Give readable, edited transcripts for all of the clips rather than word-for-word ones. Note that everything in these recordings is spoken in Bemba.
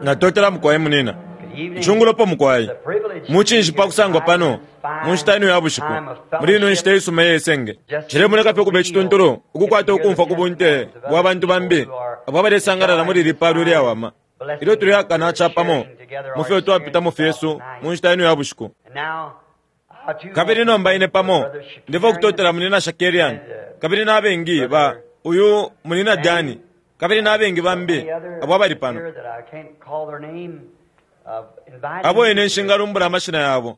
Natotela mukwai munina. Icungulopo mukwai. Mucinshi pa kusangwa pano mu nshita ino ya bushiku, muli ino nshita isuma iye senge. Cilemoneka fye ukuba icituntulu ukukwata ukumfwa ku bunte bwa bantu bambi abo abalesangalala muli ili palo ilyawama ilyo tuleakana capamo mu fyo twapitamo fyesu mu nshita ino ya bushiku. Kabili nomba ine pamo ndefwa ukutotela Munyina Shakarian kabili na bengi ba uyu Munyina Danny kabili na bengi bambi abo abali pano, abo ine nshingalumbula amashina yabo,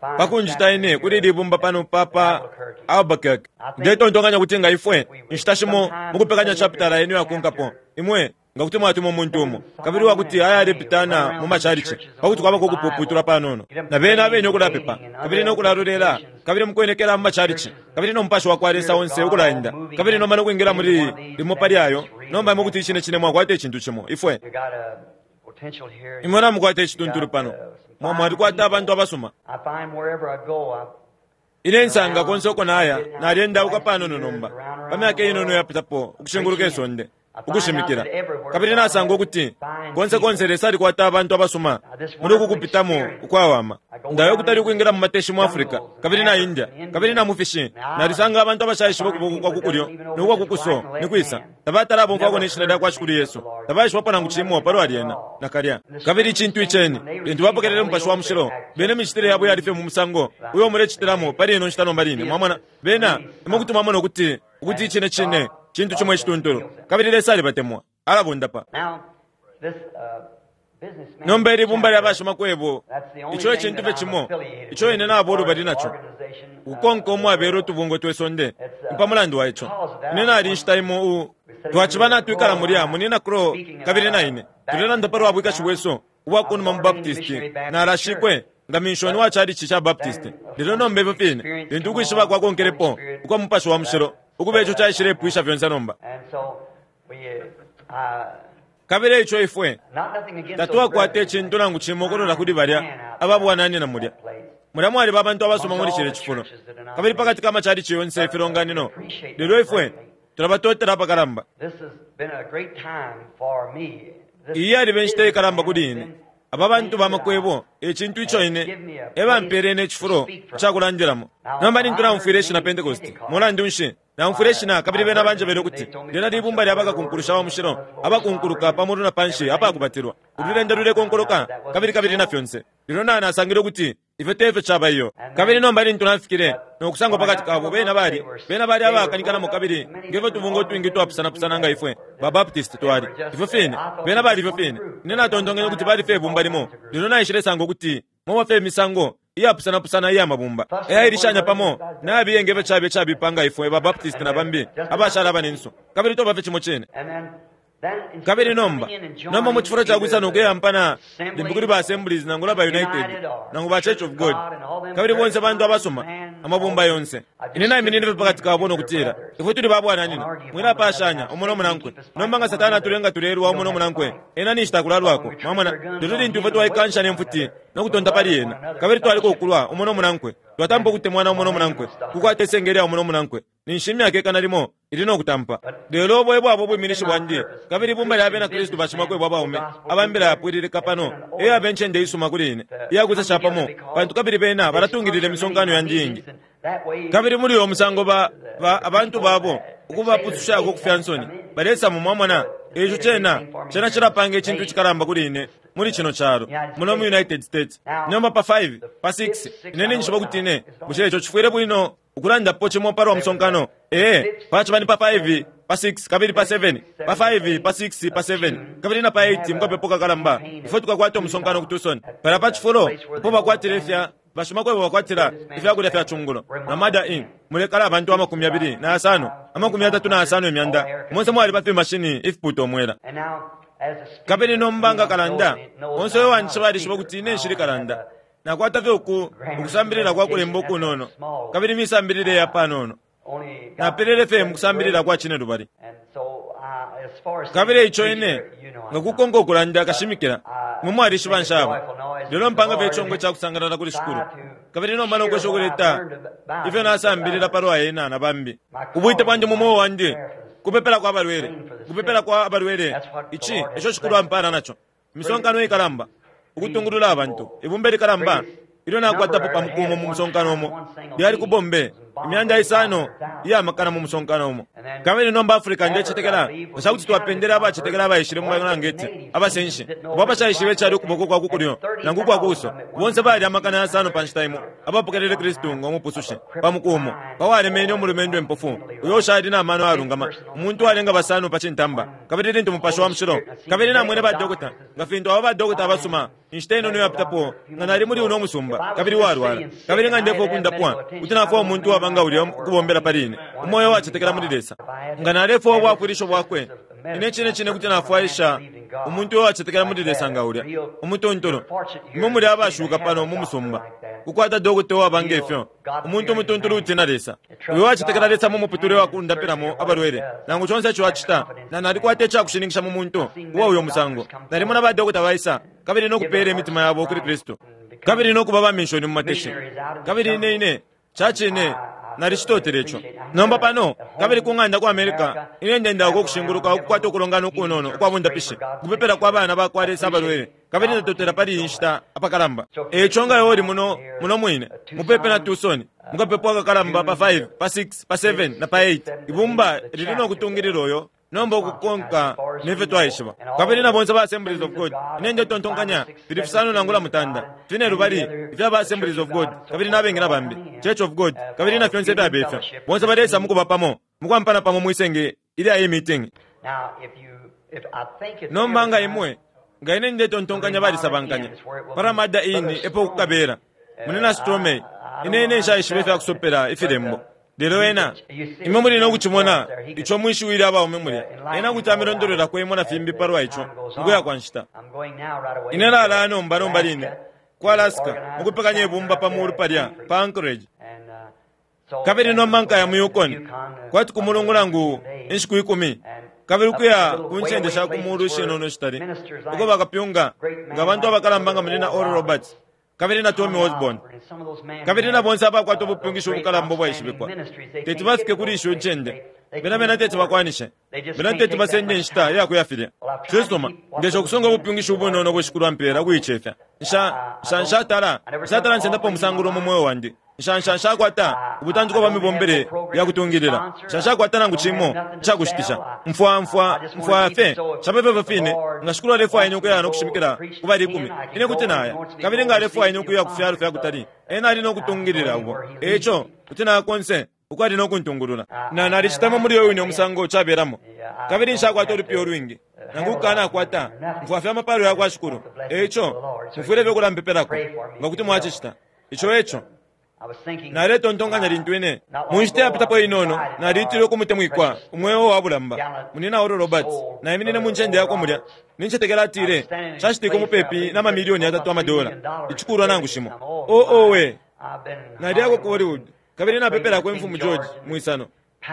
pa kunjita ine kuli ili bumba pano pa pa Albuquerque. Ndetontonkanya kuti nga ifwe inshita shimo mukupekanya chapitala ino yakonkapo, imwe nga kuti mwatuma umuntu umo, kabili uwa kuti ayalepitana mu macalici, pa kuti kwabako ukupuputulwa panono, na bena abene ukulapepa, kabili no kulalolela, kabili mukwenekela mu macalici, kabili no Mupashi wa kwa Lesa onse ukulaenda, kabili nomba no kwingila muli limo pali ayo, nomba imwe kuti icine cine mwakwata icintu cimo. Ifwe. Imwe namukwata icituntulu pano. Mwa, mwalikwata abantu abasuma. Ine nsanga konse uko naya, nalyendauka panono nomba, pa myaka inono iyapitapo, ukushinguluka isonde, ukushimikila. Kabili nasanga ukuti konse konse Lesa alikwata abantu abasuma muli uku kupitamo ukwawama. Ndaya ukutali ukwingila mu mateshi mu Africa, kabili na India, kabili na mu fishi, nalisanga abantu abashaishiba ukuboko kwa ku kulyo no kwa ku kuso ni kwisa. Tabatala abomfwako ne Shina lya kwa Shikulu Yesu. Tabaishibapo nangu cimo palwa lyena, nakalya. Kabili icintu iceni, lintu bapokelele Mupashi wa Mushilo, bena imicitile yabo yali fye mu musango uyo mulecitilamo pali ino nshita nomba line. Mwamona? Bena, imwe kuti mwamona ukuti, ukuti icine cine cintu cimo icituntulu. Kabili Lesa alibatemwa. Alabondapa. Nomba ili bumba lya bashimakwebo, ico e cintu fye cimo ico ine naba ulubali naco, ukukonka umwabela utubungwe twe sonde. Ni pa mulandu wa ico ine nali inshita imo u. Twaciba natwikala mulya, Munyina Crow kabili na ine, tulelanda palwa bwikashi bwesu ubwa kunuma mu Baptist. Nalashikwe nga minshoni wa chalichi ca Baptist. Lelo nomba ifyo fine, lintu ukwishiba kwakonkelepo ukwa Mupashi wa Mushilo, ukuba ico caishilepwisha fyonse nomba. Kabili eico ifwe tatwakwata icintu nangu cimo ukulola kuli balya aba bwananyina mulya. Mulya mwaliba abantu abasuma muli cilya cifulo, kabili pakati ka macalici yonse ifilonganino, lelo ifwe tulabatotela apakalamba. Iyi yaliba inshita ikalamba kuli ine. Aba bantu ba makwebo e cintu ico ine e bampele ine icifulo ica kulandilamo. Nomba lintu naumfwile ishina Pentecost, mulandu nshi, Naumfwile ishina, kabili bena banjebele ukuti lyena libumba lya bakakunkulusha wa mushilo abakunkuluka pa mulu na panshi apakubatilwa, ululenda lulekonkoloka, kabili, kabili na fyonse. Lelo na, nasangile ukuti ifyo te fyo caba iyo. Kabili nomba lintu nafikile no kusangwa pakati kabo, bena bali, bena bali abaakanikanamo kabili nge fyo tubungwe utwingi utwapusana pusana nga ifwe ba Baptist twali, ifyo fine. Bena bali ifyo fine. Ine natontonkenye ukuti bali fye ibumba limo, lelo naishilesanga ukuti mwaba fye imisango iyapusanapusana iya mabumba ayailishanya pamo nayabiye nge fyo caba icabipa nga ifwe ba Baptist na bambi abashala abanensu, kabili twaba fye cimo cine. Kabili nomba, nomba mu cifulo ca kwisa no kuyampana limbi kuli ba Assemblies nangula ba United nangu ba Church of God, kabili bonse bantu abasuma, amabumba yonse. Ine naiminine fye pakati kabo no kutila, Ifwe tuli ba bwananyina, mwilapashanya umo no munankwe. Nomba nga Satana atulenga tulelwa umo no munankwe, ena ninshi takulalwako. Mwamona? Lelo lintu ifwe twaikansha ne mfuti no kutonta pali ena, kabili twaleka ukulwa umo no munankwe, twatampa ukutemwana umo no munankwe, ukukwata isenge lya umo no munankwe, ninshi imyaka ikana limo ili no kutampa. Lelo ubo e bwaba ubwiminishi bwandi, kabili ibumba lya Bena Kristu bashimakwebo abaume aba Mbila Yapwililika pano e yaba incende isuma kuli ine iya kwisa capamo, pantu kabili bena balatungilila imisonkano yandi iingi. Kabili muli uyo musango ba, ba, abantu babo, ukubapusushako ku fya nsoni, balesamo, mwamona. Eico cena, cena cilapanga icintu icikalamba kuli ine muli cino calo, muno mu United States. Nomba pa 5, pa 6, ine ninjishiba ukuti ine, bushe ico cifwile bwino ukulandapo cimo palwa musonkano? Ee, paciba ni pa 5, pa 6, kabili pa 7, pa 5, pa 6, pa 7, kabili na pa 8, mukapepo kakalamba, ifwe tukakwata umusonkano ku Tucson, palya pa cifulo apo bakwatila ifya Bashimakwebo bakwatila ifya kulya fya cungulo na Mada Inn mulekala abantu 26, 35 imyanda, monse mwaliba fimashini ifipuuta umwela. Kabili nomba nga kalanda, onse uyo uwanjishiba alishiba ukuti ine nshili kalanda. Nakwata fye uku, ukusambilila kwa kulemba ukunono, kabili imisambilile ya panono. Napelele fye mu kusambilila kwa cinelubali. Kabili eico ine, nga kukonka ukulanda kashimikila, imwe mwalishiba nshaba. Lelo mpanga fye icongo ica kusangalala kuli Shikulu, kabili nomba no kwesha ukuleta ifyo nasambilila palwa Ena na bambi. Ubwite bwandi mu mweo wandi kupepelako abalwele, kupepelako abalwele. Ici eco Shikulu ampala naco. Imisonkano ikalamba, ukutungulula abantu, ibumba likalamba ilyo nakwatapo pa muku umo mu musonkano umo lyali ku Bombay, 500 iya makana mu musonkano umo. Kabili nomba Africa, ndecetekela, nga ca kuti twapendele abacetekela abaishile mu Balangeti, abasenshi, abo abashaishibe icali ukuboko kwa ku kulyo nangu ukwa kuso, bonse bali 600 pa nshita imo, abapokelele Kristu ngo Mupusushi pa muku umo, pa walemene umulumendo impofu uyo ushali na mano ayalungama, umuntu uwalenga basano pa cintamba. Kabili lintu Mupashi wa Mushilo, kabili namwene ba dokota, nga fintu aba ba dokota abasuma, inshita inono iyapitapo, nga nali muli uno musumba, kabili uwalwala, kabili nga ndefwaya ukundapwa, kuti nafwaya umuntu uwaba nga ulya ukubombela pali ine, umoyo uwacetekela muli Lesa. Nga nalefwaya ubwafwilisho bwakwe, ine cine cine kuti nafwaisha umuntu uwacetekela muli Lesa nga ulya, umutuntulu. Imwe muli abashuka pano mu musumba, kukwata dokota uwaba nge fyo, umuntu umutuntulu utina Lesa, uyo uwacetekela Lesa mu muputule wa kundapilamo abalwele, nangu conse ico acita. Na nalikwata icakushininkisha mu muntu uwa uyo musango. Nalimona ba dokota baisa kabili no kupeela imitima yabo kuli Kristu, kabili no kuba ba minshoni mu mateshi. Kabili ine, ine, ca cine, nalicitotele ico. Nomba pano, kabili ku ng'anda ku America, ine ndendauka ukushinguluka ukukwata ukulongana ukunono ukwa bundapishi, ukupepela kwa bana bakwa Lesa abalwele, kabili ndatotela pali iyi nshita apakalamba. E ico nga iwe uli muno, muno mwine, mupepi na Tucson, mukapepo akakalamba pa 5, pa 6, pa 7, na pa 8, ibumba lili no kutungilila uyo nomba ukukonka nefyo twaishiba. Kabili na bonse ba Assemblies of God, ine ndetontonkanya fili fisano nangula mutanda, fine lubali ifya ba Assemblies of God, kabili na bengi na bambi, Church of God, kabili na fyonse ifyaba ifyo, bonse baleisa mukuba pamo, mukwampana pamo mwisenge ilya iyi meeting. Nomba nga imwe, nga ine ndetontonkanya balisabankanya, pa Ramada Inn epo kukabela, Munyina Stromei, ine, ine nshaishiba ifya kusopela ifilembo. Lelo ena, imwe muli no kucimona ico mwi shiwi lya baume mulya. Ena kuti amilondolwelako imwe na fimbi palwa ico mu kuya kwa nshita. Ine nalaya nomba nomba line ku Alaska mukupekanya ibumba pa mulu palya pa Anchorage. Kabili nomba nkaya mu Yukon, kwati ku mulungu nangu inshiku ikumi, kabili ukuya ku ncende sha ku mulu ishinono ishitali, uko bakapyunga nga bantu abakalamba nga Munyina Oral Roberts, kabili na Tommy Osborn, kabili na bonse abakwata ubupyungishi ubukalamba ubwaishibikwa, teti bafike kuli isho ncende. Bena, bena teti bakwanishe. Bena teti basende inshita iya kuya filya. Cisuma, ndesha ukusunga ubupyungishi ubunono ubo Shikulu ampeela ukuicefya. Nsha, nsha, nshatala, nshatala nsendapo umusangulo mu mweo wandi. Nsha, nsha, nshakwata ubutantiko bwa mibombele ya kutungilila. Nsha, nshakwata nangu cimo ica kushitisha. Mfwa, mfwa, mfwaya fye nshapepe ifyo fine. Nga Shikulu alefwaya ine ukuya no kushimikila ku bali ikumi, ine kuti naya. Kabili nga alefwaya ine ukuya ku fyalo fya kutali, Ena ali no kutungilila ubo. E ico, kuti naya konse uko ali no kuntungulula. Na, nalicitamo muli uyo wine umusango cabelamo. Kabili nshakwata ulupiya ulwingi, nangu ukukanakwata, mfwaya fye amapalo ya kwa Shikulu. E ico, mufwile fye ukulampepelako, nga kuti mwacicita. Ico eco. Naletontonkanya lintu ine, mu nshita yapitapo inono, naliitilwe ku mutemwikwa, umweo wa bulamba, Munyina Oral Roberts. Naiminine mu ncende yakwe mulya. Nincetekela atile cashitike mupepi na mamilioni yatatu amadola, icikulwa nangu shimo. Oh, owe! Naliyako ku Hollywood, kabili napepelako Imfumu George mwisano,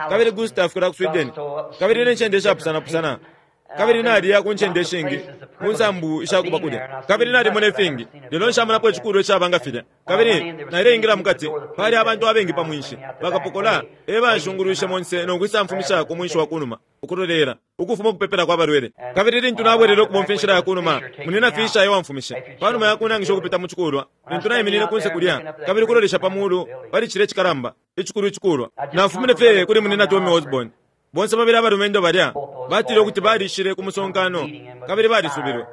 kabili Gustav kulya ku Sweden, kabili ne ncende ishapusana pusana. Kabili naliya ku ncende ishingi, ku nsambu ishakuba kulya, kabili nalimona ifingi, lelo nshamonapo icikulwa icaba nga filya. Kabili naileingila mukati, pali abantu abengi pa mwinshi. Bakapokola e banshungulwishe monse no kwisamfumisha ku mwinshi wa kunuma, ukulolela, ukufuma ukupepela kwa balwele. Kabili lintu nabwelele ukubomfya inshila ya kunuma, Munyina Fisher e wamfumishe. Panuma ya kunangisha ukupita mu cikulwa, lintu naiminine kunse kulya, kabili ukulolesha pa mulu pali cilya icikalamba, icikulu icikulwa, nafumine fye kuli Munyina Tommy Osborn. Bonse babili abalumendo balya batile ukuti balishile ku musonkano kabili balisubilwe.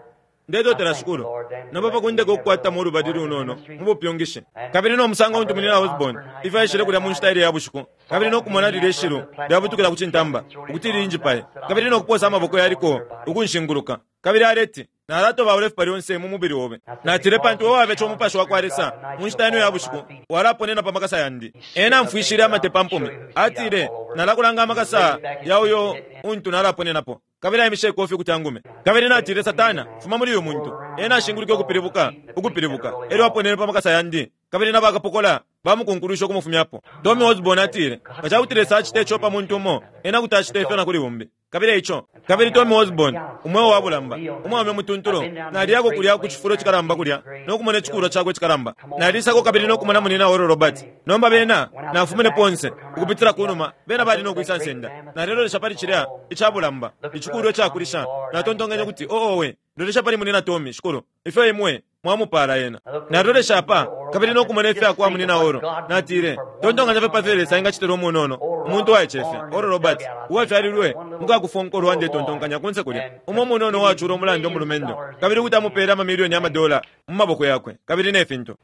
Ndetotela Shikulu nomba pa kundeka ukukwatamo ulubali lunono mu bupyungishi. Kabili no musango untu Munyina Osborn ifyo aishile kulya mu nshita ilya ya bushiku, kabili no kumona lilye shilu lyabutukila ku cintamba ukuti linjipaye, kabili no kuposa amaboko yaliko ukunshinguluka, kabili aleti, Nalatobaula ifipa lyonse mu mubili obe. Natile, Pantu iwe wabeca Umupashi wakwa Lesa mu nshita ino ya bushiku, walaponena pa makasa yandi. Ena amfwishile amate pa mpumi. Atile, Nalakulanga amakasa ya uyo untu nalaponenapo. Kabili aimishe ikofi ukuti angume. Kabili natile, Satana, fuma muli uyu muntu. Ena ashingulwike ukupilibuka, ukupilibuka, elyo aponene pa makasa yandi. Kabili na bakapokola bamukunkulwishe ukumufumyapo. Tommy Osborn atile, Nga ca kuti Lesa acita ico pa muntu umo, Ena kuti acita ifyo na kuli umbi. Kabili eico, kabili Tommy Osborn, umweo wa bulamba, umwaume umutuntulu, naliyako kulya ku cifulo cikalamba kulya no kumona icikulwa cakwe icikalamba. Nalisako kabili no kumona Munyina Oral Roberts. Nomba bena, nafumine ponse, ukupitila kunuma, bena bali no kwisa nsenda. Nalelolesha pali cilya ica bulamba, icikulwa icakulisha, natontonkenye ukuti, Oh, owe! Lolesha pali Munina Tommy, Shikulu, ifyo Imwe mwamupala ena. Nalolesha apa kabili no kumona ifya kwa Munina Oro. Natile, Tontonkanya fye pa fyo Lesa engacitila umunono, umuntu waicefya, Oral Roberts, uwafyalilwe mukakufonkolwa, ndetontonkanya, kunse kulya, umo umunono uwacula umulanda umulumendo, kabili kuti amupele amamilioni ya madola mu maboko yakwe, kabili ne fintu.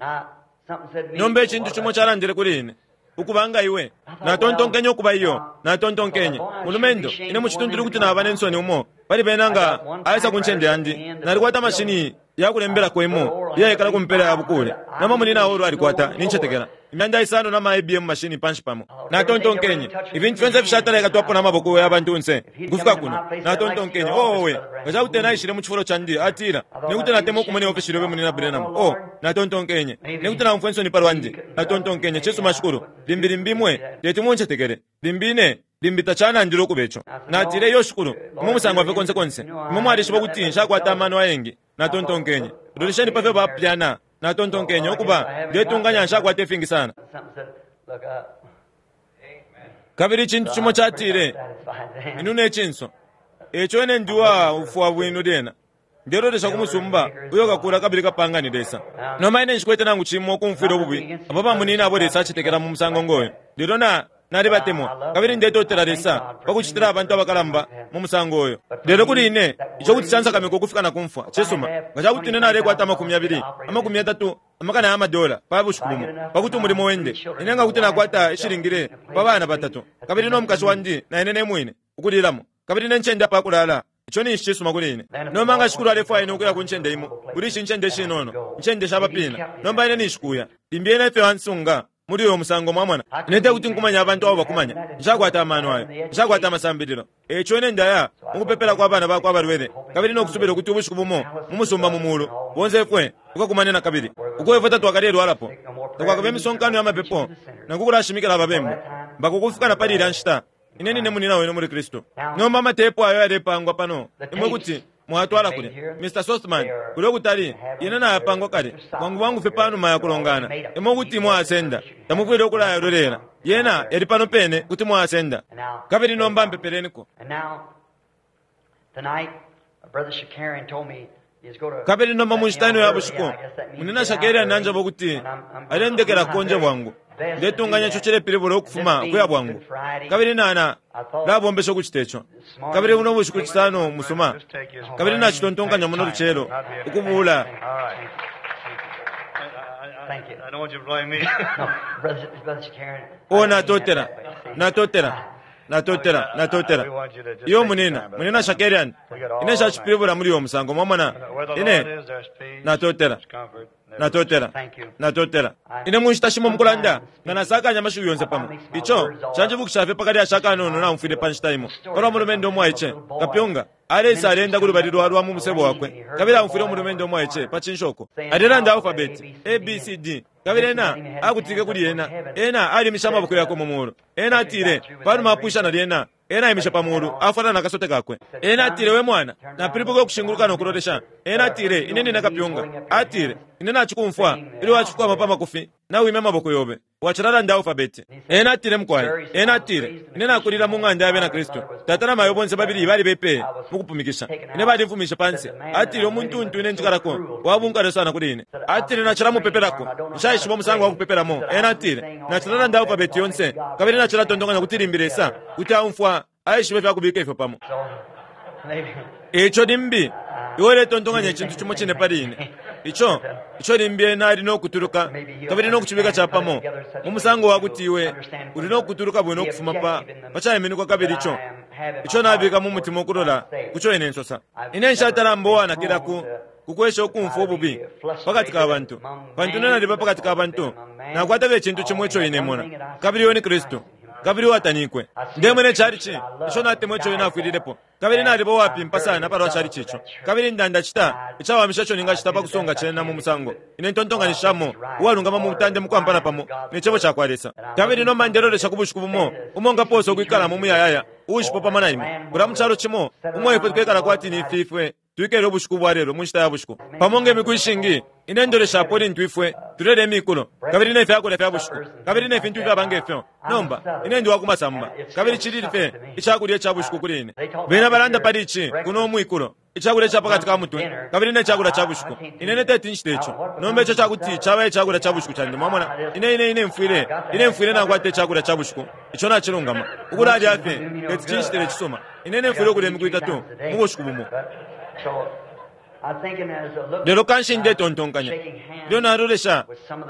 Nomba icintu cimo calandile kuli ine, Ukuba nga iwe. Natontonkenye ukuba iyo. Natontonkenye, Mulumendo, ine mucituntulu kuti naba ne nsoni umo pali bena nga aisa ku ncende yandi. Nalikwata mashini ya kulembelako imo iyaikala ku mpela ya bukuule. Nomba Munyina Oral alikwata, nincetekela, imyanda isano na ma IBM mashini panshi pamo. Natontonkenye, Ifintu fyonse ifishatala ikatwapo na maboko ya bantunse ukufika kuno. Natontonkenye, Oh, owe, nga ca kuti ena aishile mu cifulo candi, atila, Ine kuti natemwa ukumona iofeshi lyobe, Munyina Branham. Oh, natontonkenye, Ine kuti naumfwa insoni palwandi. Natontonkenye, Cisuma, Shikulu, limbi, limbi Imwe teti muncetekele. Limbi ine, limbi tacanandile ukuba ico. Natile, Iyo, Shikulu, Imwe musangwa fye konse konse. Imwe mwalishiba ukuti nshakwata amano ayengi. Natontonkenye, Lolesheni pa fyo bapyana. Natontonkenye, Ukuba, ndetunganya nshakwata ifingi sana. Kabili icintu cimo catile, Inuna icinso. Eico ine ndi uwaufwa bwino lyena. Ndelolesha ku musumba uyo kakula kabili kapanga ni Lesa. Nomba ine nshikwete nangu cimo ukumfwila ububi abo bamunina abo Lesa acetekela mu musango ngoyo. Lelo na, nalibatemwa, kabili ndetotela Lesa pa kucitila abantu abakalamba mu musango uyo. Lelo kuli ine, ico kuti cansakamika ukufika na ku mfwa. Cisuma, nga ca kuti ine nalekwata amakumi yabili, amakumi yatatu amakana ya madola pa bushiku bumo, pa kuti umulimo wende, ine nga kuti nakwata ishilingile pa bana batatu, kabili no mukashi wandi na ine ne mwine, ukulilamo, kabili ne ncende apa kulala, ico ninshi cisuma kuli ine. Nomba nga Shikulu alefwaya ine ukuya ku ncende imo kuli ishi ncende ishinono, incende sha bapina, nomba ine ninshi kuya. Limbi ena efyo ansunga muli uyo musango, mwamona. Ine tekuti nkumanye abantu abo bakumanya. Nshakwata amano ayo. Nshakwata amasambililo. Eico ine ndaya mukupepelako abana bakwe abalwele, kabili no kusubila ukuti ubushiku bumo mu musumba mu mulu, bonse ifwe tukakumane nakabili, uko ifwe tatwakalelwalapo, takwakabe imisonkano ya mapepo, nangu kulashimikila ababembu. Mpaka ukufika na pali ilya nshita, Ine nine munina wenu muli Kristu. Nomba amatepu ayo yalepangwa pano, imwe kuti mwatwala kulya. Mr. Sothmann, kulya ukutali, yena nayapangwa kale, bwangu bwangu fye panuma ya kulongana. Imwe kuti mwayasenda. Tamufwile ukulayalolela. Yena yali pano pene, kuti mwayasenda. Kabili nomba mpepeleniko. Kabili nomba mu nshita ino ya bushiku, Munyina Shakarian nanjeba ukuti alendekela konje bwangu. Ndetunganya ico cilepilibula ukufuma ukuya bwangu. Kabili na, na labombesha ukucita ico. Kabili buno bushiku Cisano musuma. Kabili nacitontonkanya muno lucelo ukubuula. Oh, natotela. Natotela. Natotela. Natotela. Iyo, munina, Munina Shakarian. Ine nshacipilibula muli uyo musango, mwamona. Ine, natotela. Natotela. Natotela. Ine mu nshita shimo mukulanda nga nasakanya amashiwi yonse pamo. Ico canjibukisha fye pa kalyashi akanono naumfwile pa nshita imo palwa mulumendo umwaice, kapyunga, aleisa aleenda kulubali lwa lwa mu musebo wakwe, kabili aumfwile umulumendo umwaice pa cinshoko alelanda alfabeti, A, B, C, D, kabili ena akutike kuli ena. Ena alimishe amaboko yakwe mu mulu. Ena atile, panuma apwisha na lyena, Ena aimishe pa mulu, afwala na kasote kakwe. Ena atile, We mwana, napilibuka ukushinguluka no kulolesha. Ena atile, Ine nine kapyunga. Atile, Ine nacikumfwa ilyo wacikwama pa makufi, nawimya amaboko yobe, wacilalanda alfabeti. Ena atile, Mukwai, ena atile, Ine nakulila mu ng'anda ya Bena Kristu. Tata na mayo bonse babili balibepeye mukupumikisha. Ine balimfumishe panse. Atile, Umuntu untu ine njikalako wa bunkalwe sana kuli ine. Atile, Nacilamupepelako. Nshaishiba umusango wa kupepelamo. Ena atile, Nacilalanda alfabeti yonse, kabili nacilatontonkanya ukuti limbi Lesa kuti aumfwa aishiba ifya kubika ifyo pamo. Eico limbi iwe uletontonkanya icintu cimo cine pali ine, ico, ico limbi ena ali no kutuluka kabili no kucibika capamo mu musango wa kuti iwe uli no kutuluka bwino ukufuma pa, pa caiminikwa kabili ico, ico nabika mu mutima ukulola kuco ine nsosa. Ine nshatala mba uwanakila ku, ku kwesha ukumfwa ububi pakati ka bantu, pantu ine naliba pakati ka bantu, nakwata fye icintu cimo ico ine mona, kabili uyo ni Kristu. kabili uwatanikwe. Ndemona icalici ico natemwa ico ena afwililepo, kabili naliba uwapimpa sana palwa calici ico, kabili nda, ndacita icawamisha ico ningacita pa kusunga cena mu musango ine ntontonkanishishamo uwalungama mu mutande mu kwampana pamo ne Cebo cakwa Lesa. Kabili nomba ndelolesha ku bushiku bumo umo nkapoosa ukwikala mu muyayaya uushipo pamo na imwe, kulya mu calo cimo umo ifwe tukekala kwati ni fi ifwe twikele ubushiku bwa lelo mu nshita ya bushiku. Pamo nge miku ishingi Ine ndoleshapo lintu ifwe tulelya imikulo kabili ne fyakulya fya bushiku kabili ne fintu ifyaba nge fyo. Nomba, ine ndi wa kumasamba, kabili cili fye icakulya ica bushiku kuli ine. Bena balanda pali ici kuno umwikulo, icakulya ica pakati ka mutwe kabili ne cakulya ca bushiku. Ine ine teti ncite ico. Nomba ico cakuti caba e cakulya ca bushiku candi, mwamona. Ine, ine, ine mfwile, ine mfwile nakwata icakulya ca bushiku. Ico nacilungama. Ukulalya fye teti cincitile icisuma. Ine ine mfwile ukulya imiku itatu mu bushiku bumo. Lelo kanshi ndetontonkanya, ilyo nalolesha,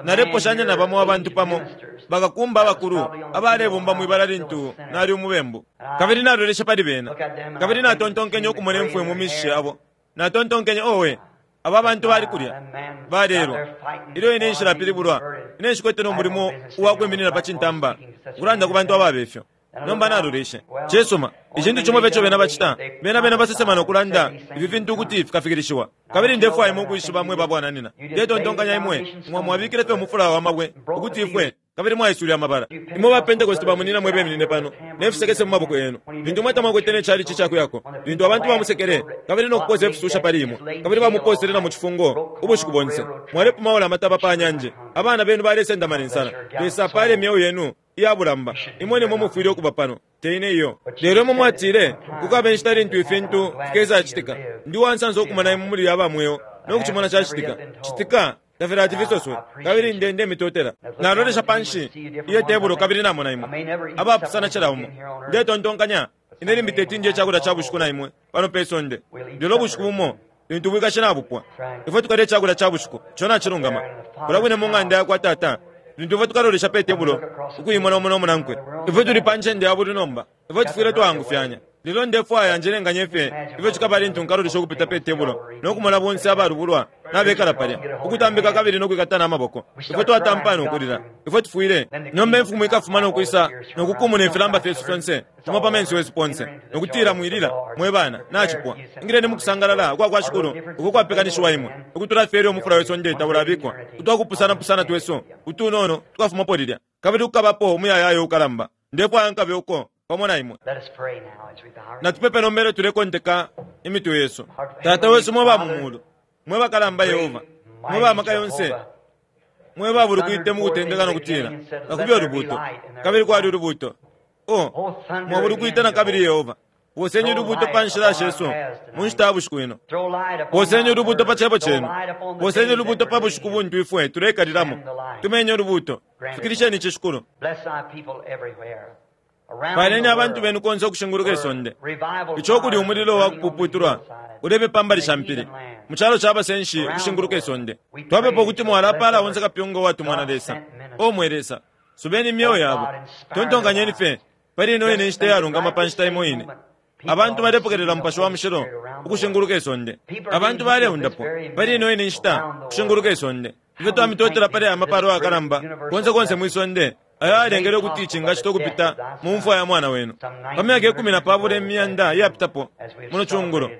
naleposhanya na bamo abantu pamo, bakakumba abakulu abalebomba mwi bala lintu nali umubembu. Kabili naloleshe pali bena, kabili natontonkenye ukumona imfwe mu mishishi yabo. Natontonkenye, Owe, aba bantu bali kulya, balelwa. Ilyo ine nshilapilibulwa, ine nshikwete no mulimo uwa kwiminina pa cintamba ukulanda ku bantu ababe fyo. Nomba naloleshe. Cisuma, icintu cimo fye ico bena bacita, bena, bena basesema no kulanda ifi fintu ukuti fikafikilishiwa. Kabili ndefwaya imwe ukwishiba, mwe babwananina, ndetontonkanya imwe mwa, mwabikile fye umufula wa mabwe ukuti ifwe, kabili mwaiswile amabala. Imwe ba Pentecost ba munyina mwe beminine pano ne fisekese mu maboko yenu, lintu imwe tamwakwete ne chalichi ca kuyako, lintu abantu bamusekele kabili no kuposa ifisusha pali imwe, kabili bamuposele na mu cifungo ubushiku bonse. Mwalepumaula amataba pa nyanje, abana benu balesendama ne nsala. Lesa apale imyeo yenu iya bulamba. Imwe nimwe mufwile ukuba pano, te ine iyo. Lelo imwe mwatile, Kukaba inshita lintu ifintu fikesacitika. Ndi uwansansa ukumona imwe muli aba mweo no kucimona cacitika. Citika tafilati fisoswe, kabili nde ndemitotela. Nalolesha panshi iye tebulo kabili namona imwe, abapusana cila umo. Ndetontonkanya, Ine limbi teti ndye icakulya ca bushiku na imwe pano pe sonde, lelo ubushiku bumo lintu ubwikashi nabupwa, ifwe tukalya icakulya ca bushiku. Ico nacilungama. Kulya kwine mu ng'anda yakwa Tata, Lintu ifwe tukalolesha pe tebulo ukuimona umo no munankwe, ifwe tuli pa ncende ya bulwi nomba. Ifwe tufwile twaangufyanya. Lelo ndefwaya njelenganye fye ifyo cikaba lintu nkalolesha ukupita pe tebulo no kumona bonse abalubulwa nabekala palya, ukutambika kabili no kwikatana amaboko. Ifwe twatampa no kulila. Ifwe tufwile. Nomba Imfumu ikafuma no kwisa no kukumuna ifilamba fyesu fyonse fimo pa menso yesu ponse, no kutila, Mwilila, mwe bana, nacipwa. Ingileni mu kusangalala ukwa kwa Shikulu uko kwapekanishiwa imwe. Ukutula fye ilyo umufula we sonde taulabikwa, utwa kupusanapusana twesu utunono tukafumapo lilya, kabili kukabapo umuyayaya ukalamba. Ndefwaya nkabe uko pamo na imwe. Natupepe nomba ilyo tulekonteka imitwe yesu. Tata wesu mwe ba mu mulu, mwe bakalamba Yehova, mwe ba maka yonse, mwe ba bulukwite mu kutendeka no kutila, Nakube ulubuuto, kabili kwali ulubuuto. Oh, mwabulukwite na kabili Yehova. Poseni ulubuuto pa nshila shesu mu nshita ya bushiku ino. Poseni ulubuuto pa Cebo Cenu. Poseni ulubuuto pa bushiku buntu ifwe tuleikalilamo. Tumenye ulubuuto. Fikilisheni ici, Shikulu. Paleni abantu benu konse ukushinguluka isonde, ico ukuli umulilo wa kupuputulwa ulebe pa mbali sha mpili, mu calo ca basenshi ukushinguluka isonde. Twapepa ukuti mwalapaala onse kapyunga uwatumwa na Lesa. O mwe Lesa, subeni imyeo yabo. Tontonkanyeni fye pali ino ine nshita iyalungama pa nshita imo ine. Abantu balepokelela Mupashi wa Mushilo ukushinguluka isonde. Abantu baleundapwa pali ino ine nshita ukushinguluka isonde. Ifyo twamitotela pali aya mapalo ayakalamba konse konse mwi sonde ayo ayalengele ukuti cingacitwa ukupita mu mfwa ya Mwana wenu pa myaka ikumi na pabula imyanda iyapitapo muno cungulo,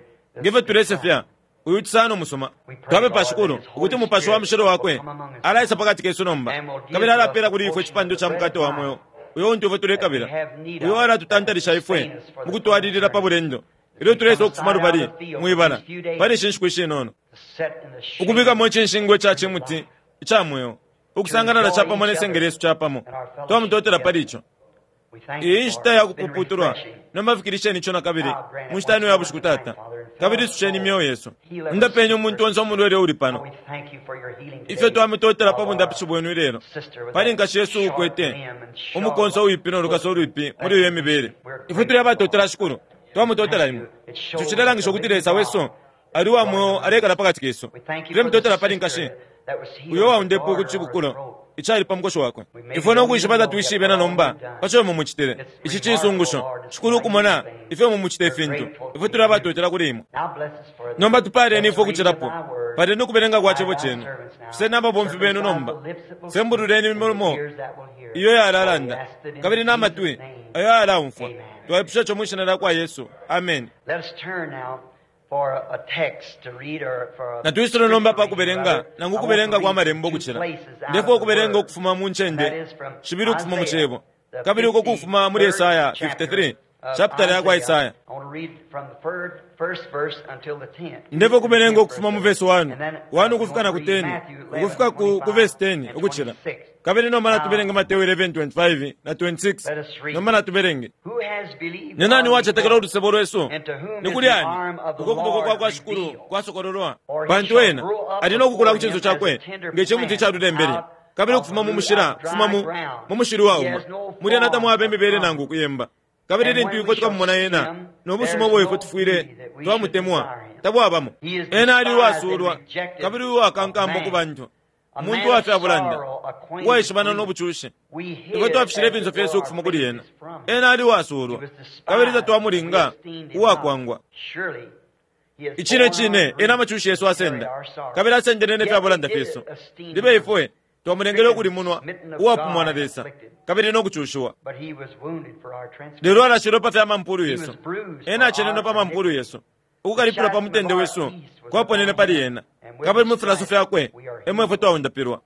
nge fyo tulesefya uyu cisano musuma. Twapepa, Shikulu, ukuti Mupashi wa Mushilo Wakwe alaisa pakati kesu nomba, kabili alapela kuli ifwe icipando ca mukate wa mweo uyo untu ifwe tulekabila, uyo alatutantalisha ifwe mukutwalilila pa bulendo ilyo tuleisa ukufuma lubali mwi bala pali ishi nshiku ishinono, ukubikamo icinshingwa ica cimuti ica mweo, ukusangalala capamo ne senge lyesu capamo. Twamutotela pali ico. Iyi nshita ya kupuputulwa nomba, fikilisheni ico nakabili mu nshita ino ya bushiku, Tata, kabili isusheni imyeo yesu. Undapeni umuntu onse umulwele uuli pano. Ifyo twamitotela pa bundapishi bwenu ilelo, pali nkashi yesu uukwete umukonso uwipi no lukaso ulwipi muli iyo imibele. Ifwe tuli abatotela, Shikulu. Twamutotela Imwe. Ico cilelangisha ukuti Lesa wesu ali uwa mweo alekala pakati kesu. Tulemutotela pali nkashi uyo uwaundepwe ku cibukulo icali pa mukoshi wakwe. Ifwe no kwishiba tatwishibe na nomba pa co imwe mucitile. Ici cisungusho, Shikulu, ukumona ifyo imwe mucita ifintu. Ifwe tuli abatotela kuli Imwe. Nomba tupaaleni ifwe ukucilapo. Paleni ukubelenga kwa Cebo Cenu. Fuseni ababomfi Benu nomba. Sembululeni imilomo iyo yalalanda, kabili na matwi ayo ayalaumfwa. Twaipusha ico mwi Shina lyakwa Yesu. Ameni. Natwisule nomba pa kubelenga, nangu ukubelenga kwa Malembo ukucila. Ndefwaya ukubelenga ukufuma mu ncende shibili ukufuma mu Cebo, kabili uko kufuma muli Esaya 53, chapitala yakwa Isaya. Ndefyo kubelenga ukufuma mu vesi 1, 1 ukufika na ku 10, ukufika ku, ku vesi 10 ukucila. Kabili nomba natubelenge Mateo 11:25 na 26. Nomba natubelenge. Ni nani wacetekela ulusebo lwesu? Ni kuli ani uko kuboko kwa kwa Shikulu kwasokololwa? Pantu ena ali no kukula ku cinso cakwe nge cimuti ica lulembele, kabili ukufuma mu mushila, kufuma mu, mu mushili wauma. Muli ena tamwaba imibele nangu ukuyemba. Kabili lintu ifwe tukamumona ena, no busuma ubo ifwe tufwile twamutemwa tabwabamo. Ena ali uwasuulwa kabili uwakankamba ku bantu, umuntu wa fya bulanda, uwaishibana no bucushi. Ifwe twafishile ifinso fyesu ukufuma kuli ena. Ena ali uwasuulwa kabili tatwamulinga, uwakwangwa. Icine cine ena amacushi yesu asenda, kabili asendele ne fya bulanda fyesu. Libe ifwe twamulengele ukulimunwa, uwapumwa na Lesa, kabili no kucushiwa. Lelo alashilwe pa fya mampulu yesu, ena acenenwe pa mampulu yesu. Ukukalipilwa pa mutende wesu kwaponene pali ena, kabili mu filaso fyakwe emo ifwe twaundapilwa.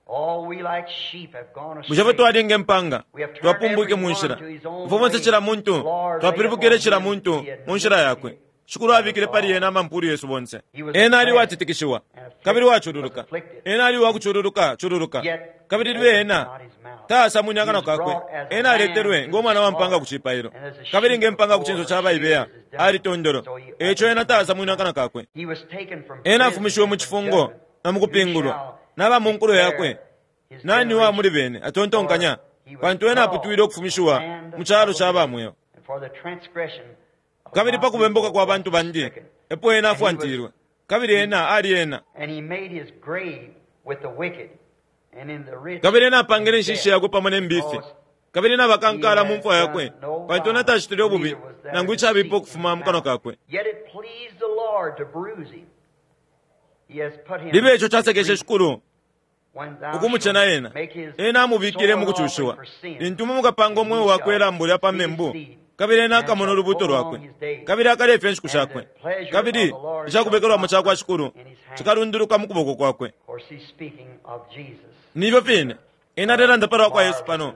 Bushe ifwe twali nge mpanga, twapumbwike mu nshila? Ifwe bonse cila muntu twapilibukile cila muntu mu nshila yakwe. Shikulu abikile pali ena amampulu yesu bonse. Ena ali uwatitikishiwa kabili uwacululuka. Ena ali uwakucululuka cululuka, kabili libe ena taasamwine akanwa kakwe. Ena aletelwe ngo mwana wa mpanga ku cipailo, kabili nge mpanga ku cinso ca baibeya ali tondolo. Eco ena taasamwine akanwa kakwe. Ena afumishiwe mu cifungo na mu kupingulwa naba mu nkulo yakwe. Nani wa muli bene atontonkanya? Pantu ena aputwile ukufumishiwa mu calo ca ba mweo. Kabili pa kubembuka kwa bantu bandi epo ena afwantilwe, kabili ena ali ena. Kabili ena apangile inshishi yakwe pamo ne mbifi, kabili nabakankala mu mfwa yakwe, pantu ena tacitile ububi nangu icabipa ukufuma mu kanwa kakwe. Libe ico casekeshe Shikulu ukumucena ena, ena amubikile mu kucushiwa. Lintu imwe mukapanga umweo wakwe ilambo lya pa membu, kabili ena akamona ulubuto lwakwe, kabili akalefya inshiku shakwe, kabili icakubekelwamo ca kwa Shikulu cikalunduluka mu kuboko kwakwe. Nifyo fine ena alelanda palwa kwa Yesu pano,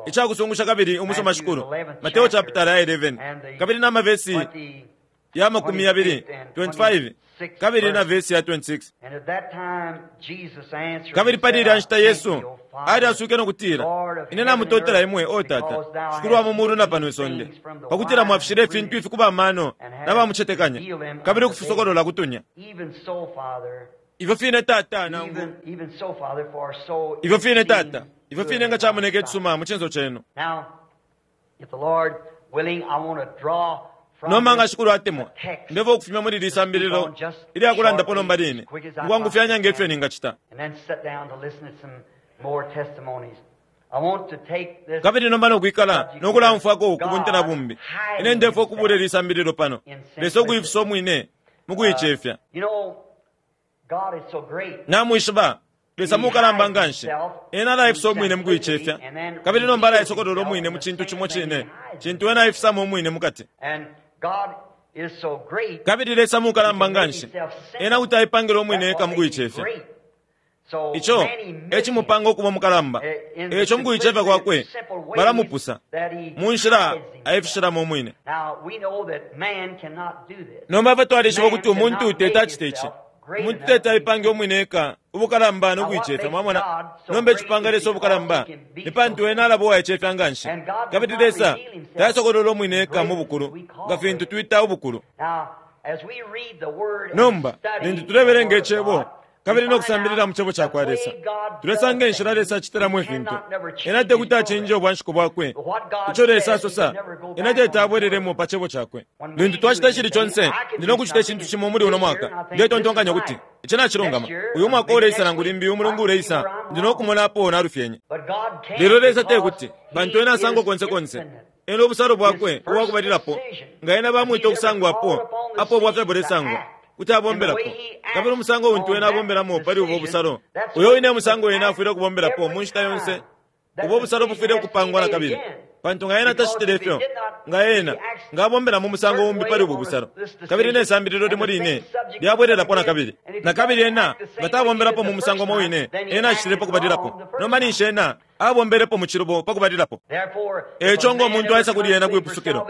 icakusungusha kabili umusoma Shikulu. Mateo chapitala ya 11 kabili na mavesi ya 20, 25 kabili na vesi ya 26. Kabili pali ilya nshita Yesu alyaswike no kutila, Ine namutotela imwe, o Tata, Shikulu wa mu mulu na pano isonde, pakutila mwafishile ifintu ifi ku ba mano na bamucetekanya, kabili ukufisokolola kutunya. Ifyo fine Tata, nangu ifyo fine Tata, ifyo fine nga camoneka icisuma mu cinso cenu. Nomba nga Shikulu atemwa, ndefwaya ukufumya muli ili sambililo ilya kulandapo nomba line, mukwangufyanya nge fyo ningacita. Kabili nomba nokwikala no kulaumfwako ku bunte na bumbi. Ine ndefwaya ukubula ili sambililo pano, Lesa ukuifisa umwine mukuicefya. Namwishiba, Lesa mukalamba nganshi. Ena alaifisa umwine mukuicefya, kabili nomba alaisokolola umwine mu cintu cimo cine cintu ena aifisamo umwine mukati. Kabili Lesa mukalamba nganshi, ena kuti aipangila umwine eka mukuicefya. Ico e cimupanga ukuba mukalamba. Eco mukuicefya kwakwe balamupusa mu nshila aifishilamo umwine. Nomba ifwe twalishiba ukuti umuntu teti acite ici. Umuntu teti aipange umwine eka ubukalamba no kuicefya, mwamona. Nomba icipanga Lesa ubukalamba ni pantu ena alaba uwaicefya nganshi. Kabili Lesa tasokolola umwine eka mu bukulu nga fintu twita ubukulu. Nomba lintu tulebelenga Icebo kabili no kusambilila mu Cebo ca kwa Lesa, tulesanga inshila Lesa acitilamo ifintu. Ena tekuti acinje ubwanshiko bwakwe. Ico Lesa asosa, ena teti abwelelemo pa Cebo cakwe. Lintu twacita icili conse, ndi no kucita icintu cimo muli uno mwaka, ndetontonkanya ukuti ici nacilungama. Uyu mwaka uleisa nangu limbi umulungu uleisa, ndi no kumona apo nalufyenye. Lelo Lesa tekuti, pantu ena asangwa konse konse. Ena ubusalo bwakwe ubwakubalilapo, nga ena bamwita ukusangwapo, apo ubwafya bulesangwa, kuti abombelapo. Kabili umusango untu ena abombelamo pali ubo busalo, uyo wine musango ena afwile ukubombelapo mu nshita yonse. Ubo busalo bufwile ukupangwa na kabili, pantu nga ena tacitile ifyo, nga ena nga abombela mu musango umbi pali ubu busalo, kabili ne sambililo limo line lyabwelelapo na kabili. Na kabili ena nga tabombelapo mu musango umo wine ena acitilepo kubalilapo, nomba ninshi ena Abombelepo mu cilubo pa kubalilapo. E ico ngo muntu aisa kuli ena kwi pusukilo,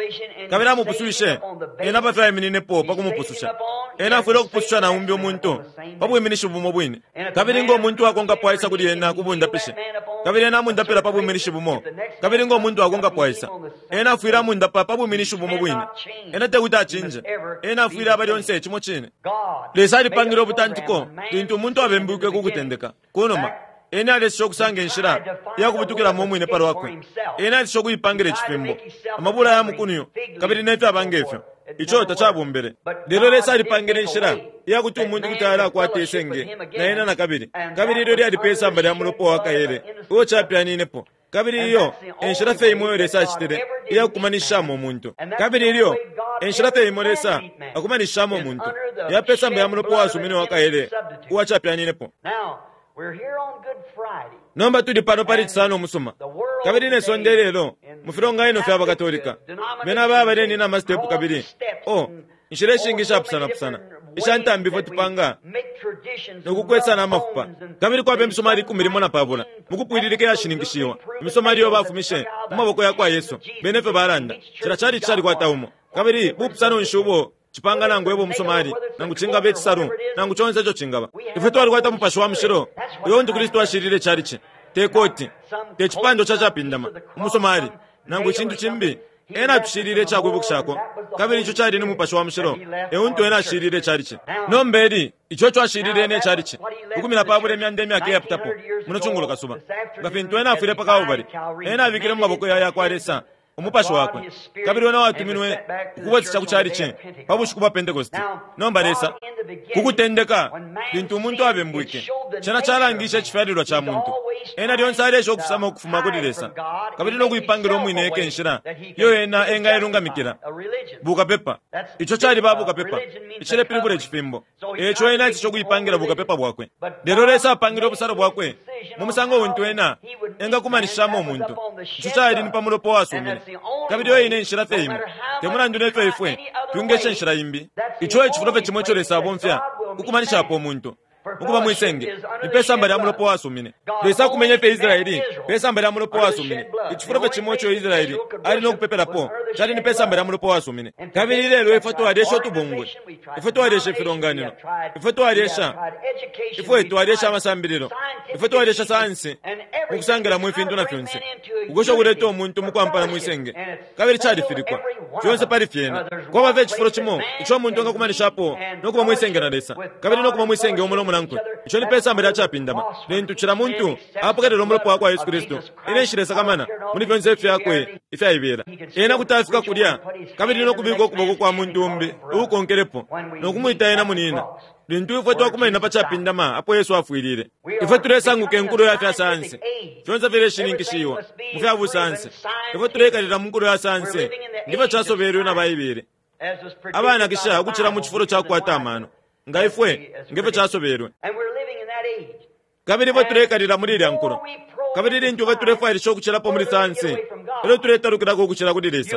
kabili amupuswishe ena pa fyo aimininepo pa kumupususha, ena afwile ukupususha na umbi umuntu pa bwiminishi bumo bwine. Kabili ngo muntu akonkapo aisa kuli ena ku bundapishi, kabili ena amundapila pa bwiminishi bumo, kabili ngo muntu akonkapo aisa, ena afwile amundapa pa bwiminishi bumo bwine. Ena tekuti acinje. Ena afwile aba lyonse cimo cine. Lesa alipangile ubutantiko lintu umuntu abembwike ku kutendeka, ku numa. Ena alesha ukusanga inshila ya kubutukilamo umwine pa lwakwe. Ena alesha ukuipangila icifimbo, amabula ya mukunyu, kabili ne fyaba nge fyo. Ico tacabombele. Lelo Lesa alipangile inshila iya kuti umuntu kuti alakwata isenge na ena na kabili, kabili ilyo lyali pe samba lya mulopa wa kaele uo capyaninepo. Kabili iyo e nshila fye imo iyo Lesa acitile iya kukumanishishamo umuntu. Kabili ilyo e nshila fye imo Lesa akumanishishamo umuntu, ya pe samba ya mulopa uwasumine uwa kaele uwa capyaninepo. Nomba tuli pano pali Cisano umusuma, kabili ne sonde ilelo mu filonganino fya baKatolika bena baba balenina amastepu kabili, oh, inshila ishingi ishapusanapusana isha ntambi ifwe tupanga no kukwesana amafupa. Kabili kwaba imisomali 15 mukupwililika iyashininkishiwa, imisomali iyo bafumishe mu maboko ya kwa Yesu. Bena efyo balanda. Cila chalichi calikwata umo. Kabili bupusano nshi ubo cipanga nangu ebe umusomali, nangu cingaba icisalu, nangu conse ico cingaba? Ifwe twalikwata Mupashi wa Mushilo, uyo untu Kristu ashilile ichalichi, te koti, te cipando ca capindama, umusomali, nangu icintu cimbi. Ena atushilile ica kwibukishako, kabili ico cali ni Mupashi wa Mushilo e untu Ena ashilile ichalichi. Nomba eli, ico eco ashilile Ena ichalichi, 20 imyanda imyaka iyapitapo, muno cungulo kasuba. Nga fintu Ena afwile pa Kalbale, Ena abikile mu maboko ya yakwa Lesa Umupashi Wakwe, kabili Wena watuminwe ukubwesesha ku chalichi pa bushiku bwa Pentekoste. Nomba Lesa, ku kutendeka, lintu umuntu abembwike, cena calangishe icifyalilwa ca muntu. Ena lyonse aleesha ukufisama ukufuma kuli Lesa, kabili no kuipangila umwine eka inshila iyo ena engailungamikila. Bukapepa, ico caliba bukapepa, icilepilibula icifimbo. Eico ena aeseshe ukuipangila bukapepa bwakwe. Lelo Lesa apangile ubusalo bwakwe mu musango untu ena engakumanishishamo umuntu. Ico cali ni pa mulopa uwasumine. Kabili iyo ine enshila fye imo, te mulandu ne fyo ifwe twingesha inshila imbi. Ico e cifulo fye cimo ico Lesa abomfya ukukumanishapo umuntu, ukuba mwi senge, ni pe samba lya mulopa uwasumine. Lesa akumenye fye Israeli pe samba lya mulopa uwasumine. Icifulo fye cimo ico Israeli ali no kupepelapo cali ni pe samba lya mulopa uwasumine. Kabili ilelo ifwe twalyesha utubungwe, ifwe twalyesha ifilonganino, ifwe twalyesha, ifwe twalyesha amasambililo, ifwe twalyesha sayansi mukusangilamo ifintu na fyonse, ukwesha ukuleta umuntu mukwampana mwi senge, kabili califilikwa fyonse pali fyena. Kwaba fye icifulo cimo ico umuntu engakumanishapo no kuba mwi senge na Lesa, kabili no kuba mwi senge umo no munankwe, ico ni pe samba lya capindama, lintu cila muntu apokelela Umulopa wakwa Yesu Kristu. Ine nshilesakamana muli fyonse ifyakwe ifyaibela. Ena kuti afika kulya kabili no kubika ukuboko kwa muntu umbi uukonkelepo no kumwita ena munina. Lintu ifwe twakumanina pa capindama apo Yesu afwilile, ifwe tulesanguka inkulo ya fya sayansi. Fyonse fileshininkishiwa mu fya busayansi. Ifwe tuleikalila mu nkulo ya sayansi nge fyo casobelwe na Baibele. Abanakisha ukucila mu cifulo ca kukwata amano, nga ifwe, nge fyo casobelwe. Kabili ifwe tuleikalila muli ilya nkulo. Kabili lintu ifwe tulefwailisha ukucilapo muli sayansi, elyo tuletalukilako ukucila kuli Lesa.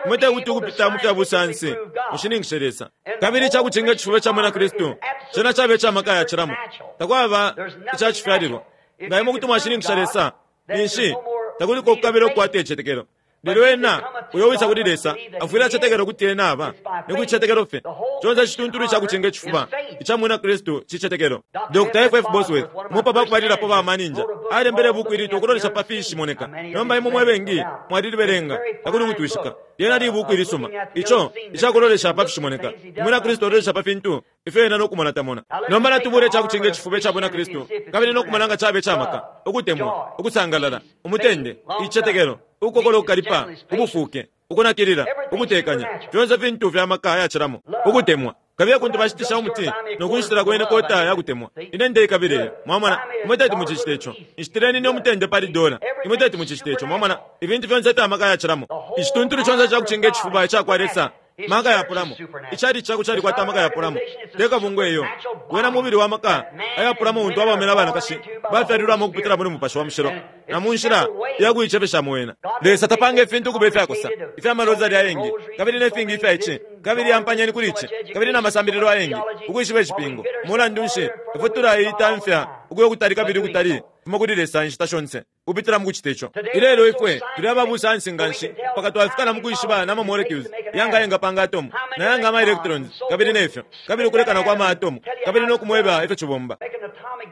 Imwe tekuti ukupita mu fya busayansi mushininkishe Lesa. Kabili icakucinga icifuba ca mwina Kristu cena caba ica maka ayacilamo. Takwaba ica cifyalilwa. Nga imwe kuti mwashininkisha Lesa, ninshi takuliko ukukabila ukukwata icicetekelo. Lelo ena uyo uwisa kuli Lesa afwile acetekela ukuti Ena aba, ni ku cicetekelo fye. Conse icituntulu ica kucinga icifuba ica mwina Kristu cicetekelo. Dr. F. F. Bosworth, umo pa bakubalilapo ba maninja, alembele ibuku ilitwa Ukulolesha pa Fishimoneka. Nomba imwe mwe bengi mwalilibelenga, takuli ukutwishika. Lyena libuku ilisuma. Ico ica kulolesha pa fishimoneka. Umwina Kristu alolesha pa fintu ifyo ena no kumona tamona. Nomba natubule ica kucinga icifuba ica Bwina Kristu kabili no kumona nga caba ica maka, ukutemwa, ukusangalala, umutende, icicetekelo, ukukokola ukukalipa, ubufuuke, ukunakilila, ukutekanya, fyonse fintu fya maka ayacilamo, ukutemwa. Kabiye kuntu bashitisha umuti no kunshitilako ine kota ya kutemwa. Ine ndeikabila iyo. Mwamona? Imwe teti mucicite ico. Nshitileni ine umutende pali dola. Imwe teti mucicite ico. Mwamona? Ifintu fyonse fya maka ayacilamo. Icituntulu conse ica kucinga icifuba ica kwa Lesa maka yapulamo. Icalici cakwe calikwata amaka yapulamo, te kabungwe iyo. Wena mubili wa maka ayapulamo untu abaume na banakashi bafyalilwamo ukupitila muli Mupashi wa Mushilo na mu nshila ya kuicefeshamo wena. Lesa tapanga ifintu ukuba ifyakosa, ifya marosari ayengi, kabili ne fingi ifya ici, kabili yampanyeni kuli ici, kabili na masambililo ayengi, ukwishiba icipingo. Mulandu nshi, ifwe tulaitamfya ukuya ukutali kabili ukutali fuma kuli Lesa inshita shonse. Kupitila mukucita ico. Ilelo ifwe tuli aba busayansi nga nshi mpaka twafika na mukwishiba na ma molecules yanga ayengapanga atomu, na yanga ama electrons, kabili ne fyo, kabili ukulekana kwa ma atomu, kabili no kumweba ifyo cibomba.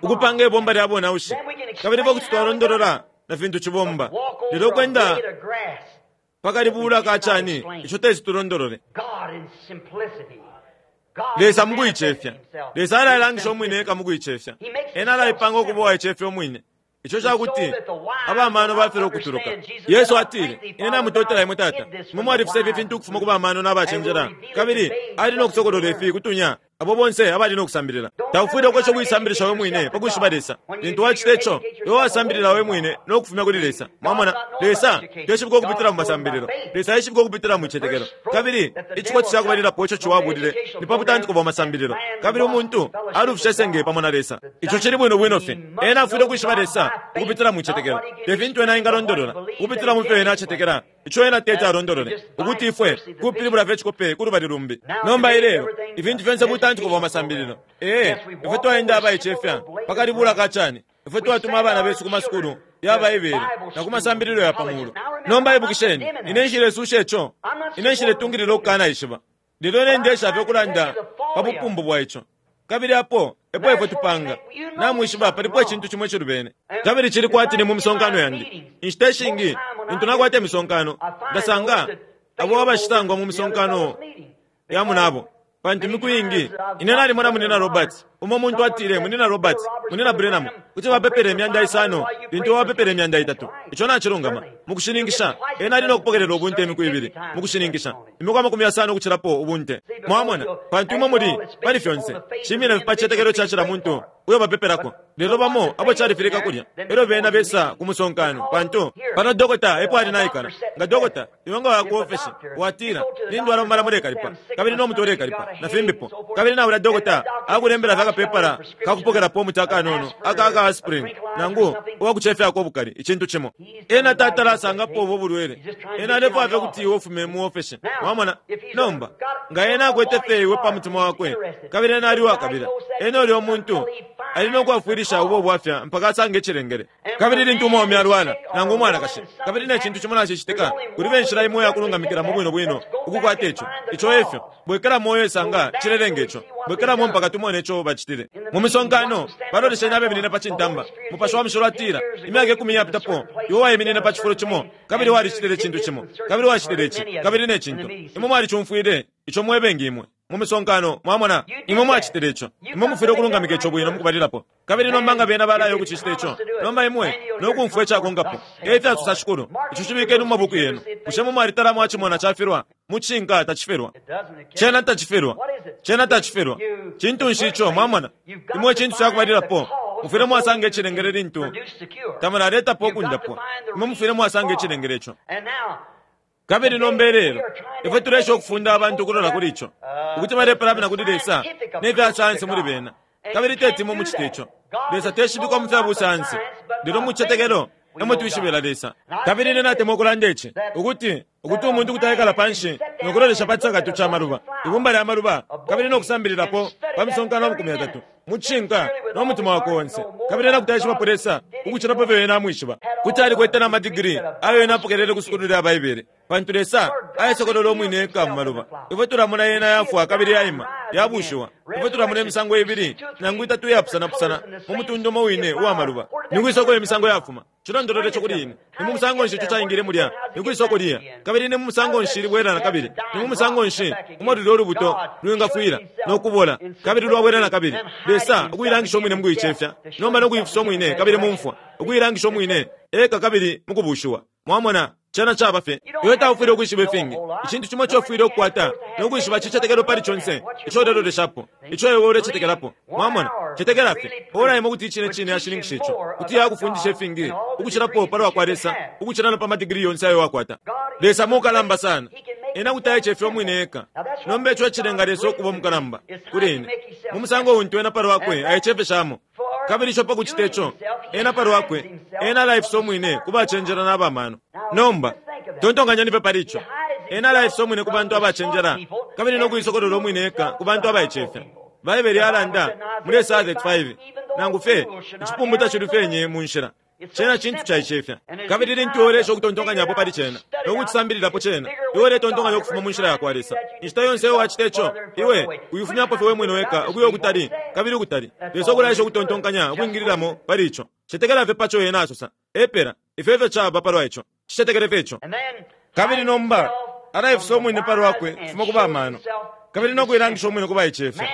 Ukupanga ibomba lya bonaushi, kabili ifwe kuti twalondolola na fintu cibomba. Lelo ukwenda pa kalibula ka cani, ico teti tulondolole. Lesa mukuicefya. Lesa alailangisha umwine eka mukuicefya. Ena alaipanga ukuba uwaicefya umwine. Ico ca kuti aba mano bafilwa ukutuluka. Yesu atile, Ine namutotela imwe, Tata, imwe mwalifisa ifi fintu ukufuma ku ba mano na bacenjela, kabili ali no kusokolola ifi ku tunya, abo bonse abali no kusambilila. Taufwile ukwesha ukuisambilisha we mwine pa kwishiba Lesa. Lintu wacita ico, iwe wasambilila we mwine no kufumya kuli Lesa. Mwamona? Lesa teshibikwa ukupitila mu masambililo. Lesa aishibikwa ukupitila mu citetekelo. Kabili icikwati ca kubalilapo ico Ciwa abulile ni pa butantiko bwa masambililo. Kabili umuntu alufishe senge pamo na Lesa. Ico cili bwino bwino fye. Ena afwile ukwishiba Lesa ukupitila mu citetekelo. Te fintu ena engalondolola, ukupitila mu fyo ena acetekela. Ico ena teti alondolole, ukuti ifwe kupilibula fye icikope ku lubali lumbi. Nomba ilelo, ifintu fyonse butantiko bwa masambililo. Ee, ifwe twaenda abaicefya pa kalibula ka cani. Ifwe twatuma abana besu ku masukulu ya Baibele na ku masambililo ya pa mulu. Nomba ibukisheni, ine nshilesusha ico. Ine nshiletungilila ukukanaishiba. Lelo ine ndeesha fye ukulanda pa bupumbu bwa ico. Kabili apo epo ifwe tupanga. Namwishiba, palipo icintu cimo icilubene. Kabili cili kwati ni mu misonkano yandi. Inshita ishingi, lintu nakwata imisonkano, ndasanga abo abashisangwa mu misonkano ya munabo. Pantu imiku iingi, ine nalimona Munyina Roberts, umo muntu atile, Munyina Roberts, Munyina Branham, kuti bapepela imyanda isano lintu iwe wapepela 300. Ico nacilungama. Mukushininkisha, ena ali no kupokelela ubunte imiku ibili, mukushininkisha, imiku 50 ukucilapo ubunte. Mwamona? Pantu imwe muli, pali fyonse, cimina fye pa cicetekelo ca cila muntu uyo bapepelako. Lelo bamo abo califilika kulya, elyo bena besa ku musonkano, pantu pano dokota epo ali naikala. Nga dokota, iwe nga waya ku ofeshi, watila, Nindwala mumala mulekalipa, kabili no mutwe ulekalipa, na fimbipo. Kabili na ulya dokota akulembela fye akapepala ka kupokelapo umuti akanono aka aka aspirin, nangu uwa kucefyako ubukali, icintu cimo. Ena tatala asangapo ubo bulwele. Ena alefwaya fye ukuti iwe ufume mu ofeshi. Mwamona? Nomba, nga ena akwete fye iwe pa mutima wakwe, kabili ena ali uwakabila, ena ulya umuntu ali no kwafwilisha ubo bwafya mpaka asange icilengele. Kabili lintu umwaume alwala, nangu umwanakashi, kabili ne cintu cimo nacicitika, kulibe inshila imo iya kulungamikilamo bwino bwino ukukwata ico. Ico efyo. Bwekelamo uye sanga cilelenga ico. Bwekelamo mpaka tumone ico bacitile. Mu misonkano, balolesheni abeminine pa cintamba. Mupashi wa Mushilo atila, Imyaka ikumi iyapitapo, iwe waiminine pa cifulo cimo, kabili walicitile icintu cimo, kabili wacitile ici, kabili ne cintu. Imwe mwalicumfwile ico mwebengi imwe. mu misonkano, mwamona, imwe mwacitile ico. Imwe mufwile ukulungamika ico bwino mukubalilapo. Kabili nomba nga bena balaya ukucicita ico, nomba imwe no kumfwa icakonkapo, E fyasosa Shikulu, ico cibikeni mu mabuku yenu. Bushe imwe mwalitala mwacimona cafilwa? Mucishinka tacifilwa. Cena tacifilwa. Cena tacifilwa. Cintu nshi ico, mwamona? Imwe icintu cakubalilapo, mufwile mwasanga icilengele lintu tamulaletapo ukundapwa. Imwe mufwile mwasanga icilengele ico. Kabili nomba ilelo, ifwe tuleesha ukufunda abantu ukulola kuli ico, ukuti balepalamina kuli Lesa ne fya sayansi muli bena. Kabili teti imwe mucite ico. Lesa teshibikwa mu fya busayansi, lelo mu cicetekelo emo twishibila Lesa. Kabili ine natemwa ukulanda ici, ukuti, ukuti umuntu kuti aikala panshi no kulolesha pa cisakatu ca maluba, ibumba lya maluba, kabili no kusambililapo pa misonkano 30, mu cishinka no mutima wakwe onse, kabili ena kuti aishibapo Lesa ukucila pa fyo ena amwishiba. Kuti alikwete na madigiri ayo ena apokelele ku sukulu lya Baibele, pantu Lesa aisokolola umwine eka mu maluba. Ifwe tulamona yena yafwa kabili yaima, yabushiwa. Ifwe tulamona imisango ibili nangu itatu iyapusanapusana mu mutundu umo wine uwa maluba. Ni kwisa uko imisango yafuma? Cilondolole ico kuli ine. Ni mu musango nshi ico caingile mulya? Ni kwisa uko liya? Kabili ni mu musango nshi libwela na kabili? Ni mu musango nshi umo lulyo lubuto lwingafwila, no kubola, kabili lwabwela na kabili? Lesa ukuilangisha Umwine mukuicefya, nomba no kuifisa Umwine kabili mu mfwa, ukuilangisha Umwine eka kabili mukubuushiwa. Mwamona, cena caba fye. Iwe taufwile ukwishiba ifingi. Icintu cimo ico ufwile ukukwata no kwishiba cicetekelo pali conse ico uleloleshapo, ico iwe ulecekelapo. Mwamona? Cetekela fye. Ora imo kuti icine cine yashininkisha ico, kuti yakufundisha ifingi ukucilapo palwa kwa Lesa ukucila na pa madigiri yonse ayo wakwata. Lesa mukalamba sana. Ena kuti aicefya umwine eka. Nomba ico ecilenga Lesa ukuba umukalamba, kuli ine, mu musango untu Ena palwakwe aicefeshamo. Kabili ico pa kucita ico, Ena palwakwe, Ena alaifisa umwine ku bacenjela na bamano. Nomba, tontonkanyeni fye pali ico. Ena alaifisa umwine ku bantu abacenjela, kabili no kuisokolola umwine eka ku bantu abaicefya. Baibele yalanda muli Esaya 35, Nangu fye icipumbu tacilufyenye mu nshila. Cena cintu caicefya. Kabili lintu iwe uleesha ukutontonkanyapo pali cena, no kucisambililapo cena, iwe uletontonkanya ukufuma mu nshila yakwa Lesa. Inshita yonse iyo wacita ico, iwe uifumyapo fye we mwine weka ukuya ukutali kabili ukutali. Lesa ukulaesha ukutontonkanya ukwingililamo pali ico. Cetekela fye paco Ena asosa. Epela. Ifyo efyo caba palwa ico. Cicetekele fye ico. Kabili nomba alaifisa umwine pa lwakwe ukufuma ku ba mano, kabili no kuilangisha umwine ku baicefya.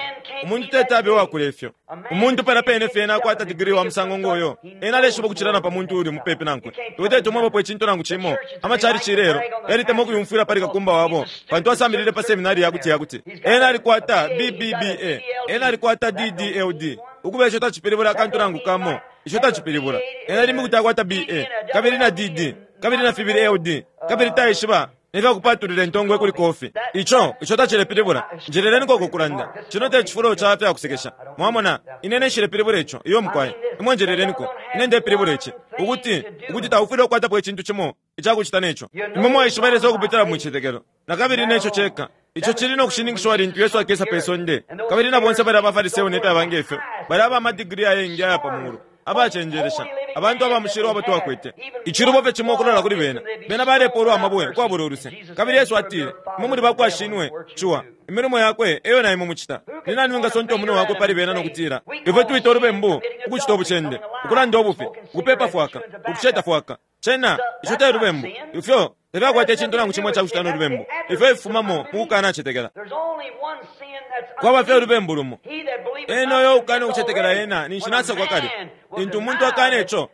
Umuntu teti abe uwakula ifyo. Umuntu palya pene fye ena akwata digiri wa musango ngo yo, ena aleshiba ukucila na pa muntu uuli mupepi nankwe. Iwe teti umwebapo icintu nangu cimo. Amachalichi ilelo yalitemwa ukuyumfwila pali kakumba wabo, pantu asambilile pa seminari ya kuti-ya-kuti. Ena alikwata BBBA. Ena alikwata DDLD. Ukuba ico tacipilibula akantu nangu kamo. Ico tacipilibula. Ena limbi kuti akwata BA, kabili na DD, kabili na fibili LD, kabili taishiba ne fya kupatulila intongwe kuli kofi. Ico, ico tacilepilibula. Njeleleniko uku kulanda. Cino te cifulo ca fya kusekesha. Mwamona? Ine, ine nshilepilibula ico. Iyo, mukwai. Imwe njeleleniko. Ine ndepilibula ici, ukuti, ukuti taufwile ukukwatapo icintu cimo ica kucita ne co. Imwe mwaishiba Lesa ukupitila mu citetekelo. Na kabili ne co ceka. Ico cili no kushininkishiwa lintu Yesu akesa pe sonde, kabili na bonse balya abaFariseo ne fyaba nge fyo, balya aba madigiri ayengi aya pa mulu, abacenjelesha, abantu aba mushilo abo twakwete. Icilubo fye cimo ukulola kuli bena, bena balepoolwa amabwe ukwabula uluse. Kabili Yesu atile, Imwe muli ba kwa shinwe, Ciwa. Imilimo yakwe e yo na imwe mucita. Ni nani wingasonta umunwe wakwe pali bena no kutila, Ifwe twita ulubembu ukucita ubucende, ukulanda ubufi, ukupeepa fwaka, ukusheta fwaka? Cena, ico te lubembu. Ifyo tafyakwata icintu nangu cimo icakucita no lubembu. Ifyo ififumamo mu kukanacetekela. Kwaba fye ulubembu lumo. Ena uyo ukana ukucetekela ena ninshi nasakwa kale. Lintu umuntu akana ico,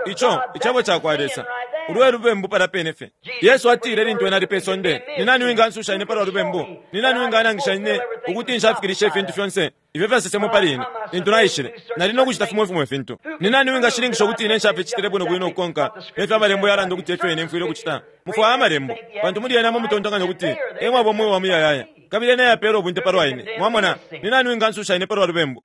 ico Icebo cakwa Lesa, ulu e lubembu palya pene fye. Yesu atile lintu Ena ali pe sonde, Ni nani uwingansusha Ine palwa lubembu? Ni nani uwinganangisha Ine ukuti nshafikilishe ifintu fyonse ifyo fyasesemwe pali ine lintu naishile? Nali no kucita fimo fimo ifintu. Ni nani uwingashininkisha ukuti ine nshaficitile bwino bwino ukukonka ne fyo Amalembo yalanda ukuti e fyo ine mfwile ukucita? Mufwaya Amalembo, pantu muli yena emo mutontonkanya ukuti e mwaba umweo wa muyayaya, kabili yena eyapeela ubunte palwa ine. Mwamona? Ni nani uwingansusha ine palwa lubembu?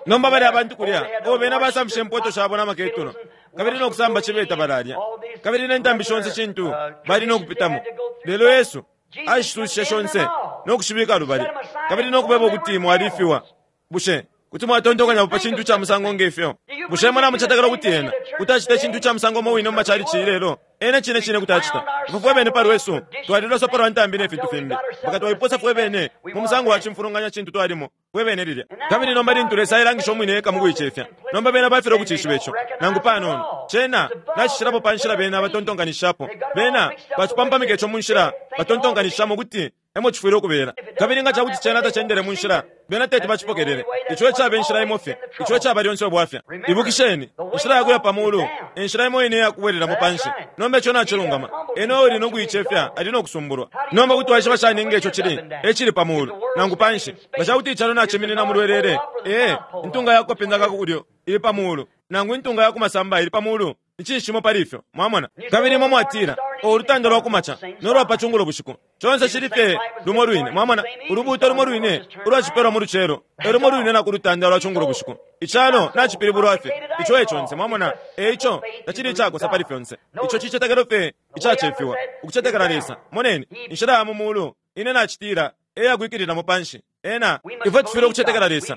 Nomba balya bantu kulya, oh, bena basamfishe impoto shabo na maketulo, kabili no kusamba cibe tabalalya, kabili ne ntambi shonse shintu bali no kupitamo. Lelo Yesu ashisushishe shonse no kushibika lubali, kabili no kubeba ukuti mwalifiwa. Bushe kuti mwatontonkanyapo pa cintu ca musango nge fyo? Bushe imwe namucetekela ukuti Ena kuti acita icintu ca musango umo wine mu macalici ilelo? Ena cine cine kuti acita. Ifwe fwe bene pa lwesu twaliloswa palwa ntambi ne fintu fimbi, mpaka twaiposa fwe bene mu musango wa cimfulunganya cintu twalimo fwe bene lilya. Kabili nomba lintu Lesa ailangisha Umwine eka mu kuicefya, nomba bena bafilwa ukucishiba ico, nangu panono. Cena nacicilapo pa nshila bena batontonkanishishapo. Bena bacipampamika ico mu nshila batontonkanishishamo ukuti emo cifwile ukubela. Kabili nga ca kuti cena tacendele mu nshila, bena teti bacipokelele. Ico ecaba inshila imo fye. Ico ecaba lyonse ubwafya. Ibukisheni, inshila ya kuya pa mulu e nshila imo ine iya kubwelelamo panshi. Nomba ico nacilungama. Ena uuli no kuicefya ali no kusumbulwa. Nomba kuti waishiba shani nge co cili e cili pa mulu nangu panshi? Nga ca kuti icalo naciminina mu lwelele, ee, intunga ya ku kapinda ka ku kulyo ili pa mulu, nangu intunga ya ku masamba ili pa mulu, Ni cinshi cimo pali ifyo? Mwamona? Kabili imwe mwatila, Oh, ulutanda lwa kumaca no lwa pa cungulo bushiku, conse cili fye lumo lwine. Mwamona? Ulubuuto lumo lwine ulwacipelwa mu lucelo e lumo lwine na ku lutanda lwa cungulo bushiku. Icalo nacipilibulwa fye. Ico e conse. Mwamona? E ico, tacili icakosa pali fyonse. Ico cicetekelo fye icacefiwa, ukucetekela Lesa. Moneni, inshila ya mu mulu, ine nacitila, e ya kwikililamo panshi. Ena, ifwe tufwile ukucetekela Lesa.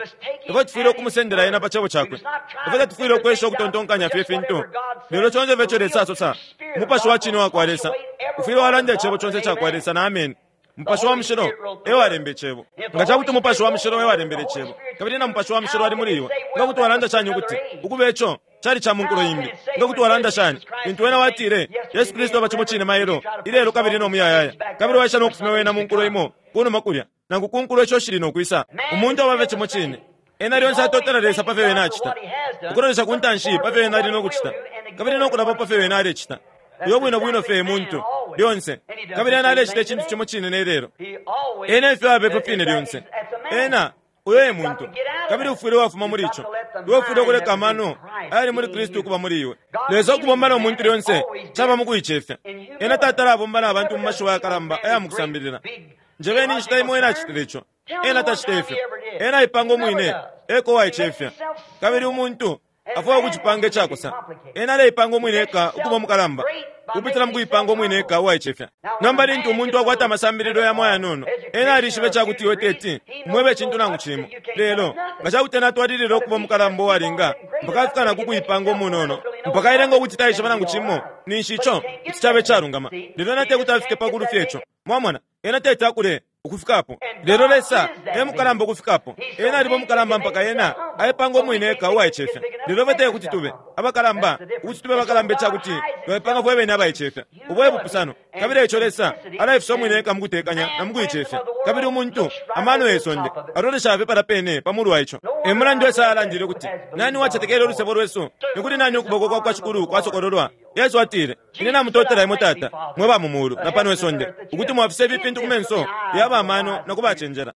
Ifwe tufwile ukumusendela Ena pa Cebo Cakwe. Ifwe tatufwile ukwesha ukutontonkanya fye ifintu, lelo conse fye ico Lesa asosa, Umupashi wa cine uwakwa Lesa ufwile walanda Icebo conse icakwa Lesa na ameni. Mupashi wa Mushilo e walemba Icebo. Nga ca kuti Umupashi wa Mushilo e walembele Icebo, kabili na Mupashi wa Mushilo ali muli iwe, nga kuti walanda shani ukuti, Ukuba ico cali ca mu nkulo imbi? Nga kuti walanda shani, lintu wena watile, Yesu Kristu aba cimo cine mailo, ilelo kabili no muyayaya, kabili waisha no kufumya wena mu nkulo imo kunuma kulya, nangu ku nkulo isho shili no kwisa. Umuntu aba fye cimo cine. Ena lyonse atotela Lesa pa fyo ena acita, ukulolesha ku ntanshi pa fyo ena ali no kucita, kabili no kulaba pa fyo ena alecita. Uyo bwino bwino fye e muntu, lyonse. Kabili ena alecita icintu cimo cine ne lelo. Ena efyo aba ifyo fine lyonse. Ena, uyo e muntu. Kabili ufwile wafuma muli ico. Iwe ufwile ukuleka amano ayali muli Kristu ukuba muli iwe. Lesa ukubomba no muntu lyonse caba mu kuicefya. Ena tatala abomba na bantu mu mashiwi ayakalamba aya mu kusambilila. Njebeni inshita imo ena acitile ico. Ena tacita ifyo. Ena aipanga umwine eka uwaicefya. Kabili umuntu afwaya ukucipanga icakosa. Ena aleipanga umwine eka ukuba umukalamba. Ukupitila mukuipanga umwine eka uwaicefya. Nomba lintu umuntu akwata amasambililo yamo ayanono, ena alishiba icakuti iwe teti umwebe icintu nangu cimo. Lelo nga cakuti ena atwalilila ukuba umukalamba uwalinga mpaka afika na ku kuipanga umunono, mpaka ailenga ukuti taishiba nangu cimo, ninshi ico kuti caba icalungama. Lelo ena tekuti afike pa kulufya ico. Mwamona? Ena teti akule ukufika apo. Lelo Lesa e mukalamba ukufika apo. Ena aliba umukalamba mpaka Ena aipanga umwine eka uwaicefya. Lelo ifwe tekuti tube abakalamba, ukuti tube abakalamba icakuti twaipanga fwe bene abaicefya. Ubo e bupusano. Kabili eico Lesa alaifisa umwine eka mukutekanya na mukuicefya. Kabili umuntu, amano ye sonde, alolesha fye palya pene pa mulu wa ico. E mulandu Esaya alandile ukuti, Nani uwacetekele ulusebo lwesu? Ni kuli nani ukuboko kwa kwa Shikulu kwasokololwa? Yesu atile, Ine namutotela imwe Tata, mwe ba mu mulu na pano isonde, ukuti mwafisa ifi fintu ku menso ya ba mano na ku bacenjela.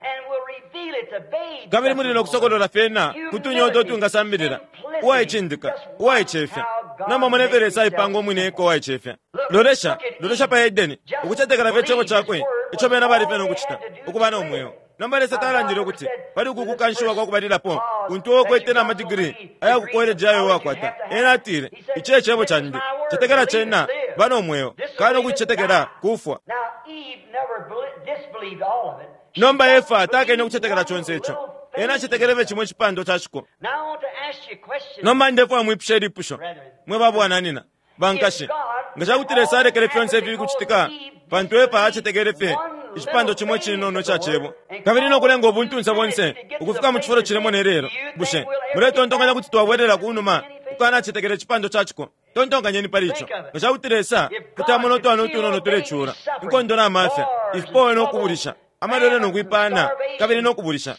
Kabili muli no kusokolola fyena ku tunya uto twingasambilila. Uwaicindika, uwaicefya. Nomba mona ifyo Lesa aipanga umwine eka uwaicefya. Lolesha, lolesha pa Edeni, ukucetekela fye Icebo Cakwe, ico bena bali fye no kucita, ukuba no mweo. Nomba Lesa talandile ukuti pali uku kukanshiwa kwa kubalilapo kuntu uo ukwete na madigiri aya ku koleji ayo wakwata. Ena atile, Ici e Cebo Candi. Cetekela Cena, ba no mweo. Kana ukucicetekela, kufwa. Nomba Efa takene ukucetekela conse ico. Ena acetekele fye cimo icipandwa ca ciko. Nomba ndefwaya mwipushe ilipusho, mwe ba bwananina. Bankashi, nga ca kuti Lesa alekele fyonse ifi ukucitika pantu Efa acetekele fye icipandwa cimo icinono ica Cebo kabili no kulenga ubuntunse bonse ukufika mu cifulo cilemo ne lelo, bushe muletontonkanya kuti twabwelela ku numa ukukanacetekela icipandwa ca ciko? Tontonkanyeni pali ico. Nga ca kuti Lesa kuti amona utwana utunono tulecula, inkondo na mafya, ifipowe no kubulisha, amalwele no kwipayana kabili no kubulisha,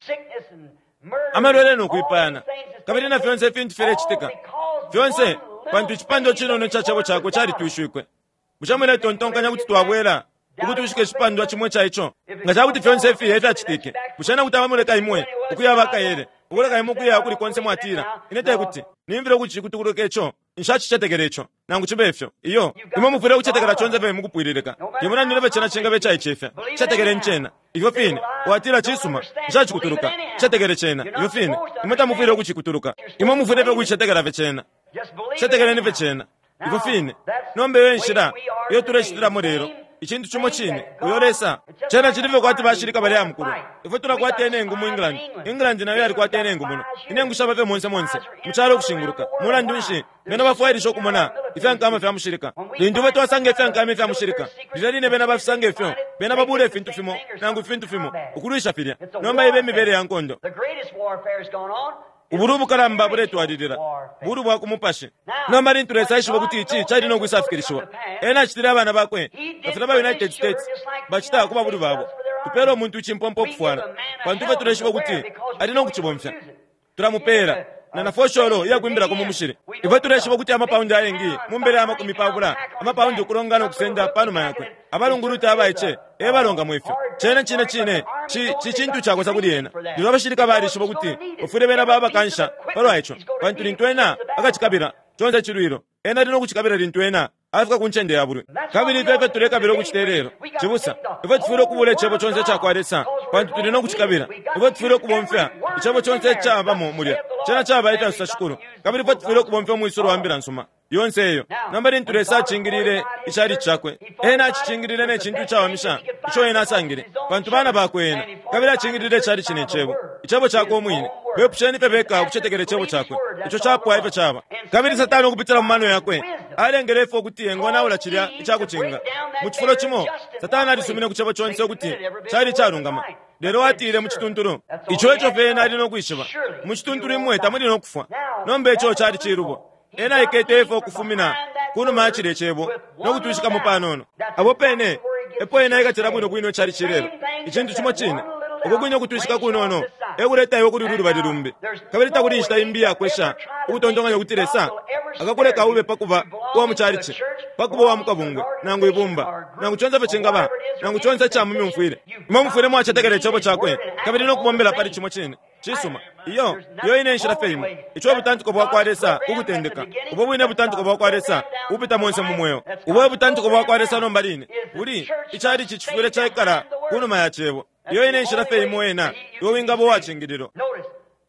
amalwele no kwipayana, kabili na fyonse ifintu filecitika, fyonse pantu icipandwa cinono ica cebo cakwe calitwishwikwe. Bushe muletontonkanya kuti twabwela ukutwishika icipandwa cimo ica ico? Nga ca kuti fyonse ifi e fyacitike, bushe ena kuti abamuleka imwe ukuya abakaele, ukuleka imwe ukuya ukuli konse mwatila, Ine te kuti nimfile ukucikutuluka ico, nshacicetekela ico? Nangu cibe fyo, iyo. Imwe mufwile ukucetekela conse fye mukupwililika. Te mulandu ne fyo cena cingaba icaicefya, cetekeleni cena. Ifyo fine. Watila, Cisuma, nshacikutuluka. Cetekele cena. Ifyo fine. Imwe tamufwile ukucikutuluka. Imwe mufwile fye ukucicetekela fye cena. Cetekeleni fye cena. Ifyo fine. Nomba iyo enshila iyo tulecitilamo lelo. Icintu cimo cine, uyo Lesa. Cena cili fye kwati bashilika balya mukulwa. Ifwe tulakwata inengu mu England. England nayo yalikwata inengu muno. Inengu shaba fye monse monse, mu calo ukushinguluka. Mulandu nshi, bena bafwailisha ukumona ifya nkama fya mushilika. Lintu ifwe twasanga ifya nkama ifya mushilika, lilya line bena bafisanga ifyo, bena babula ifintu fimo nangu ifintu fimo ukulwisha filya. Nomba iba imibele ya nkondo. Ubulwi ubukalamba buletwalilila, bulwi bwa ku mupashi. Nomba lintu Lesa aishiba ukuti ici cali no kwisafikilishiwa, Ena acitile abana Bakwe nga filya ba United States bacita ku babulwi babo. Tupela umuntu icimpompo ukufwala, pantu ifwe tuleshiba ukuti ali no kucibomfya. Tulamupeela na na fosholo iya kwimbilako mu mushili. Ifwe tuleshiba ukuti amapaundi ayengi mu mbele ya makumi pabula amapaundi ukulonga no kusenda pa numa yakwe. Abalunguluta abaice e balongamo ifyo. Cene cine cine ci, ci cintu cakosa kuli ena. Lelo abashilika balishiba ukuti bafwile bena baba kansha palwa ico, pantu lintu ena akacikabila, conse cilwilo, ena ali no kucikabila lintu ena afika ku ncende ya bulwi. Kabili ifyo efyo tulekabila ukucita ilelo, cibusa. Ifwe tufwile ukubula Icebo conse ica kwa Lesa, pantu tuli no kucikabila. Ifwe tufwile ukubomfya Icebo conse icabamo mulya. Cena caba efya sosa Shikulu. Kabili ifwe tufwile ukubomfya umwisulo wa Mbila nsuma yonse iyo. Nomba lintu Lesa acingilile Ichalichi Cakwe, Ena acicingilile ne cintu icawamisha ico Ena asangile, pantu bana Bakwe Ena. Kabili acingilile Ichalichi ne Cebo, Icebo Cakwe Umwine. Bepusheni fye beka ukucetekela Icebo Cakwe. Ico capwa ifyo caba. Kabili Satana ukupitila mu mano yakwe alengele Efa ukuti engonaula cilya icakucinga. Mu cifulo cimo, Satana alisumine ku Cebo conse ukuti cali icalungama, lelo atile mu cituntulu, Ico eco fye ena ali no kwishiba. Mu cituntulu imwe tamuli no kufwa. Nomba ico cali cilubo. Ena aikete Efa ukufumina kunuma ya cilye Cebo no kutwishikamo panono. Apo pene epo ena aikatila bwino bwino icalici ilelo. Icintu cimo cine. Uko kwine ukutwishika kunono e kuleta iwe kuli ulu lubali lumbi. Kabili takuli inshita imbi iya kwesha ukutontonkanya ukuti Lesa akakuleka ube pa kuba uwa mu calici, pa kuba uwa mu kabungwe, nangu ibumba, nangu conse ifyo cingaba, nangu conse ica mu myumfwile. Imwe mufwile mwacetekela Icebo Cakwe kabili no kubombela pali cimo cine. Cisuma. Iyo, iyo ine nshila fye imo. Ico e butantiko bwakwa Lesa ku kutendeka. Ubo bwine butantiko bwakwa Lesa ubupita monse mu mweo. Ubo e butantiko bwakwa Lesa nomba line. Buli, ichalichi cifwile caikala kunuma ya Cebo. Iyo ine nshila fye imo ena iwe wingaba uwacingililwa.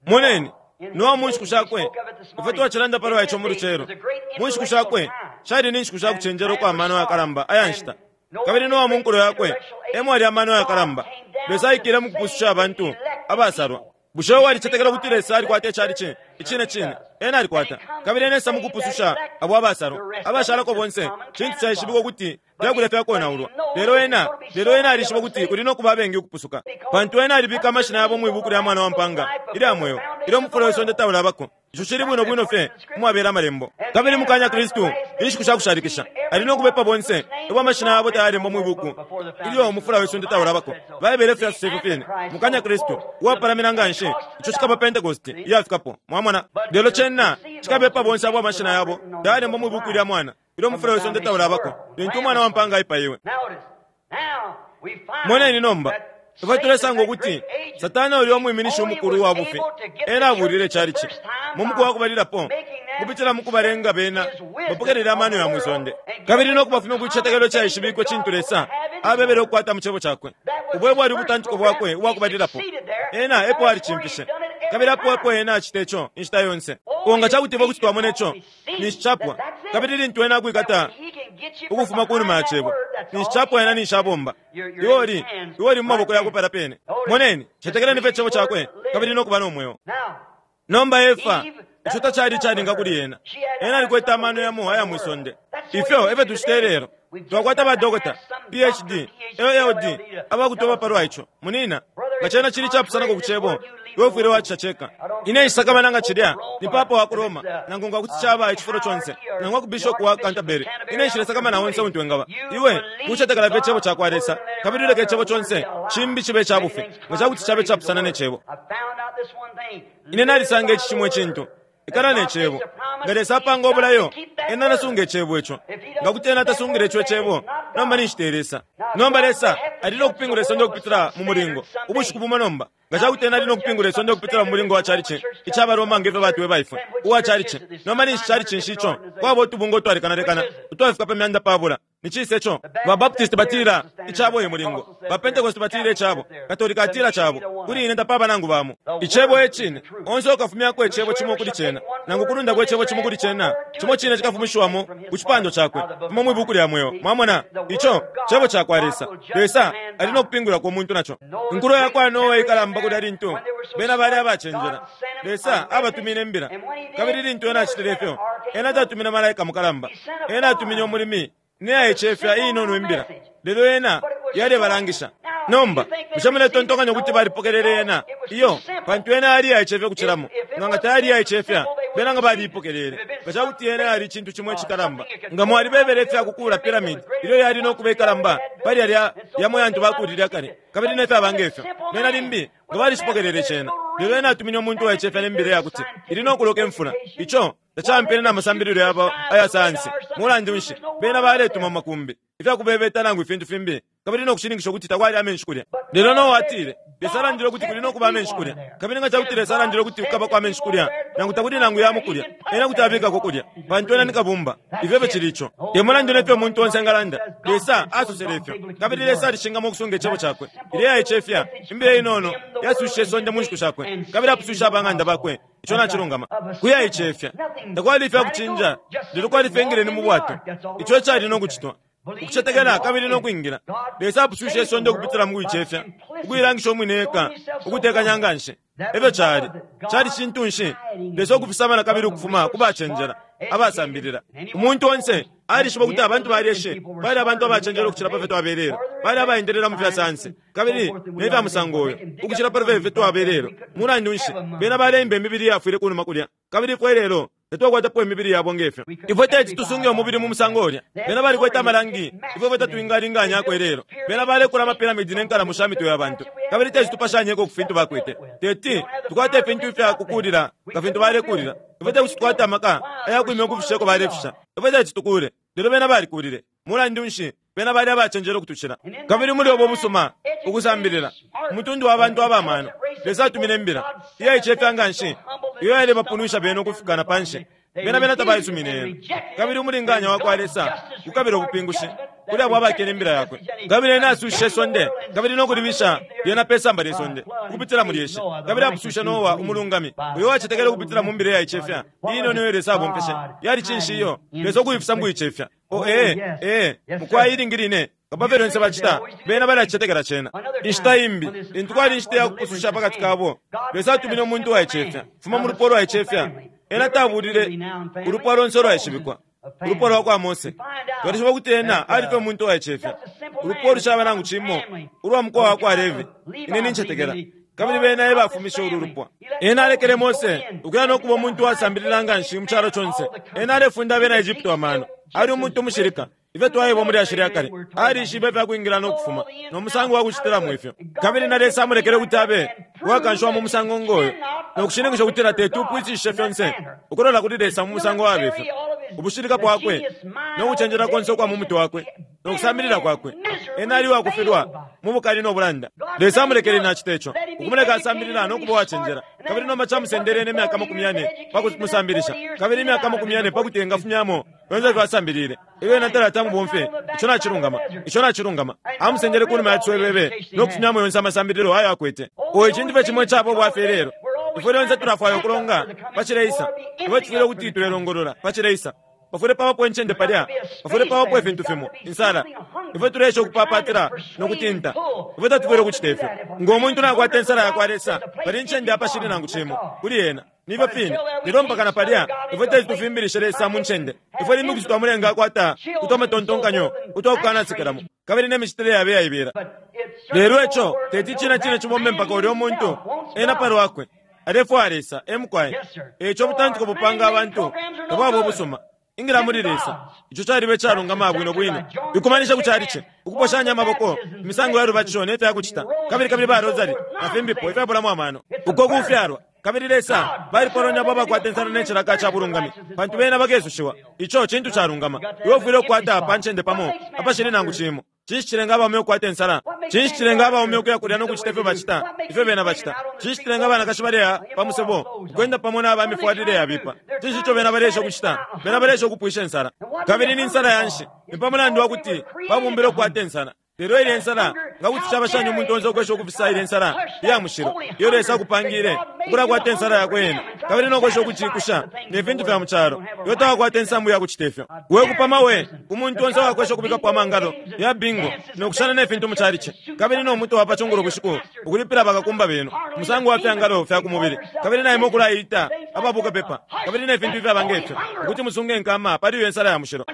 Moneni, Noa mu nshiku shakwe, ifwe twacilanda palwa ico mu lucelo. Mu nshiku shakwe, Shali ni nshiku sha kucenjela ukwa mano yakalamba aya nshita. Kabili Noa mu nkulo yakwe e mwali amano yakalamba. Lesa aikile mu kupususha abantu abasalwa. Bushe walicetekela ukuti Lesa alikwata icalici? Icine cine, Ena alikwata. Kabili Ena esa mukupususha abo abasalwa. Abashalako bonse, cintu caishibikwa ukuti fyakulya fyakonaulwa. Lelo Ena, lelo Ena alishiba ukuti kuli no kuba abengi ukupusuka, pantu Ena alibika amashina yabo mwi Buku lya Mwana wa Mpanga ilya Mweo ilyo umufula we sonde taulabako. Ico cili bwino bwino fye umwabela Amalembo. Kabili mukanya Kristu, inshiku sha kushalikisha, ali no kubepa bonse abo amashina yabo tayalembwa mwi Buku ilyo umufula we sonde taulabako. Baibele efyo yasosa ifyo fine. Mukanya Kristu, uwapalamina nganshi, ico cikaba Pentecost iyafikapo. Mwamona? Lelo cena cikabepa bonse abo amashina yabo tayalembwa mwi Buku ilya Mwana ilyo umufula we sonde taulabako, lintu Umwana wa mpaanga aipaiwe. Moneni nomba. Ifwe tulesanga ukuti Satana ulya umwiminishi umukulu uwa bufi, ena abulile icalici mu muku wa kubalilapo ukupitila mu kubalenga bena bapokelele amano ya mwisonde kabili no kubafumya ku cicetekelo icaishibikwe cintu Lesa abebele ukukwata mu Cebo Cakwe. Ubo ebwali ubutantiko bwakwe ubwa kubalilapo. Ena epo alicimfishe, kabili apo epo ena acita ico inshita yonse. Oh, nga cakuti ifwe kuti twamona ico, ninshi capwa. Kabili lintu ena akwikata ukufuma kunuma ya Cebo, ninshi capwa ena ninshi abomba. Iwe uli, iwe uli mu maboko yakwe palya pene. Moneni, cetekeleni fye Icebo Cakwe kabili no kuba no mweo. Nomba Efa, ico tacali icalinga kuli ena. Ena alikwete amano yamo aya mwi sonde. Ifyo efyo tucita ilelo. Twakwata ba dokota, PhD, LLD, abakutweba palwa ico. Munina, nga cena cili icapusanako ku Cebo, iwe ufwile wacisha ceka. Ine nshisakamana nga cilya ni papa wa ku Roma, nangu nga kuti caba icifulo conse, nangu ku bishopu wa Canterbury. Ine nshilesakamana onse untu engaba. Iwe kucetekela fye Icebo cakwa Lesa, kabili uleke icebo conse cimbi cibe ica bufi, nga ca kuti cabe icapusana ne Cebo. Ine nalisanga ici cimo icintu. Ikala ne Cebo. Nga Lesa apanga ubulayo, Ena alasunga Icebo ico. Nga kuti Ena tasungile ico Icebo, nomba ninshi te Lesa. Nomba Lesa ali no kupingula isonde ukupitila mu mulingo, ubushiku bumo nomba. Nga ca kuti Ena ali no kupingula isonde ukupitila mu mulingo wa chalichi ica baRoma nge fyo batweba ifwe, uwa chalichi, nomba ninshi chalichi nshi ico kwaba utubungwe utwalekanalekana utwafika pa 500? Ni cisa ico? Ba Baptist batila icabo e mulingo. Ba Pentecost batila icabo. Katolika atila cabo. Kuli ine tapaba nangu bamo. Icebo e cine. Onse ukafumyako icebo cimo kuli cena, nangu kulundako icebo cimo kuli cena, cimo cine cikafumishiwamo ku cipando cakwe, fuma mwi Buku lya Mweo. Mwamona? Ico Cebo cakwa Lesa. Lesa ali no kupingulako umuntu naco. Inkulo yakwa Noa ikalamba kulya lintu bena bali abacenjela. Lesa abatumine imbila. Kabili lintu Ena acitile ifyo, Ena tatumine malaika mukalamba. Ena atumine umulimi ne yaicefya iinono imbila, lelo yena yalebalangisha. Nomba, bushe muletontonkanya ukuti balipokelele yena? Iyo, pantu yena yali iyaicefya ukucilamo. Nga nga tayali iyaicefya, bena nga baliipokelele. Nga ca kuti yena yali icintu cimo icikalamba, nga mwalibebele ifya kukuula pyramid ilyo yali no kuba ikalamba pali yalya yamo yantu bakuulile akale, kabili ne fyaba nge fyo, bena limbi nga balicipokelele cena. Lelo ena atumine umuntu uwaicefya ne mbila iyakuti ili no kuloka imfula. Ico tacampene na masambililo yabo aya sayansi. Mulandu nshi, bena baletuma mu makumbi, ifya kubebeta nangu ifintu fimbi, kabili no kushininkisha ukuti takwali amenshi kulya. Lelo Noa atile, Lesa alandile ukuti kuli no kuba amenshi kulya. Kabili nga ca kuti Lesa alandile ukuti kukabako amenshi kulya, nangu takuli nangu yamo kulya, Ena kuti abikako kulya, pantu Ena ni Kabumba. Ifyo efyo cili ico. Te mulandu ne fyo umuntu onse engalanda, Lesa asosele ifyo. Kabili Lesa alishingamo ukusunga Icebo Cakwe. Ilya iyaicefya, imbila inono yasushishe isonde mu nshiku shakwe, kabili apuswishe aba ng'anda bakwe. Ico nacilungama. Kuyaicefya. Takwali ifya kucinja, lelo kwali fye ingileni mu bwato. Ico ecali no kucitwa. Ukucetekela kabili no kwingila. Lesa apuswishe isonde ukupitila mu kuicefya, ukuilangisha umwine eka, ukutekanya nganshi. Efyo cali. Cali cintu nshi? Lesa ukufisama na kabili ukufuma ku bacenjela, abasambilila. Umuntu onse alishiba ukuti abantu ba lyeshi bali abantu abacenjela ukucila pa fyo twabelelo. Bali abaendelela mu fya sayansi kabili ne fya musango uyo ukucila pa fyo twabelelo. Mulandu nshi, bena baleimba imibili iyafwile kunuma kulya, kabili ifwe ilelo tatwakwatapo imibili yabo nge fyo. Ifwe teti tusunge umubili mu musango ulya. Bena balikwete amalangi ifwe fwe tatwingalinganyako ilelo. Bena balekula amapiramidi ne nkalamo sha mitwe ya bantu, kabili teti tupashanyeko ku fintu bakwete. Teti tukwate ifintu ifya kukuulila nga fintu balekuulila. Ifwe tekuti tukwate amaka aya kwimya ukufisha uko balefisha. Ifwe teti tukuule, lelo bena balikuulile. Mulandu nshi, bena bali abacenjela ukutucila. Kabili muli ubo busuma, ukusambilila, umutundu wa bantu aba mano, Lesa atumine imbila, iyaicefya nganshi, iyo yalebapunwisha bena ukufika na panshi. Bena, bena tabaisumine yena. Kabili umulinganya wakwa Lesa ukabila ubupingushi. kuli abo abakene imbila yakwe. Kabili ena asushishe isonde kabili no kulibisha lyena pe samba lye sonde ukupitila mu lyeshi. Kabili apusushe Noa umulungami, uyo wacetekele ukupitila mu mbila iyaicefya iinono iyo Lesa abomfeshe. Yali cinshi iyo? Lesa ukuifisa mu kuicefya. Oh, ee, ee, mukwai, ilingi line nga pa fyo lyonse bacita, bena balacicetekela cena. Inshita imbi, lintu kwali inshita ya kupususha pakati kabo, Lesa atumine umuntu uwaicefya, fuma mu lupwa ulwaicefya. Ena tabulile ulupwa lonse ulwaishibikwa, ulupwa lwa kwa Mose. Twalishiba ukuti ena ali fye umuntu uwaicefya, ulupwa ulushaba nangu cimo, ulwa mukowa wa kwa Levi, ine nincetekela. Kabili bena e bafumishe ulu lupwa. Ena alekele Mose ukuya no kuba umuntu uwasambilila nganshi mu calo conse. Ena alefunda abena Egypto amano. Ali umuntu umushilika. Ifyo twaebwa mu lyashi lya kale, alishibe ifya kwingila no kufuma, no musango wa kucitilamo ifyo. Kabili na Lesa amulekele ukuti abe uwakanshiwa mu musango ngo yo, no kushininkisha ukutila teti upwishishishe fyonse ukulola kuli Lesa mu musango wabe fyo. Ubushilika bwakwe, no kucenjela konse ukwa mu mutwe wakwe, no kusambilila kwakwe, ena ali uwakufilwa mu bukali no bulanda. Lesa amulekele ena acite ico, ukumuleka asambilila no kuba uwacenjela. Kabili nomba camusendele ena imyaka amakumi yane pa kumusambilisha, kabili imyaka amakumi yane pa kuti engafumyamo fyonse ifyo asambilile. Ilyo ena talati amubomfye, ico nacilungama, ico nacilungama, amusendele kunuma ya ciswebebe no kufumyamo yonse amasambililo ayo akwete. Oh, icintu fye cimo icaba ubwafya ilelo, ifwe lyonse tulafwaya ukulonga pa cileisa. Ifwe tufwile ukuti tulelongolola pa cileisa. Pafwile pabapo incende palya, pafwile pabapo ifintu fimo, insala. Ifwe tuleesha ukupapatila no kutinta. Ifwe tatufwile ukucita ifyo. Ngo muntu nakwata insala yakwa Lesa, pali incende apashili nangu cimo kuli ena. Nifyo fine. Lelo mpaka na palya, ifwe teti tufimbilishe Lesa mu ncende. Ifwe limbi kuti twamulenga akwata utwa matontonkanyo utwa kukanasekelamo, kabili ne micitile yaba iyaibela. Lelo ico teti icine cine cibombe mpaka ulyo muntu, ena pa lwakwe, alefwaya Lesa. E mukwai. E ico ubutantiko bupanga abantu tabwaba ubusuma. Ingila muli Lesa. Ico caliba icalungama bwino bwino. Ikumanisha ku calici, ukuposhanya amaboko, imisango ya lubatisho ne fya kucita, kabili kabili ba rosary, na fimbipo ifyabulamo amano. Uko kufyalwa. Kabili Lesa balipoloni abo abakwata insala ne cilaka ca bulungami, pantu bena bakesushiwa. Ico cintu calungama. Iwe ufwile ukukwata pa ncende pamo apashili nangu cimo. Cinshi cilenga abaume ukukwata insala? Cinshi cilenga abaume ukuya kulya no kucita ifyo bacita, ifyo bena bacita? Cinshi cilenga abanakashi baleya pa musebo, ukwenda pamo na ba mifwalile yabipa? Cinshi ico bena baleesha ukucita? Bena baleesha ukupwisha insala. Kabili ni nsala ya nshi? Ni pa mulandu wa kuti babumbilwe ukukwata insala. Lelo ilya insala, nga kuti caba shani umuntu onse ukwesha ukufisa ilya insala iya mushilo iyo Lesa akupangiile ukulakwata insala yakwe ena, kabili no kwesha ukuciikusha ne fintu fya mu calo? Iwe tawakwata insambu ya kucita ifyo. We kupama we ku muntu onse uwakwesha ukubikapo amangalo ya bingo no kushana ne fintu mu calici, kabili no muto wa pa cungulo bushiku ukulipila bakakumba benu umusango wa fyangalo fya ku mubili, kabili na imwe ukulaita aba bukapepa, kabili ne fintu ifyaba nge fyo, ukuti musunge inkama pali iyo insala ya mushilo.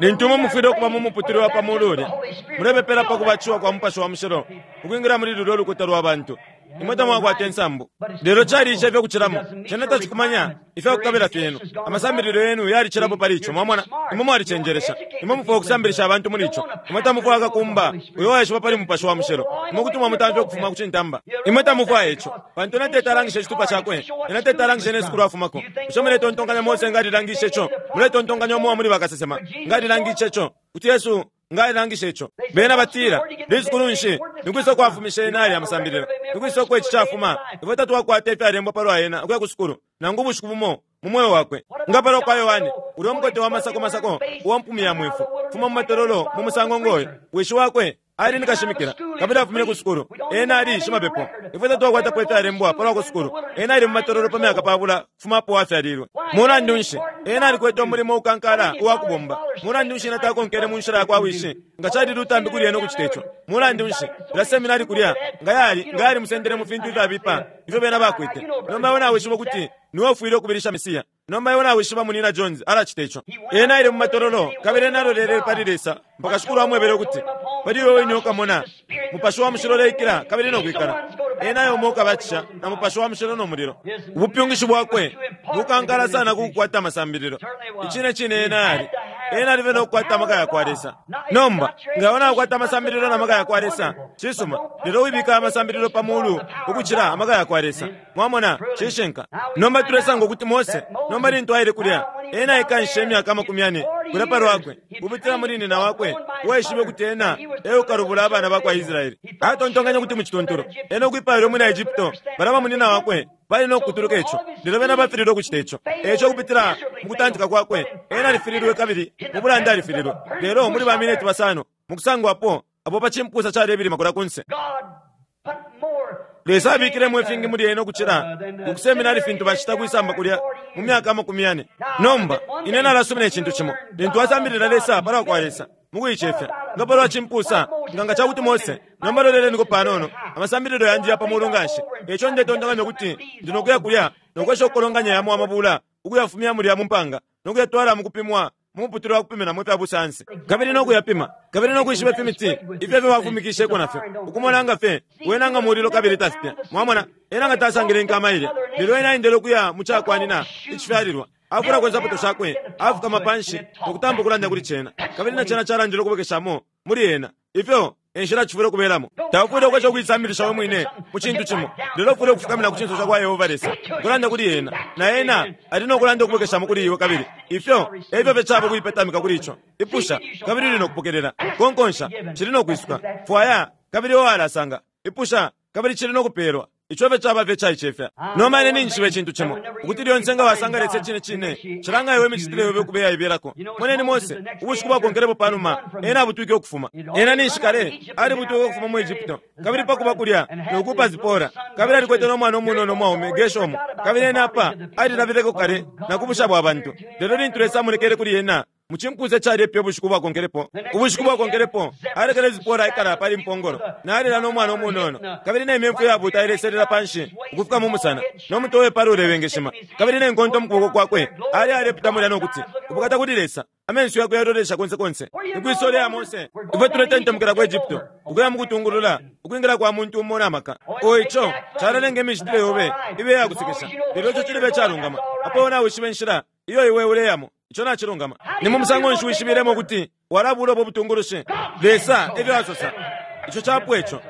Lintu imwe mufwile ukuba mu muputule wa pa mulu ulya, mulepepela pa kubatishiwa kwa Mupashi wa Mushilo ukwingila muli lulyo lukuta lwa bantu, imwe tamwakwata insambu. Lelo caliisha ifyo kucilamo. Cena tacikumanya ifya kukabila fyenu. Amasambililo yenu yalicilapo pali ico. Mwamona? Imwe mwalicenjelesha. Imwe mufwaya ukusambilisha abantu muli ico. Imwe tamufwaya kakumba uyo waishiba pali Mupashi wa Mushilo. Imwe kuti mwamutamfya ukufuma ku cintamba. Imwe tamufwaya ico, pantu ena teti alangishe icitupa cakwe. Ena teti alangishe ne sukulu afumako. Bushe muletontonkanya Mose nga alilangishe ico? Muletontonkanya umo wa muli bakasesema nga alilangishe ico? Kuti Yesu nga alilangishe ico? Bena batila, Lisukulu nshi? Ni kwisa uko afumishe ena yalya amasambililo? Ni kwisa uko ici cafuma? Ifwe tatwakwata ifyalembwa palwa ena ukuya ku sukulu, nangu ubushiku bumo mu mweo wakwe. Nga palwa kwa Yohane, ulya umukote wa masako masako uwa mpumi ya mwefu, fuma mu matololo mu musango ngo yo, wishi wakwe Ali ni kashimikila, kabili afumine ku sukulu. Ena ali shimapepo. Ifwe tatwakwatapo ifyalembwa palwa ku sukulu. Ena ali mu matololo pa myaka pabula kufuma apo afyalilwe. Mulandu nshi, ena alikwete umulimo ukankala uwa kubomba. Mulandu nshi ena takonkele mu nshila yakwa wishi? Nga cali lutambi kuli ena ukucita ico. Mulandu nshi, ilya seminari kulya nga yali, nga yalimusendele mu fintu ifyabipa ifyo bena bakwete. Nomba iwe nawishiba ukuti niwe ufwile ukubilisha Mesiya. Nomba iwe nawishiba Munyina Jones alacita ico. Ena aile mu matololo, kabili ena alolelele pali Lesa mpaka Shikulu amwebele ukuti, Pali iwe wine ukamona Mupashi wa Mushilo uleikila kabili no kwikala. Ena e umo ukabatisha na Mupashi wa Mushilo no mulilo. Ubupyungishi bwakwe bukankala sana ku kukwata amasambililo. Icine cine ena ali. Ena ali fye no kukwata amaka yakwa Lesa. Nomba, nga iwe naukwata amasambililo na maka yakwa Lesa, cisuma, lelo wibika amasambililo pa mulu ukucila amaka yakwa Lesa. Mwamona, cishinka. Nomba tulesanga ukuti Mose, nomba lintu aile kulya, ena aikanshishe imyaka amakumi yane kulya pa lwakwe, ukupitila muli nyina wakwe, uwaishibe ukuti ena e ukalubula abana ba kwa Israele. Atontonkanya ukuti mu cituntulu, ena ukwipaila umwina Egypto, balya bamunyina wakwe, Bali no kukutuluka ico, lelo bena bafililwe ukucita ico. E ico ukupitila mu kutantika kwakwe, ena alifililwe kabili mu bulanda alifililwe. Lelo muli ba mineti basano mukusangwapo, apo pa cimpusa calebilima kulya kunse, Lesa abikilemo ifingi muli ena ukucila ku seminari fintu bacita kwisamba kulya mu myaka 40. Nomba, ine nalasumina icintu cimo. Lintu wasambilila Lesa palwa kwa Lesa, mukuicefya, nga palwa cimpusa, nga nga cakuti Mose, nomba loleleniko panono, amasambililo yandi ya pa mulu nganshi, eico ndetontonkanya ukuti ndi no kuya kulya no kwesha ukukolonganya yamo amabula ukuyafumya mulya mu mpanga no kuyatwala mukupimwa mu muputule wa kupiminamo ifya busayansi, kabili no kuyapima, kabili no kwishiba ifimiti ifyo ifyo bafumikisheko nafyo, ukumona nga fye wena nga mulilo kabili tafipya. Mwamona, ena nga tasangile inkama ilya, lelo ena aendele ukuya mu cakwanina icifyalilwa, afulako insapato shakwe, afukama panshi no kutampa ukulanda kuli cena, kabili na cena calandile ukubwekeshamo muli ena. Ifyo e nshila cifwile ukubelamo. Taufwile ukwesha ukuisambilisha we mwine mu cintu cimo, lelo ufwile ukufukamina ku cinso ca kwa Yehova Lesa, ukulanda kuli ena, na ena ali no kulanda ukubwekeshamo kuli iwe. Kabili ifyo e fyo fye caba ukuipetamika kuli ico. Ipusha, kabili uli no kupokelela. Konkonsha, cili no kwisuka. Fwaya, kabili iwe walasanga. Ipusha, kabili cili no kupeelwa. Ico fye caba fye icaicefya. Nomba ine ninjishiba icintu cimo, ukuti lyonse nga wasanga Lesa icine cine, cilanga iwe imicitile yobe ukuba iyaibelako. Moneni Mose, ubushiku bwakonkelepo panuma ena abutwike ukufuma. Ena ninshi kale alibutwike ukufuma mu Egypto, kabili pa kuba kulya no kuupa Zipora, kabili alikwete no mwana umunono umwaume, Gershomu, kabili ena apa alilabileko kale na ku busha bwa bantu. Lelo lintu Lesa amonekele kuli ena, Mu cimpusa icalepya ubushiku bwakonkelepo, ubushiku bwakonkelepo, alekele Zipora aikala pali mpongolo, nalila no mwana umunono, kabili ne mimfu iyabuuta ileselela panshi ukufika mu musana, no mutwe we pala ulebengeshima, kabili ne nkonto mu kuboko kwakwe, ali alepita mulya no kuti, Ubukata kuli Lesa! Amenso yakwe yalolesha konse konse. Ni kwi sole ya Mose? Ifwe tuletentemukila ku Egypto, ukuya mu kutungulula ukwingila kwa muntu umo na maka. O ico calalenga imicitile yobe ibe iya kusekesha, lelo ico cilibe icalungama, apo iwe nawishiba inshila iyo iwe uleyamo. Ico nacilungama. Ni mu musango nshi wishibilemo ukuti walabuula ubo butungulushi? Lesa e fyo asosa. Ico capwa ico.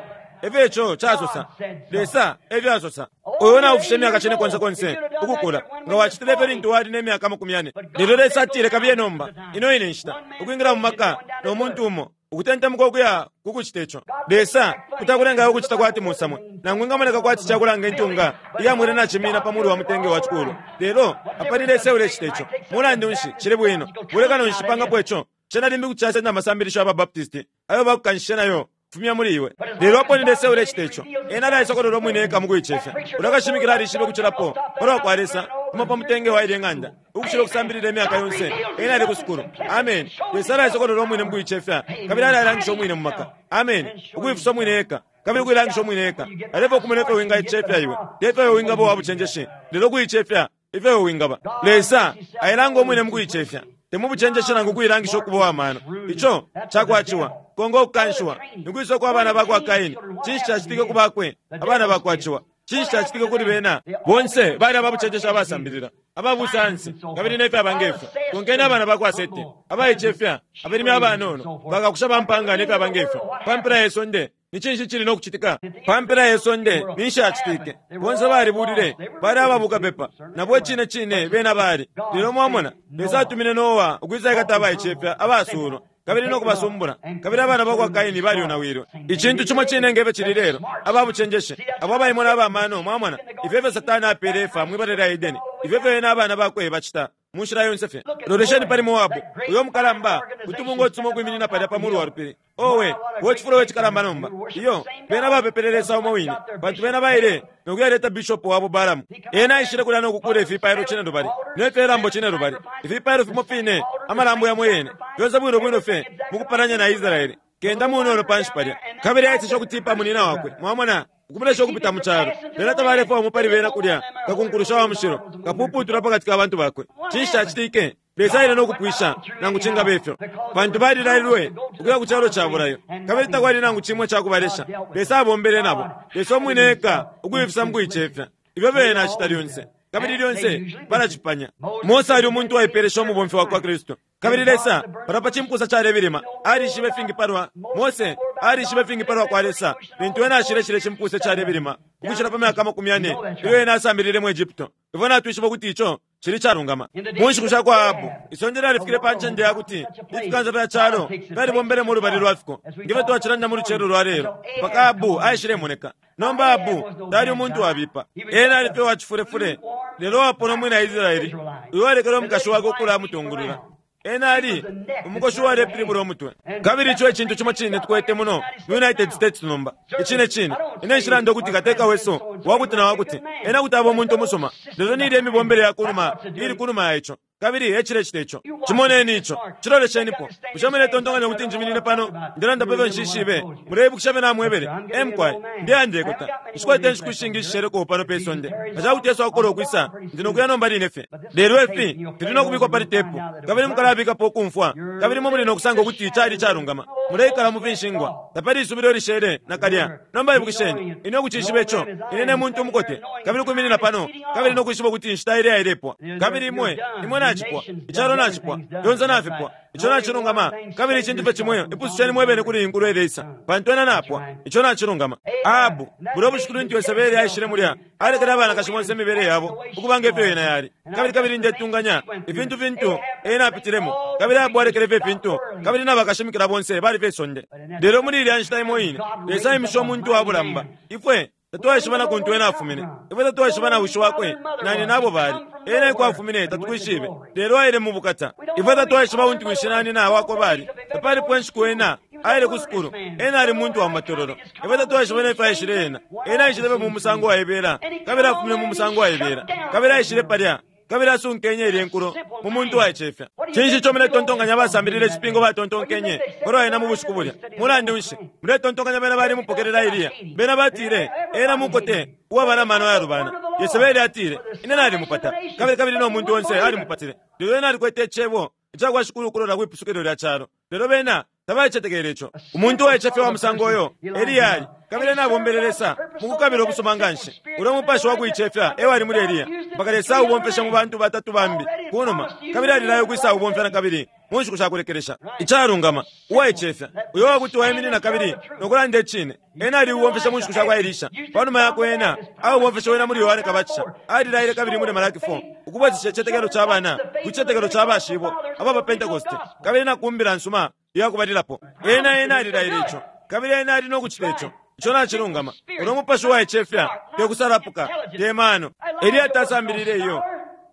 E fyo ico casosa. Lesa e fyo asosa. Uyo naufisha imyaka cine konse konse ukukula, nga wacitile ifyo lintu wali ne myaka 40. Lelo Lesa atile kabiye nomba, ino ine nshita, ukwingila mu maka no muntu umo. Ukutentemuka ukuya ku kucite co, Lesa kuti akulenga ukucita kwati musamwe, nangu ingamoneka kwati ca kulanga intunga iya mwela nacimina pa mulu wa mutenge wa cikuulwa. Lelo, apa ni Lesa eulecita ico. Mulandu nshi, cili bwino. Bulekano nshi pangapo ico? Cena limbi kuti casenda amasambilisho ya ba Baptist ayo bakukanshishe nayo fumya muli iwe. Lelo apo ni Lesa eulecita ico, ena alaisokolola umwine eka mu kuicefya. Ulya kashimikila alishibe ukucilapo palwa kwa Lesa kuma pa mutenge wa ilye ng'anda. Ukucila ukusambilila imyaka yonse, ena ali ku sukulu. Ameni. Lesa alaisokolola umwine mukuicefya, kabili alailangisha umwine mu maka. Ameni. Ukuifisa umwine eka, kabili ukuilangisha umwine eka. Alefwaya ukumona ifyo wingaicefya iwe, te fyo iwe wingaba uwa bucenjeshi, lelo ukuicefya ifyo iwe wingaba. Lesa ailanga umwine mukuicefya, te mu bucenjeshi nangu ukuilangisha ukuba uwa mano. Ico cakwa ciwa. Konga ukukanshiwa. Nikwisa uko abana bakwa Kaini? Cinshi cacitike ku bakwe, abana bakwa ciwa? Cinshi cacitike kuli bena? Bonse bali ababucenjeshi abasambilila, aba busayansi, kabili ne fyaba nge fyo. Konkeni abana ba kwa Sete, abaicefya, abalimi abanono, bakakusha ba mpaanga ne fyaba nge fyo. Pa mpela ye sonde, ni cinshi icili no kucitika? Pa mpela ye sonde, ninshi yacitike? Bonse balibulile, bali aba bukapepa, nabo icine cine bena bali. Lelo mwamona, Lesa atumine Noa ukwisaikata abaicefya, abasuulwa. kabili no kubasumbula, kabili abana ba kwa Kaini balyonawilwe. Icintu cimo cine nge fyo cili lelo, aba bucenjeshi, abo abaimona aba mano, mwamona, ifyo efyo Satana apele Efa mwi bala lya Edeni, ifyo efyo ena abana bakwe bacita, mu nshila yonse fye. Lolesheni pali Moabu, uyo mukalamba, utubungwe utusuma ukwiminina palya pa mulu wa lupili. Owe, we cifulo we cikalamba nomba! Iyo, bena bapepele Lesa umo wine, pantu bena baile no kuyaleta bishopo wabo Balaamu. Ena aishile kulya no kukuula ifipailo cinelubali ne fye lambo cinelubali, ifipailo fimo fine, amalambo yamo yene, fyonse bwino bwino fye mukupalanya na Israele. Kenda munono panshi palya. Kabili aeseshe ukutipa munina wakwe, mwamona, ukumulesha ukupita mu calo. Bena tabalefwaya umo pali bena kulya, kakunkulusha wa mushilo, kapuputula pakati ka bantu bakwe. Cinshi cacitike? Lesa aile no kupwisha, nangu cingaba ifyo, pantu balilailwe ukuya ku calo ca bulayo, kabili takwali nangu cimo ica kubalesha. Lesa abombele nabo, Lesa umwine eka ukuifisa mu kuicefya. Ifyo bena acita lyonse, kabili lyonse balacipanya. Mose ali umuntu uwaipeelesha umubomfi wa kwa Kristu. Kabili Lesa, palwa pa cimpusa calebilima, alishibe fingi palwa, Mose alishibe fingi palwa kwa Lesa lintu ena ashile cilye cimpusa icalebilima ukucila pa myaka 40 ilyo ena asambilile mu Egypto. Ifwe natwishiba ukuti ico. Cili calungama. Mu nshiku sha kwa Ahabu, isonde lyalifikile pa ncende ya kuti ifikansa fya calo fyalibombele mu lubali lwa fiko, nge fyo twacilanda mu lucelo lwa lelo, mpaka Ahabu aishilemoneka. Nomba Ahabu tali umuntu wabipa. Ena ali fye wa cifulefule, lelo wapona umwina Israele uyo alekele umukashi wakwe ukulamutungulula. Ena ali umukoshi uwalepilibula umutwe. Kabili ico e cintu cimo cine tukwete muno mu United States nomba. Icine cine. Ine nshilanda ukuti kateka wesu wakuti na wakuti. Ena kuti aba umuntu umusuma. Lelo ni ilya imibombele ya kunuma ili kunuma ya ico. Kabili e cilecita ico. Cimoneni ico. Ciloleshenipo. Bushe muletontonkanya ukuti njiminine pano ndelanda pa fyo nshishibe? Muleibukisha fyo namwebele? E mukwai, ndeya ndekota. Nshikwete inshiku ishingi ishisheleko pano pe sonde. Nga ca kuti Yesu akokola ukwisa, ndi no kuya nomba line fye. Lelo ifi fili no kubikwa pali tepu, kabili mukalabikapo ukumfwa, kabili imwe muli no kusanga ukuti cali icalungama. Muleikala mu finshingwa. Tapali isubilo ilishele, nakalya. Nomba ibukisheni, ine ukucishiba ico, ine ne muntu umukote, kabili ukwiminina pano, kabili no kwishiba ukuti inshita ileya ilepwa. Kabili imwe, imwe nacipwa, icalo nacipwa, fyonse nafipwa. Ico nacilungama, kabili icintu fye cimo, ipususheni mwe bene kuli iyi nkulo ileisa, pantu ena napwa. Ico nacilungama. Ahabu, bulya ubushiku lintu Yesebele aishile mulya, alekele abanakashi bonse imibele yabo ukuba nge fyo yena yali. Kabili, kabili ndetunganya, ifintu fintu ena apitilemo, kabili Ahabu alekele fye ifintu, kabili na bakashimikila bonse bali pe sonde. Lelo muli ilya nshita imo ine, Lesa aimishe umuntu wa bulamba. Ifwe tatwaishiba na kuntu ena afumine. Ifwe tatwaishiba na wishi wakwe na nyina abo bali. Ena eko afumine tatukwishibe, lelo aile mu bukata. Ifwe tatwaishiba untu wishi na nyina wakwe bali. Tapalipo inshiku ena aile ku sukulu. Ena ali muntu wa mu matololo. Ifwe tatwaishiba ne fyo aishile ena. Ena aishile fye mu musango waibela, kabili afumine mu musango waibela. Kabili aishile palya, kabili asunkenye ilye nkulo mu muntu waicefya. Cinshi ico muletontonkanya abasambilila icipingo batontonkenye palwa ena mu bushiku bulya? Mulandu nshi, muletontonkanya bena bali mupokelela Eliya? Bena batile, Ena mukote uwaba na mano ayalubana. Yesebeli atile, Ine nalimupata. Kabili, kabili no muntu onse alimupatile. Lelo ena alikwete Icebo icakwa Shikulu ukulola kwi pusukilo lya calo. Lelo bena tabacetekele ico. Umuntu uwaicefya wa musango uyo, Eliya ali, kabili ena abombele Lesa mu kukabila ukusuma nganshi. Ulya mupashi wa kuicefya e wali muli Eliya, mpaka Lesa aubomfeshe mu bantu batatu bambi kunuma, kabili alilaya ukwisaubomfya nakabili mu nshiku sha kulekelesha. Icalungama, uwaicefya, uyo uwakuti waiminina kabili no kulanda icine. Ena aliubomfeshe mu nshiku shakwa Elisha. Panuma yakwe ena aubomfeshe wena muli Yohane Kabatisha. Alilaile kabili muli Malaki 4, ukubwesesha icitetekelo ca bana ku citetekelo ca bashibo aba pa Pentekoste, kabili na ku Mbila nsuma iya kubalilapo. Ena, ena alilaile ico, kabili ena ali no kucita ico. Ico nacilungama. Ulo mupashi uwaicefya, te kusalapuka, te mano. Eliya tasambilile iyo.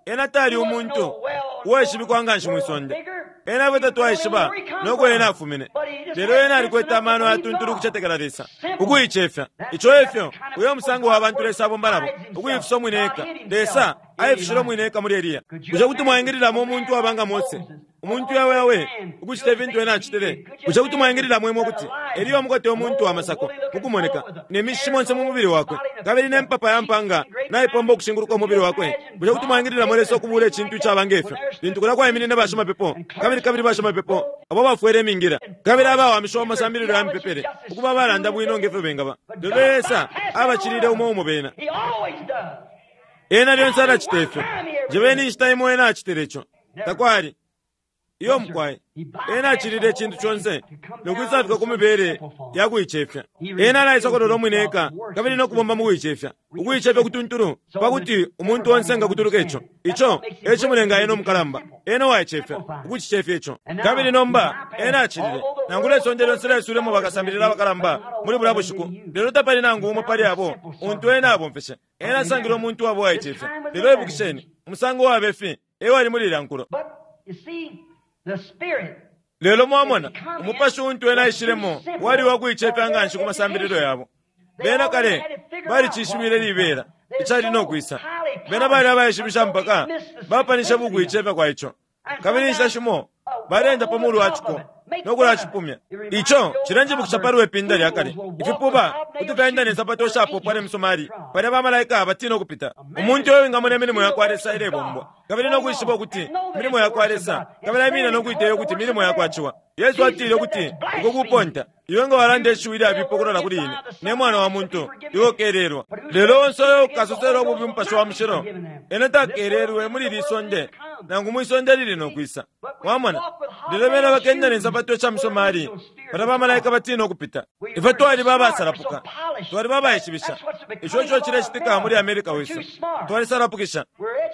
Ena tali umuntu uwaishibikwa nganshi mwi sonde. Ena ifwe tatwaishiba no ko ena afumine. Lelo ena alikwete amano ayatuntulu ukucetekela Lesa, ukuicefya. Ico efyo uyo musango wa bantu Lesa abomba nabo, ukuifisa umwine eka. Lesa aifishile umwine eka muli Eliya. Bushe kuti mwaingililamo umuntu uwaba nga Mose, umuntu yaweyawe, ukucita ifintu ena acitile? Bushe kuti mwaingililamo imwe ukuti Eliya umukote umuntu wa masako mukumoneka, ne mishishi monse mu mubili wakwe, kabili ne mpapa ya mpanga naipomba ukushinguluka umubili wakwe? Bushe kuti mwaingililamo Lesa ukubuula icintu icaba nge fyo, lintu kulya kwaiminine bashimapepo, kabili, kabili bashimapepo abo bafwele imingila, kabili abawamishiwa mu masambililo ya mipepele, ukuba abalanda bwino nge fyo bengaba, lelo Lesa abacilile umo umo bena? Ena lyonse alacita ifyo. Njebeni inshita imo ena acitile ico. Takwali. Iyo mukwai. Ena acilile icintu conse no kwisafika ku mibele ya kuicefya. Ena alaisokolola umwine eka kabili no kubomba mu kuicefya. Ukuicefya kutuntulu pa kuti umuntu onse engakutuluka ico. Ico e cimulenga ena umukalamba. Ena uwaicefya, ukucicefya ico. Kabili nomba ena acilile. Nangula isonde lyonse lyaiswilemo bakasambilila abakalamba muli bulya bushiku, lelo tapali nangu umo pali abo untu ena abomfeshe. Ena asangile umuntu uwaba uwaicefya. Lelo ibukisheni, umusango uwabe fi e wali muli ilya nkulo. Lelo mwamona, umupashi untu ena aishilemo wali wa kuicefya nga nshi ku masambililo yabo. Bena kale balicishibile libela icali no kwisa. Bena bali abaishibisha mpaka bapanishe bukuicefya kwa ico. Kabili inshita shimo baleenda pa mulu wa ciko no kulacipumya. Ico cilenjibukisha pali we pinda lya kale. Ifipuba kuti fyaenda ne nsapato ishapopwa ne misomali, palya bamalaika batiina ukupita. Umuntu uyo wingamona imilimo ya kwa Lesa ilebombwa, kabili no kwishiba ukuti milimo ya kwa Lesa, kabili aiminina no kuiteya ukuti milimo ya kwa Ciwa. Yesu atile ukuti uko kuponta, iwe nga walanda ishiwi ilyabipa ukulola kuli ine, ne Mwana wa muntu, iwe ukelelwa. Lelo onse uyo ukasosela ububi Umupashi wa Mushilo, ena takelelwe muli ili isonde, nangu mwi sonde lili no kwisa. Mwamona? Lelo bena bakenda ne nsapato sha misomali, palya bamalaika batiina ukupita. Ifwe twaliba abasalapuka, twaliba abaishibisha. Ico eco cilecitika muli America wesu. Twalisalapukisha.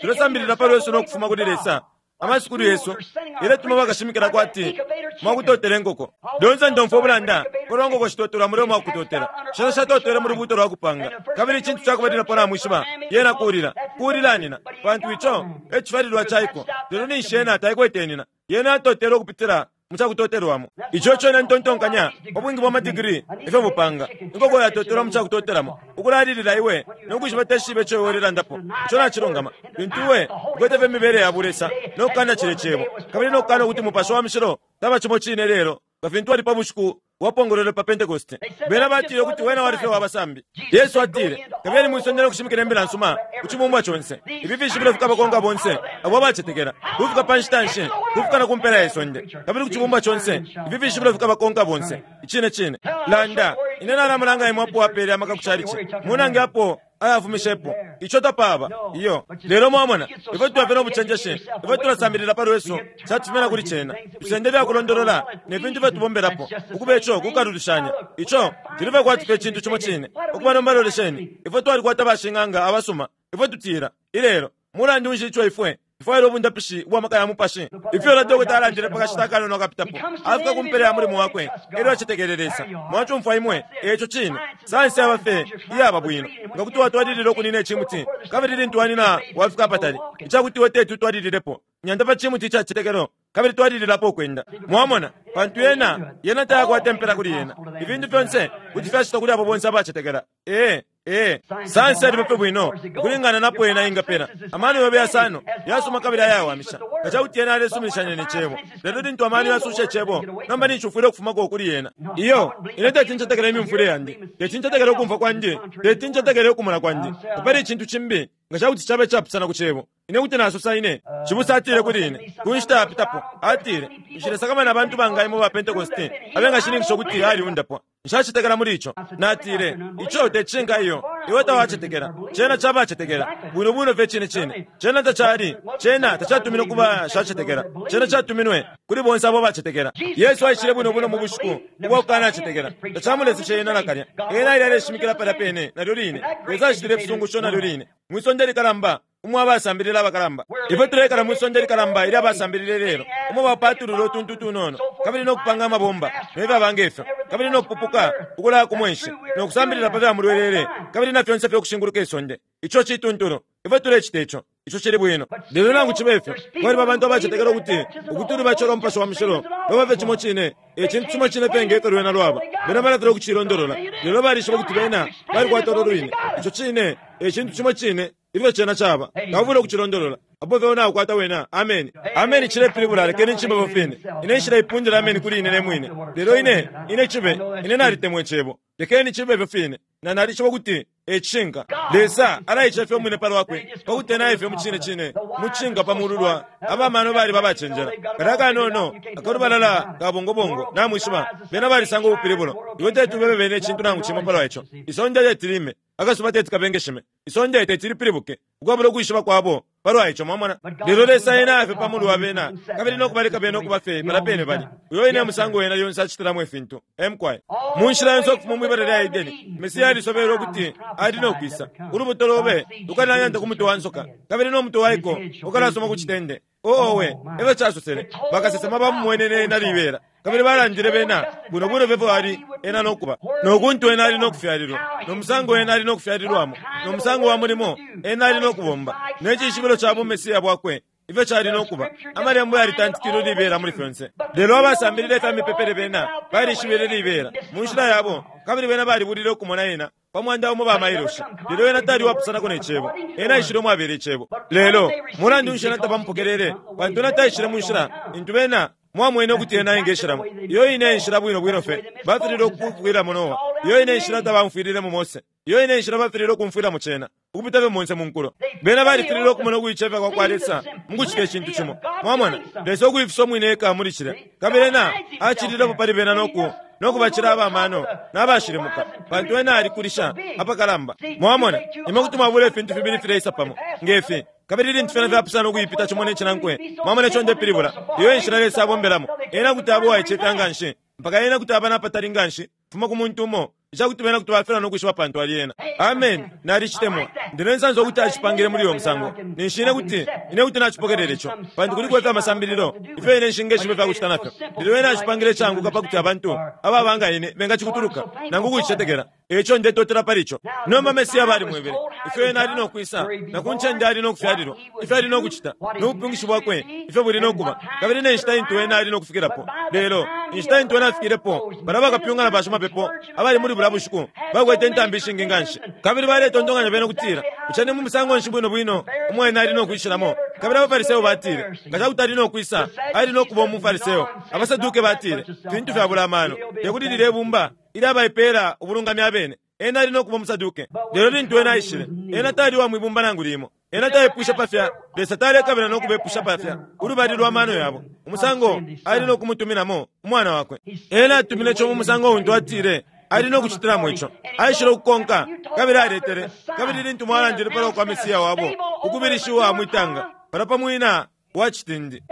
Tulesambilila pa lwesu no kufuma kuli Lesa. Amasukulu yesu iletuma bakashimikila kwati mwakutotela inkoko. Lyonse ndomfwa ubulanda palwa nkoko shitotelwa mulya umwakutotela. Shena shatotele mu lubuuto lwa kupanga. Kabili icintu ca kubalilapo namwishiba, yena kulila, kulila nina, pantu ico e cifyalilwa ca iko. Lelo ninshi yena taikwete nina. Yena yatotele ukupitila mu ca kutotelwamo. Ico eco ine ntontonkanya pa bwingi bwa madigiri ifyo bupanga. Inkoko yatotelwa mu ca kutotelamo, ukulalilila iwe no kwishiba teshibe ico iwe ulelandapo. Ico nacilungama. Lintu iwe ukwete fye imibele ya bulesa no kukana cilye Cebo, kabili no kukana ukuti Mupashi wa Mushilo taba cimo cine ilelo nga fintu ali pa bushiku bwapongolwelwe pa Pentekoste. Bena batile ukuti wena wali fye wa basambi. Yesu atile, Kabiyeni mwi sonde no kushimikila imbila nsuma ku cibumbwa conse. Ifi fishibilo fikabakonka bonse abo abacetekela, kufika pa nshita nshi? Kufika na ku mpela ye sonde. Kabili ku cibumbwa conse, ifi fishibilo fikabakonka bonse. Icine cine. Landa, ine nalamulanga imwe apo apeele amaka ku calici. Munange apo ayafumishepo. Ico tapaba. Iyo. Lelo mwamona, ifwe tuba fye no bucenjeshi, ifwe tulasambilila pa lwesu, catufumina kuli cena. Tusenda ifya kulondolola ne fintu ifyo tubombelapo, ukuba ico kukalulishanya. Ico cili fye kwati fye cintu cimo cine. Ukuba nomba lolesheni, ifwe twalikwata bashing'anga abasuma, ifwe tutila, ilelo, Mulandu nshi ico ifwe tufwaila ubundapishi ubwa maka ya mupashi? Ifyo ulya dokota alandile pa kashita akanono akapitapo, afika ku mpela ya mulimo wakwe elyo acetekele Lesa. Mwacumfwa imwe? Eco cine. Sayansi yaba fye iyaba bwino nga kuti watwalilila ukunina icimuti, kabili lintu wanina wafika apatali icakuti iwe teti utwalililepo, nyanta pa cimuti ica citetekelo kabili twalililapo ukwenda. Mwamona? Pantu yena, yena tayakwata impela kuli yena. Ifintu fyonse kuti fyacitwa kuli abo bonse abacetekela. Ee. Ee, sayansi yaliba fye bwino ukulingana napo yena ingapela. Amano yobe yasano yasuma kabili ayawamisha nga ca kuti yena yalesuminishanya ne Cebo. Lelo lintu amano yasusha Icebo, nomba ninshi ufwile ukufumako kuli yena. Iyo, ine teti ncetekele imyumfwile yandi, teti ncetekele ukumfwa kwandi, teti ncetekele ukumona kwandi. Tapali icintu cimbi nga ca kuti caba icapusana ku Cebo. Ine kuti nasosa ine. Cibusa atile kuli ine, ku nshita yapitapo, atile, Nshilesakamana abantu banga imwe ba Pentekoste abengashininkisha ukuti aliundapwa. Nshacetekela muli ico. Natile, Ico te cishinka iyo. Iwe tawacetekela. Cena ca bacetekela. Bwino bwino fye icine cine. Cena tacali, cena tacatuminwe ku bashacetekela. Cena catuminwe kuli bonse abo abacetekela. Yesu aishile bwino bwino mu bushiku ubwa kukanacetekela. Tacamuleseshe Ena nakalya. Ena aile aleshimikila palya pene nalyo line. Lesa acitile ifisungusho nalyo line. Mwi sonde likalamba umo abasambilila abakalamba. Ifwe tuleikala mwi sonde likalamba ilya basambilila ilelo, umo bapatulula utuntu tunono, kabili no kupanga amabomba, ne fyaba nge fyo, kabili no kupupuka ukulaya ku mwenshi, no kusambilila pa fya mulwelele, kabili na fyonse fye ukushinguluka isonde. Ico cituntulu. Ifwe tulecita ico. Ico cili bwino. Lelo nangu cibe fyo, kwaliba abantu abacetekela ukuti ukuti ulubatisho lwa Mupashi wa Mushilo lwaba fye cimo cine, e cintu cimo cine fye nge fyo lwena lwaba. Bena balafilwa ukucilondolola, lelo balishiba ukuti bena balikwata ulo lwine. Ico cine e cintu cimo cine. Ifyo cena caba, taufwile ukucilondolola. Apo fye naukwata wena, ameni. Ameni cilepilibula lekeni cibe ifyo fine. Ine nshileipundila ameni kuli ine ne mwine. Lelo ine, ine cibe, ine nalitemwa Icebo. Lekeni cibe ifyo fine. Na nalishiba ukuti e cishinka. Lesa alaicefya umwine pa lwakwe, pa kuti ena aye fye mucine cine mu cishinka pa mulu lwa aba mano baliba abacenjela. Kalya kanono akalubalala ka bongobongo, namwishiba, bena balisanga ubupilibulo. Iwe teti ubebe bena icintu nangu cimo palwa ico. Isonde teti lime. Akasuba teti kabengeshime, isonde teti lipilibuke, ukwabula ukwishiba kwabo palwa ico. Mwamona? Lelo Lesa ena aya fye pa mulu wa bena, kabili no kubaleka bena ukuba fye palya pene bali. Uyo wine e musango Ena lyonse acitilamo ifintu. Ee, mukwai. Mu nshila yonse ukufuma mwi bala lya Edeni, Mesia alisobelwe ukuti ali no kwisa. Ulubuto lobe lukalanyanta ku mutwe wa nsoka, kabili no mutwe wa iko ukalasoma ku citende. Oo, owe, efyo casosele. Bakasesema bamumwenene ena libela, kabili balandile bena bwino bwino fye ali ena no kuba, no kuntu ena ali no kufyalilwa, no musango ena ali no kufyalilwamo, no musango wa mulimo ena ali no kubomba, ne cishibilo ca buMesia bwakwe ifyo cali no kuba. Amalembo yalitantikilwe libela muli fyonse. Lelo abasambilile ifya mipepele bena balishibile libela mu nshila yabo, kabili bena balibulile ukumona ena pa mwanda umo ba mailoshi. Lelo ena tali uwapusanako ne Cebo. Ena aishile umwabela Icebo. Lelo, mulandu nshi ena tabamupokelele? Pantu ena taishile mu nshila intu bena mwamwene ukuti ena engeshilamo. Iyo ine enshila bwino bwino fye bafililwe ukumfwilamo Noa. Iyo ine enshila tabaumfwililemo Mose. Iyo ine enshila bafililwe ukumfwilamo cena, ukupita fye monse mu nkulo. Bena balifililwe ukumona ukuicefya kwa kwa Lesa mu kucita icintu cimo. Mwamona, Lesa ukuifisa umwine eka muli cilya. Kabili ena acililepo pali bena no ku no kubacila aba mano na bashilimuka, pantu ena alikulisha apakalamba. Mwamona, imwe kuti mwabula ifintu fibili fileisa pamo, nge fi, kabili ilintu fyena fyapusana ukuipita cimo ne cinankwe. Mwamona ico ndepilibula? Iyo e nshila Lesa abombelamo. Ena kuti aba uwaicefya nganshi, mpaka Ena kuti aba napatali nganshi kufuma ku muntu umo. Icakuti bena kuti bafilwa no kwishiba pantu ali ena. Ameni. Nalicitemwa. Ndi ne nsansa ukuti acipangile muli uyo musango. Ninshi ine kuti, ine kuti nacipokelela ico, pantu kuliko ifya masambililo ifyo ine nshingeshiba ifya kucita nafyo. Lelo ena acipangile icaanguka pakuti abantu ababa nga ine bengacikutuluka nangu ukucicetekela. Eico ndetotela pali ico. Nomba Mesia balimwebele ifyo ena ali no kwisa, na ku ncende ali no kufyalilwa, ifyo ali no kucita, no bupyungishi bwakwe ifyo buli no kuba, kabili ne nshita intu ena ali no kufikilapo. Lelo inshita intu ena afikilepo, balya bakapyunga na bashimapepo abali muli bulya bushiku bakwete intambi ishingi nganshi, kabili baletontonkanya bena ukutila, Bushe ni mu musango nshi bwino bwino umo ena ali no kwishilamo? Kabili abaFariseo batile, Nga ca kuti ali no kwisa, ali no kuba umuFariseo. AbaSaduke batile, Fintu fyabula amano! Te kuti lilye bumba ilya baipeela ubulungami abene. Ena ali no kuba umuSaduke. Lelo lintu ena aishile, ena tali uwa mwi bumba nangu limo. Ena taipwishe pa fya Lesa, talekabila no kubepusha pa fya ulubali lwa mano yabo, umusango ali no kumutuminamo umwana wakwe. Ena atumine ico mu musango untu atile ali no kucitilamo ico. Aishile ukukonka, kabili aletele, kabili lintu mwalandile palwa kwa Mesiya wabo ukubilishiwa mwi tanga, palya pa mwina wa citindi,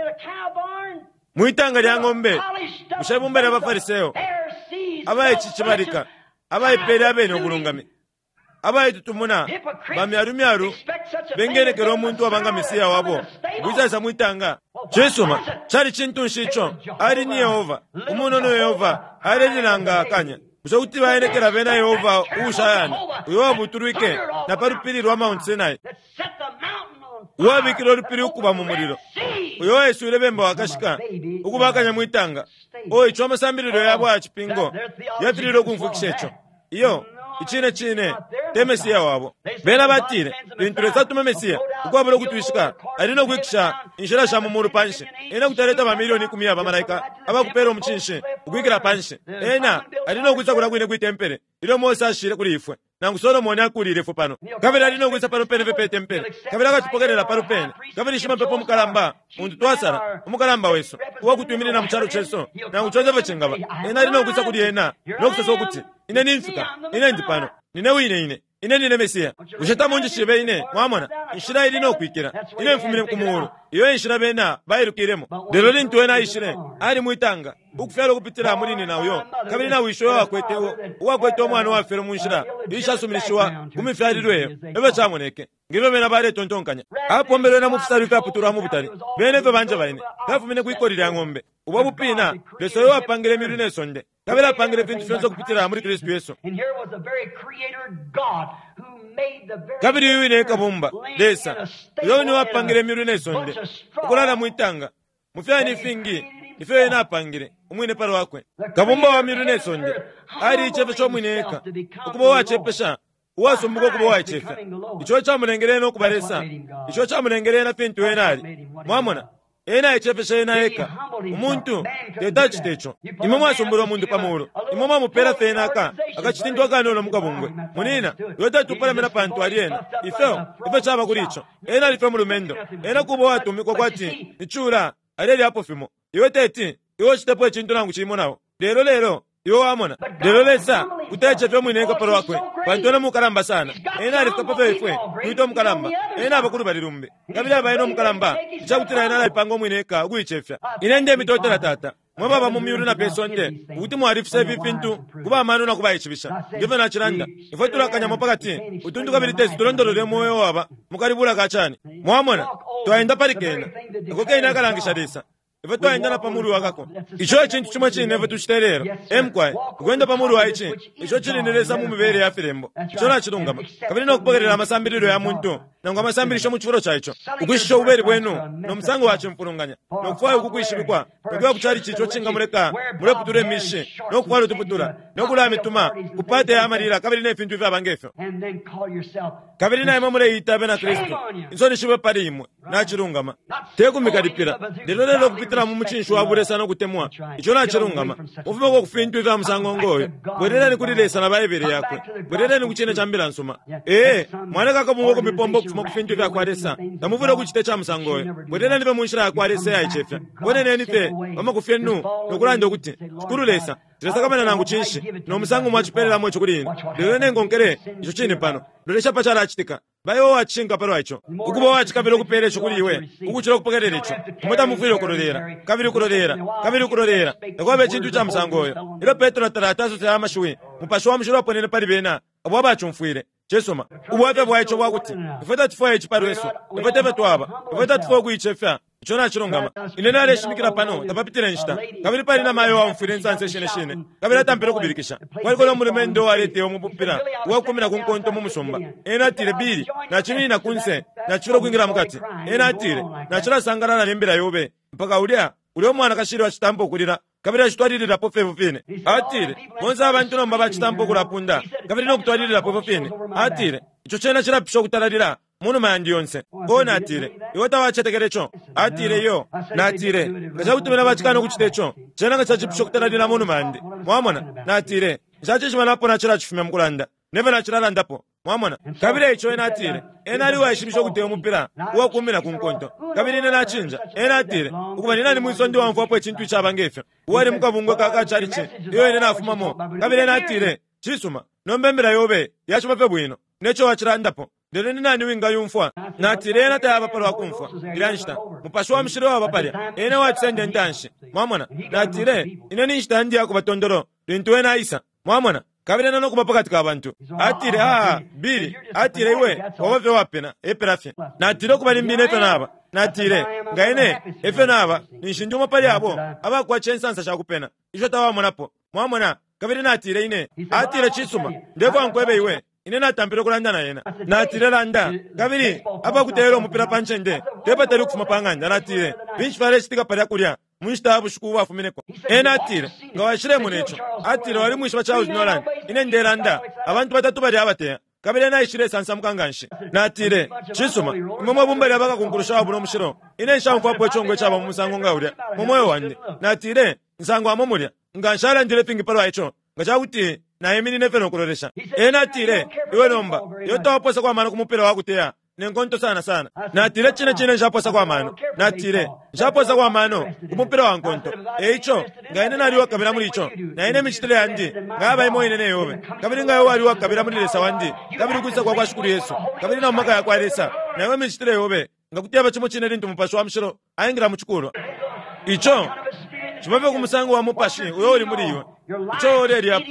mwi tanga lya ng'ombe, bushe ibumba lya baFariseo abaicicibalika, abaipeele abene ubulungami, abaitutumuna bamyalumyalu bengenekela umuntu waba nga Mesia wabo ukwisaisa mwi tanga? Cisuma, cali cintu nshi ico? Ali ni Yehova, umunono Yehova alelila akanya. Bushe kuti baenekela bena Yehova uushayana, uyo wabutulwike na pa lupili lwa Mount Sinai, uwabikile ulupili ukuba mu mulilo, uyo waiswile bemba wakashika ukuba akanya mwi tanga? O, ico amasambililo yabo aya cipingo yafililwe ukumfwikisha ico. Iyo, icine cine, te Mesia wabo. Bena batile, lintu Lesa atuma Mesia, ukwabula ukutwishika ali no kwikisha inshila sha mu mulu panshi. Ena kuti aleta bamilioni ikumi ya bamalaika abakupela umucinshi ukwikila panshi. Ena ali no kwisa kulya kwine kwi tempele ilyo Mose ashile kuli ifwe, nangu Solomone akuulile ifwe pano. Kabili ali no kwisa pano pene fye pe tempele, kabili akatupokelela pano pene. Kabili shimapepo mukalamba untu twasala, umukalamba wesu, uwa kutwiminina mu calo cesu, nangu conse ifyo cingaba, ena ali no kwisa kuli ena no kusosa ukuti, Ine nimfika. Ine ndi pano. Nine wine ine. Ine nine Mesia. Bushe tamunjishibe ine? Mwamona, inshila ili no kwikila. Ine mfumine ku muulu. Iyo e nshila bena bailukilemo. Lelo lintu ena aishile, ali mwitanga, ukufyalwa ukupitila muli nyina uyo, kabili na wishi uyo wakwete, uwakwete umwana uwafyelwe mu nshila iishasuminishiwa ku mifyalilwe iyo, efyo camoneke. Nge fyo bena baletontonkanya. Apombelwe na mu fisalu ifyaputulwa mu butali. Bena efyo banjeba ine, fyafumine kwi koli lya ng'ombe. Ubo bupina, Lesa uyo wapangile imyulu ne sonde, kabili apangile ifintu fyonse ukupitila muli Kristu Yesu. Kabili uyu wine e Kabumba, Lesa, uyo wine wapangile imyulu ne sonde, ukulala mwi tanga, mu fyani ifingi ifyo Ena apangile umwine pa lwakwe. Kabumba wa myulu ne sonde aliicefeshe umwine eka, ukuba uwacepesha uwasumbuka ukuba uwaicefya. Ico ecamulengele ena ukuba Lesa. Ico ecamulengele ena fintu ena ali. Mwamona? Ena aicefeshe ena eka. Umuntu teti acite ico. Imwe mwasumbula umuntu pa mulu. Imwe mwamupela fye ena aka, akacitintu akanono mukabungwe. Munina, iwe teti upalamena pantu ali ena. Ifyo, ifyo caba kuli ico. Ena ali fye mulumendo. Ena kuba uwatumikwa kwati ni cula alelyapo fimo. Iwe teti, iwe ucitepo icintu nangu cimo nao. Lelo, lelo, Iwe wamona. Lelo Lesa kuti aicefya umwine eka pa lwakwe, pantu ena mukalamba sana. Ena alifika pa fyo ifwe twita umukalamba. Ena aba ku lubali lumbi. Kabili aba ena umukalamba icakutila ena alaipanga umwine eka ukuicefya. Ine ndemitotela, Tata, mwe baba mu myulu na pe sonde, ukuti mwalifisa ifi fintu ku ba mano na ku baishibisha. Nge fyo nacilanda, ifwe tulakanyamo pa kati utuntu kabili teti tulondolole umweo uwaba mu kalibula ka cani. Mwamona, twaenda pali kena. Ako kene akalangisha Lesa. Ifwe twaenda na pa mulu wa kako. Ico e cintu cimo cine ifwe tucita ilelo. E mukwai, ukwenda pa mulu wa ici, ico cili ni Lesa mu mibele ya filembo. Ico nacilungama. Kabili no kupokelela amasambililo ya muntu, nangu amasambilisho mu cifulo ca ico. Ukwishisha ububeli bwenu no musango wa cimfulunganya, no kufwaya uku kwishibikwa, no kuya ku calici ico cingamuleka muleputula imishi, no kufwala utuputula, no kulamituma ku parte ya malila kabili ne fintu ifyaba nge fyo. Kabili na imwe muleiita abena Kristu. Insoni shibe pali imwe. Nacilungama. Te kumikalipila, lelo lelo ukupitila mu mucinshi wa bulesa no kutemwa. Ico nacilungama. Mufumeko ku fintu ifya musango ngo yo. Bweleleni kuli Lesa na Baibele Yakwe. Bweleleni ku cine ca Mbila nsuma. Ee, mwaleka akabungwe kumipomba ukufuma ku fintu ifya kwa Lesa. Tamufwile ukucita ica musango yo. Bweleleni fye mu nshila ya kwa Lesa iyaicefya. Boneneni fye pa makufi yenu no kulanda ukuti, Shikulu Lesa, Nshilesakamana nangu cinshi no musango mwacipelelamo ico kuli ine, lelo ine nkonkele ico cine pano. Lolesha pa calacitika. Ba iwe uwacishinka palwa ico. Ukuba uwacikabila ukupeela ico kuli iwe ukucila ukupokelela ico. Imwe tamufwile ukulolela, kabili ukulolela, kabili ukulolela. Takwaba icintu ica musango uyo. Ilyo Petro talati asose aya mashiwi, Mupashi wa Mushilo aponene pali bena abo abacumfwile. Cisuma. Ubwafya bwa ico bwa kuti ifwe tatufwaya ici pa lwesu. Ifwe te fyo twaba. Ifwe tatufwaya ukuicefya. Ico nacilungama. Ine naleshimikila pano tapapitile inshita, kabili pali namayo uwaumfwile insansa ishine shine, kabili atampile ukubilikisha. Kwaliko no mulumendo uwaleteya umupila uwakukumina ku nkonto mu musumba. Ena atile, Billy, naciminina kunse, nacifilwa ukwingila mukati. Ena atile, Nacilasangalala ne mbila yobe mpaka ulya, ulya umwanakashi ilyo acitampa ukulila, kabili acitwalililapo fye ifyo fine. Atile, Bonse abantu nomba bacitampa ukulapunda, kabili no kutwalililapo ifyo fine. Atile, Ico cena cilapisha ukutalalila munuma yandi yonse. Oh, natile, iwe tawacetekela ico. Atile, Iyo. Natile, Nga cakuti bena bacikana ukucita ico, cena nga cacipusha ukutalalila munuma yandi. Mwamona? Natile, Nshacishiba napo nacilacifumya mukulanda, nefyo nacilalandapo. Mwamona? Kabili eico ena atile, Ena ali uwaishibisha ukuteya umupila uwakumina ku nkonto. Kabili ine nacinja. Ena atile, Ukuba, ni nani mwisonde uwaumfwapo icintu icaba ngefyo, uwali mukabungwe ka ka chalichi iyo ine nafumamo? Kabili ena atile, Cisuma, nomba imbila yobe yaciba fye bwino, neco wacilandapo. Lelo ni nani wingayumfwa? Natile, Yena tayaba palwa kumfwa ilya nshita. Mupashi wa Mushilo waba palya. Ena ewacisenda intanshi. Mwamona? Natile, Ine ni nshita yandi yakuba tondolo lintu Ena aisa. Mwamona? Kabili Ena nokuba pakati ka bantu. Atile, Ah, Billy, atile, iwe waba fye uwapena, epela fye. Natile, Ukuba limbi ine efyo naba. Natile, Nga ine efyo naba, ninshi ndi umo pali abo abakwatisha insansa shakupena isho tawamonapo. Mwamona? Kabili natile, Ine. Atile, Cisuma, ndefwaya nkwebe iwe. Ine natampile ukulanda na ena. Natile, Landa. Kabili apakuteyela umupila pa ncende tepatali ukufuma pa ng'anda, natile, Finshi fyalecitika palya kulya mu nshita ya bushiku ubwafumineko? Ena atile, Nga waishilemona ico. Atile, Walimwishiba Charles Nolan. Ine ndelanda, abantu batatu balya abateya. Kabili ena aishilesansamuka nganshi. Natile, Cisuma, imwe mwe bumba lya bakakunkulusha wabula umushilo, ine nshaumfwapo icongo icaba mu musango nga ulya mu mweo wandi. Natile, Nsangwamo mulya. Nga nshalandile ifingi palwa ico, nga ca kuti naiminine fye no kulolesha. Ena atile, Iwe nomba, iwe tawapoosako amano ku mupila wa kuteya ne nkonto sana sana. Natile, Cine cine nshapoosako amano. Natile, Nshapoosako amano ku mupila wa nkonto. E ico, nga ine nali uwakabila muli ico, na ine imicitile yandi nga yaba imo ine ne yobe, kabili nga iwe wali uwakabila muli Lesa wandi, kabili ukwisa kwa kwa Shikulu Yesu, kabili na mu maka ya kwa Lesa, na iwe imicitile yobe nga kuti yaba cimo cine lintu Mupashi wa Mushilo aingila mu cikulwa. Ico ciba fye ku musango wa mupashi uyo uli muli iwe, ico ulelyapo.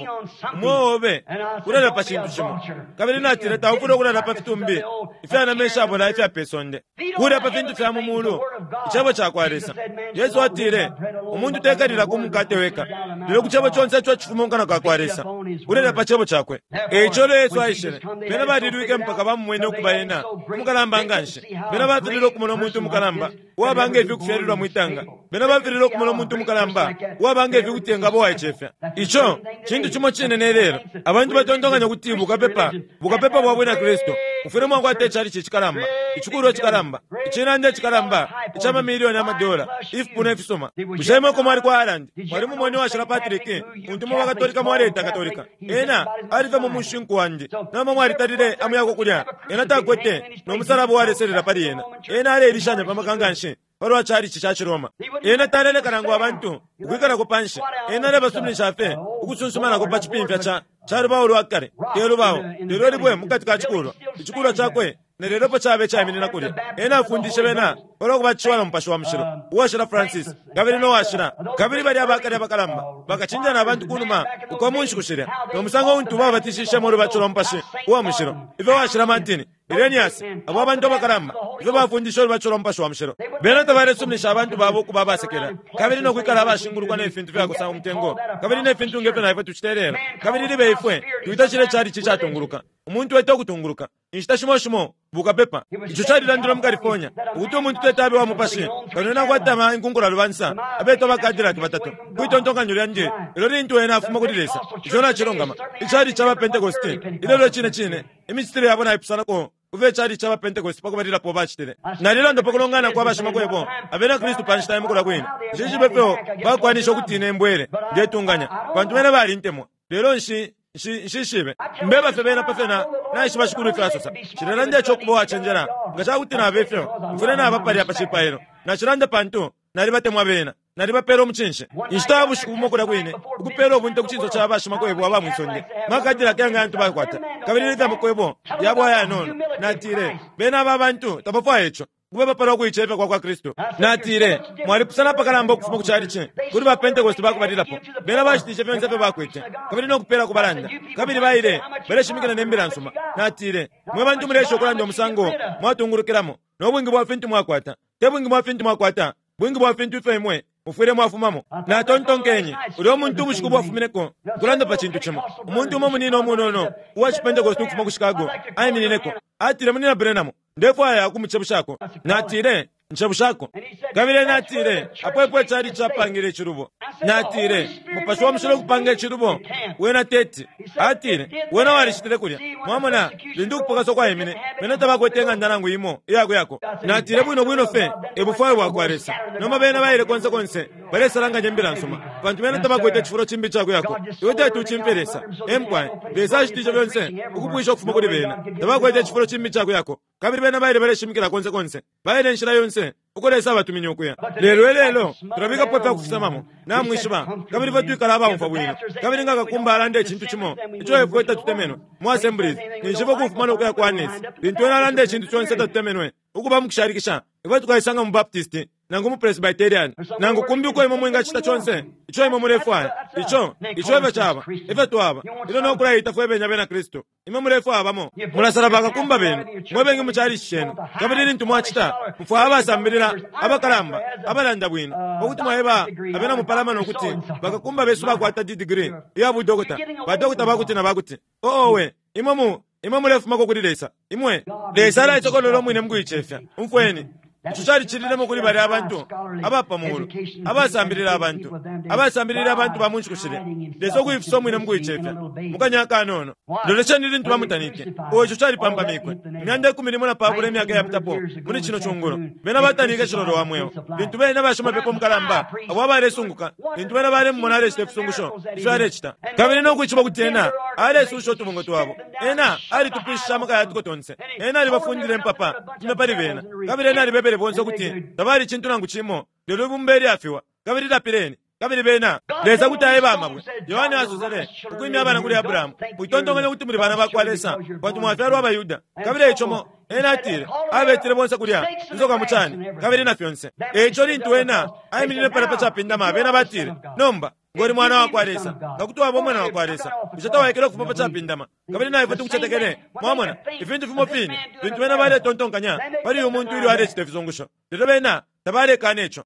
Umweo obe ulelya pa cintu cimo. Kabili natile taufwile ukulala pa fitumbi ifya nama ishabola ifya pe sonde. Kulya pa fintu fya mu mulu, Icebo ca kwa Lesa. Yesu atile, Umuntu tekalila ku mukate weka, lelo ku cebo conse ico icifuma mu kanwa ka kwa Lesa. Ulelya pa Cebo Cakwe. E ico ilyo Yesu aishile, bena balilwike mpaka bamumwene ukuba Ena umukalamba nganshi. Bena bafililwe ukumona umuntu umukalamba uwaba nge fi ukufyalilwa mwi tanga. Bena bafililwe ukumona umuntu umukalamba uwaba nge fi ukuti engaba uwaicefya. Ico cintu cimo cine ne lelo. Abantu batontonkanya ukuti bukapepa, bukapepa bwa Bwina Kristu, mufwile mwakwata icalici icikalamba, icikulwa icikalamba, icinanda icikalamba ica mamilioni amadola, ifipuna ifisuma. Bushe imwe uko mwali ku Ireland, mwalimumwene Uwashila Patrick, untu imwe baKatolika mwaleita Katolika? Ena ali fye mu mushinku wandi. Nomba mwalitalile amuyako kulya? Ena takwete no musalaba uwaleselela pali ena. Ena aleilishanya pa maka nganshi palwa chalichi ca ciRoma. Ena taleleka nangu abantu ukwikalako panshi. Ena alebasuminisha fye ukusunsumanako pa cipimfya ca, ca lubao lwa kale, te lubao, lelo libwe mukati ka cikulwa. Icikulwa cakwe na lelo epo caba icaiminina kulya. Ena afundishe bena palwa kubatishiwa na Mupashi wa Mushilo, Uwashila Francis, kabili no Washila, kabili balya abakale abakalamba bakacinja na bantu kunuma uko mu nshiku shilya, no musango untu babatishishemo ulubatisho lwa Mupashi uwa Mushilo, ifyo Washila Martin, Irenaeus, abo abantu abakalamba, ifyo bafundishe ulubatisho lwa Mupashi wa Mushilo. Bena tabalesuminisha abantu babo ukuba abasekela, kabili no kwikala abashingulukwa ne fintu fyakosa umutengo, kabili ne fintu nge fyo na ifwe tucita ilelo. Kabili libe ifwe twita cilya icalici icatunguluka. Umuntu eta ukutunguluka. Inshita shimo shimo, bukapepa. Ico calilandilwe mu California, ukuti umuntu teti abe wa mupashi kano ena akwata inkunkula lubansa, abetwa ba Cadillac batatu, kwi tontonkanyo lyandi, lelo lintu ena afuma kuli Lesa. Ico nacilungama. Icalici ca ba Pentecosti ilelo icine cine, imicitile yabo naipusanako ku fyo icalici ca ba Pentecosti pa kubalilapo bacitile. Nalilanda pa kulongana kwa bashimakwebo Abena Kristu pa nshita imo kulya kwine. Nshishibe ifyo bakwanishe ukutina imbwele, ndetunganya, pantu bena balintemwa. Lelo nshi, nshi, nshishibe. Mbeba fye bena pa fyo na, naishiba Shikulu ifyo asosa. Nshilelanda ico ukuba uwacenjela. Nga ca kuti naba ifyo, mfwile naba palya pa cipailo. Nacilanda pantu nalibatemwa bena. Nalibapela umucinshi. Inshita ya bushiku bumo kulya kwine, ukupela ubunte ku cinso ca bashimakwebo aba mwi sonde, makadilaki yanga yantu bakwata, kabili ne fya makwebo yabo ayanono. Natile, Bena aba bantu tabafwaya ico. Ukubeba palwa kuicefya kwa kwa Kristu. Natile, Mwalipusana apakalamba ukufuma ku chalichi kuli ba Pentecost bakubalilapo. Bena bashitishe fyonse ifyo bakwete, kabili no kupela ku balanda, kabili baile baleshimikila ne mbila nsuma. Natile, Mwe bantu muleesha ukulanda umusango mwatungulukilamo, no bwingi bwa fintu mwakwata. Te bwingi bwa fintu mwakwata, bwingi bwa fintu ifyo imwe mufwile mwafumamo. Natontonkenye, ulyo muntu ubushiku bwafumineko, ukulanda pa cintu cimo. Umuntu umo munina umunono uwa Cipentecost ukufuma ku Chicago aiminineko. Atile, Munyina Branham, ndefwaya ukumucebushako. Natile, Ncebushako. Kabili ena atile, Apo epo icali capangile icilubo. Natile, Mupashi wa Mushilo ukupanga icilubo? Wena teti. Atile, Wena walicitile kulya. Mwamona, lintu ukupokaswa kwaimine, bena tabakwete ing'anda nangu imo iya kuyako. Natile, Bwino bwino fye e bufwayo bwakwa Lesa. Nomba bena baile konse konse, balesalanganya Imbila nsuma, pantu bena tabakwete icifulo cimbi ica kuyako. Iwe teti ucimfye Lesa. Ee, mukwai. Lesa ashitishe fyonse ukupwisha ukufuma kuli bena. Tabakwete icifulo cimbi ica kuyako. Kabili bena baile baleshimikila konse konse. Baile inshila yonse uko Lesa abatumine ukuya. Lelo ilelo tulabikapo ifya kufisamamo, namwishiba, kabili ifwe twikala abaumfwa bwino. Kabili nga kakumba alanda icintu cimo ico ifwe tatutemenwe mu Assemblies, ninshi ifwe kufuma no kuya ku Annes. Lintu ena alanda icintu conse tatutemenwe, ukuba mukushalikisha, ifwe tukaisanga mu Baptist nangu mu Presbyterian, nangu kumbi uko imwe mwingacita conse ico imwe mulefwaya. Ico, ico efyo caba, efyo twaba, ilyo no kulaita fwe bene abena Kristu. Imwe mulefwaya bamo, mulasala bakakumba benu mwe bengi mu chalichi cenu, kabili lintu mwacita, mufwaya abasambilila abakalamba abalanda bwino, pa kuti mwaeba abena mupalamano ukuti bakakumba besu bakwata didigiri iya budokota, badokota ba kuti na ba kuti. Oh, owe, imwe mu, imwe mulefumako kuli Lesa. Imwe, Lesa alaisokolola umwine mu kuicefya. Umfweni. Ico calicililemo kuli balya abantu aba pa muulu, abasambilila abantu, abasambilila abantu ba mu nshiku shilya. Lesa ukuifisa umwine mu kuicefya, mu kanya akanono. Lolesheni lintu bamutanike. Oh, ico calipampamikwe. Imyanda ikumi limo na pabula imyaka iyapitapo, muli cino cungulo, bena batanike Cilolo wa Mweo. Lintu bena bashimapepo mukalamba abo abalesunguka, lintu bena balemumona alecita ifisungusho ifyo alecita, kabili no kwishiba ukuti ena alesusha utubungwe twabo, ena alitupwishishe amaka ya tuko tonse, ena alibafundile impapa fumya pali bena, kabili ena alibebele bonse ukuti tabali cintu nangu cimo lelo ibumba ilyafiwa, kabili lapileni. Kabili bena, Lesa kuti aeba amabwe. Yohane asosele, ukwimya abana kuli Abrahamu, mwitontonkanya ukuti muli bana bakwa Lesa, pantu mwafyalwa abaYuda. Kabili eico mo, ena atile, abetile bonse kulya, insoka mu cani, kabili na fyonse. Eico lintu ena aiminine palya pa capindama, bena batile, Nomba, ngo uli Mwana wakwa Lesa, nga kuti waba Umwana wakwa Lesa, bushe tawaikele ukufuma pa capindama, kabili na ifwe tukucetekele? Mwamona, ifintu fimo fine fintu bena baletontonkanya pali uyu muntu ilyo alecita ifisungusho, lelo bena tabalekana ico.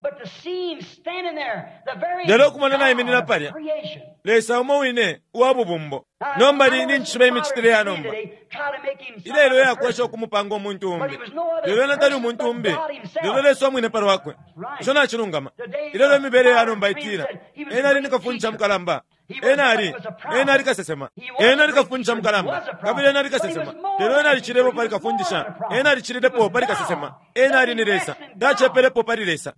Lelo ukumona naiminina palya, Lesa umo wine uwa bubumbo. Nomba ninjishiba imicitile ya nomba ilelo iyakwesha ukumupanga umuntu umbi, lelo ena tali umuntu umbi, lelo Lesa umwine pa lwakwe. Ico nacilungama. Ilelo imibele ya nomba itila, Ena ali ni kafundisha mukalamba. Ena ali, ena ali kasesema. Ena ali kafundisha mukalamba, kabili ena ali kasesema. Lelo ena alicilepo pali kafundisha. Ena alicililepo pali kasesema. Ena ali ni Lesa. Tacepelepo pali Lesa.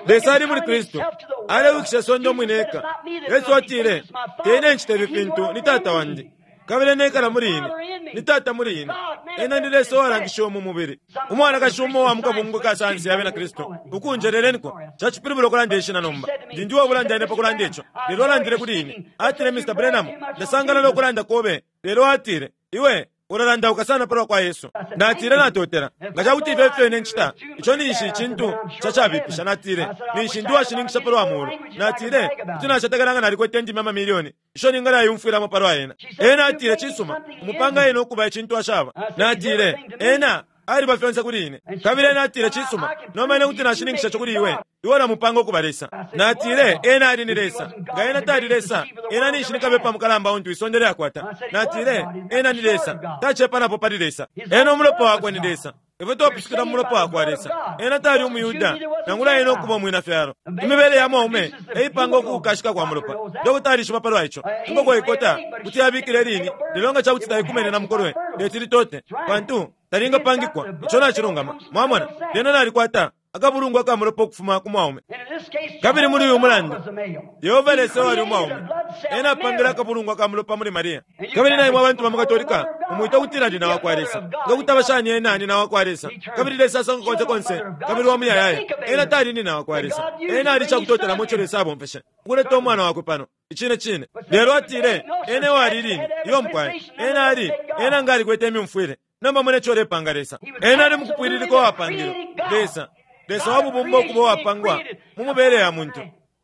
Lesa ali muli Kristu, alewikisha isonde umwine eka. Yesu atile, Te ine ncita ifi fintu, ni Tata wandi. Kabili ena ekala muli ine, ni Tata muli ine. Ena ni Lesa uwalangishiwe mu mubili. Umwanakashi umo uwa mu kabungwe ka sayansi ya Bena Kristu, ukunjeleleniko, cacipilibula ukulanda ishina nomba. Ndi ndi uwabulanda ine pa kulanda ico, lelo alandile kuli ine. Atile, Mr. Branham, ndasangalala ukulanda kobe, lelo atile, iwe ulalandauka sana palwa kwa Yesu. Natile, Natotela. Nga ca kuti ifyo efyo ine ncita, ico ninshi icintu ca cabipisha. Natile, Ninshi ndi uwashininkisha palwa Muulu. Natile, Kuti nacetekela nga nalikwete indimi amamilioni isho ningalayumfwilamo palwa Ena. Ena atile, Cisuma, umupanga ena ukuba icintu ashaba. Natile, Ena aliba fyonse kuli ine. Kabili ena atile, Cisuma, nomba ine kuti nashininkisha ico kuli iwe. Iwe ulamupanga ukuba Lesa. Natile, Ena ali ni Lesa. Nga Ena tali Lesa, Ena ninshi ni kabepa mukalamba untu isonde lyakwata. Natile, Ena ni Lesa. Tacepanapo pali Lesa. Ena Umulopa Wakwe ni Lesa. Ifwe twapusukila mu Mulopa wakwa Lesa. Ena tali umuYuda, nangula ena ukuba Umwinafyalo. Imibele ya mwaume e ipanga ukukashika kwa mulopa. Dokota alishiba palwa ico. Inkoko ikota kuti yabikila ilini, lelo nga ca kuti taikumene na mukolwe, teti litote, pantu talingapangikwa. Ico nacilungama. Mwamona? Lyena nalikwata akabulungwa ka mulopa ukufuma ku mwaume. Kabili muli uyu mulandu, Yehova Lesa uwali umwaume, ena apangile akabulungwa ka mulopa muli Maria. Kabili na imwe abantu ba mu Katolika mumwita ukutila nyina wa kwa Lesa. Nga kuti aba shani ena nyina wa kwa Lesa, kabili Lesa asangwa konse konse kabili wa muyayaya? Ena tali nyina wa kwa Lesa. Ena ali cakutotelamo ico Lesa abomfeshe ukuleta Umwana Wakwe pano. Icine cine. Lelo atile, Ena ewali lini? Iyo mukwai. Ena ali, ena nga alikwete imyumfwile. Nomba mone ico ulepanga Lesa. Ena ali mukupwililika uwapangilwe. Lesa, Lesa wa bubumbo ukuba uwapangwa mu mubele ya muntu.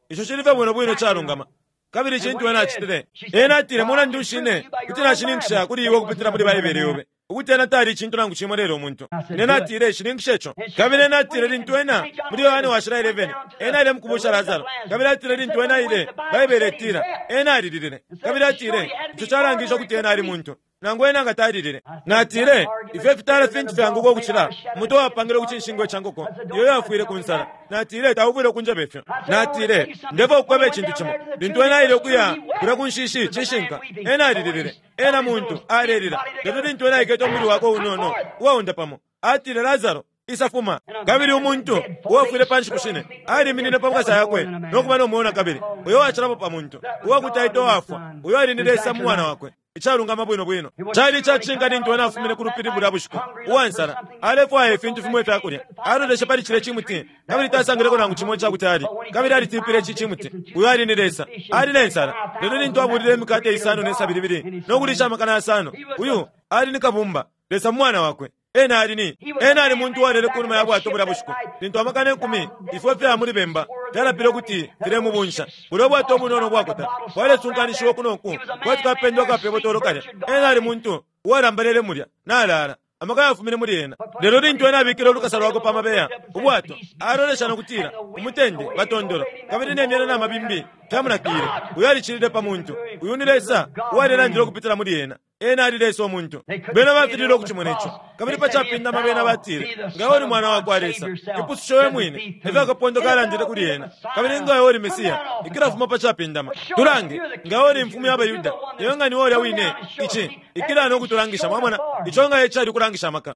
Ico cili fye bwino bwino calungama. Kabili icintu ena acitile, ena atile, Mulandu nshi ine kuti nashininkisha kuli iwe ukupitila muli Baibele yobe ukuti ena tali icintu nangu cimo lelo umuntu? Ine natile, Shininkisha ico. Kabili ena atile, lintu ena, muli Yohane Washila 11, ena aile mukubusha Lasaro. Kabili atile, lintu ena aile, Baibele itila, ena alililile. Kabili atile, Ico calangishe ukuti ena ali muntu, nangu ena nga talilile. Natile, Ifyo ifitala fintu fyanguka ukucila umutwe wapangilwe ku cinshingwa ca nkoko iyo yafwile ku nsala. Natile, Taufwile ukunjeba ifyo. Natile, Ndefwaya ukukweba icintu cimo. Lintu ena aile ukuya kulya ku nshishi, cishinka, ena alililile. Ena muntu, alelila. Lelo lintu ena aikete umubili wakwe unono uwaunda pamo, atile, Lasaro, isa fuma. Kabili umuntu, uwafwile pa nshiku shine, aliminine pa makasa yakwe no kuba no mweo na kabili. Uyo uwacilapo pa muntu, uwakuti aitwa uwafwa, uyo ali ni Lesa mu Mwana Wakwe. Icalungama bwino bwino. Cali ica cishinka lintu ena afumine ku lupili bulya bushiku, uwa nsala, alefwaya ifintu fimo ifya kulya. Aloleshe pali cilya cimuti, kabili tasangileko nangu cimo ica kuti alye. Kabili alitipile ici cimuti. Uyo ali ni Lesa. Ali ne nsala. Lelo lintu abulile imikate isano ne sabi libili, no kulisha amakana yasano, uyu ali ni Kabumba, Lesa mu Mwana Wakwe. Ena ali ni, ena ali muntu uwalele kunuma ya bwato bulya bushiku, lintu amakana ikumi ifwe fya muli bemba fyalapile ukuti filemubunsha. Bulya ubwato ubunono ubwakota bwalesunkanishiwa uku no ku kwati kapendo aka pe botolo kalya. Ena ali muntu uwalambalele mulya, nalala. Amaka yafumine muli ena. Lelo lintu ena abikile ulukasa lwakwe pa mabeya ubwato, alolesha no kutila, Umutende, batondolo, kabili ne myela na mabimbi fyamunakile. Uyo alicilile pa muntu. Uyu ni Lesa uwalelandila ukupitila muli ena. Ena ali Lesa umuntu. Bena bafililwe ukucimona ico. Kabili pa capindama bena batile, Nga iwe uli Mwana wakwa Lesa, ipusushe we mwine, efyo akapondo kalandile kuli ena. Kabili nga iwe uli Mesia, ikila fuma pa capindama. Tulange, nga iwe uli Imfumu ya baYuda, iwe nga niwe ulya wine, ici, ikila no kutulangisha. Mwamona? Ico nga ecali ukulangisha amaka.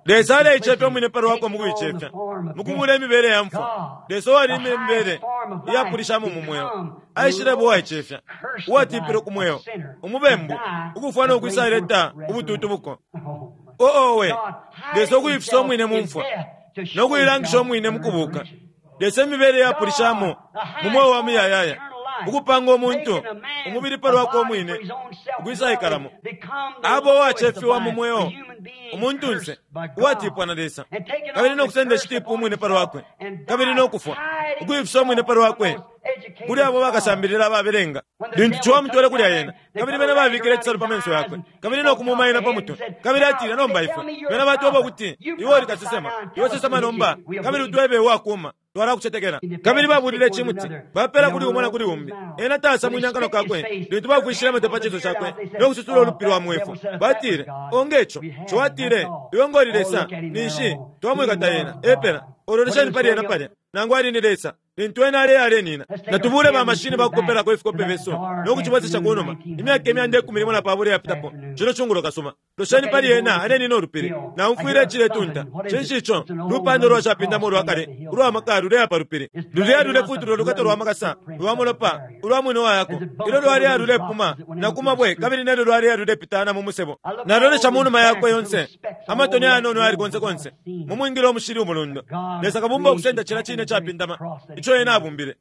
Lesa aleicefya umwine pa lwakwe mu kuicefya, mu kubuula imibele ya mfwa. Lesa uwali imibele iyapulishamo mu mweo, aishileba uwaicefya, uwatipilwe ku mweo, umubembu, ukufwa no kwisaleta ubututubuko. Oh, owe! Lesa ukuifisa umwine mu mfwa, no kuilangisha umwine mu kubuka. Lesa imibele iyapulishamo mu mweo wa muyayaya, ukupanga umuntu umubili pa lwakwe umwine ukwisaikalamo. Abo uwacefiwa mu mweo, umuntunse, uwatipwa na Lesa, kabili no kusenda icitipu umwine pa lwakwe, kabili no kufwa, ukuifisa umwine pa lwakwe kuli abo bakasambilila ababelenga. Lintu ciwa amutwele kulya ena, kabili bena babikile icisalu pa menso yakwe, kabili no kumuma ena pa mutwe, kabili atile, Nomba ifwe, bena batweba ukuti iwe uli kasesema, iwe sesema nomba, kabili utwebe uwakuma, twalakucetekela. Kabili babulile icimuti, bapela kuli umo na kuli umbi. Ena taasamwine akanwa kakwe lintu bafwishile amate pa cinso cakwe no kususula ulupi lwa mwefu. Batile, Onge co. Ciwa atile, Iwe ngo uli Lesa, ninshi twamwikata ena. Epela. Ololesheni pali ena palya. Nangu ali ni Lesa, lintu ena aleya alenina. Natubuule ba mashini ba kukopelako ifikope fyesu no kucibwesesha ku numa, imyaka imyanda ikumi limo na pabula iyapitapo, cino cungulo kasuba. Losheni pali ena alenina ulupili. Naumfwile iciletunta. Cinshi ico? Lupanda ulwa capindama ulwa kale, ulwa maka luleya pa lupili. Luleya lulefutula ulukato lwa makasa lwa mulopa ulwa mwine wayako. Ilyo lwaleya lulepuma na ku mabwe kabili nelyo lwaleya lulepitana mu musebo. Nalolesha mu numa yakwe yonse, amatoni ayanono ayali konse konse, mu mwingila umushili umulundo. Lesa Kabumba ukusenda cila cine capindama ico Ena abumbile.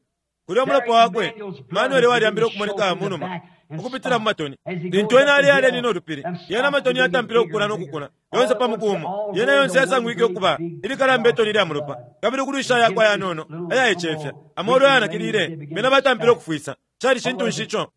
Kulya umulopa wakwe, Manuele walyambile ukumoneka mu numa, ukupitila mu matoni. Lintu ena aleya alenina ulupili, yena amatoni yatampile ukukula no kukula, yonse pa muku umo. Yena yonse yasangwike ukuba ilikalamba itoni lya mulopa. Kabili ukulwisha yakwe ayanono, ayaicefya, amolu ayanakilile, bena batampile ukufwisa. Cali cintu nshi ico?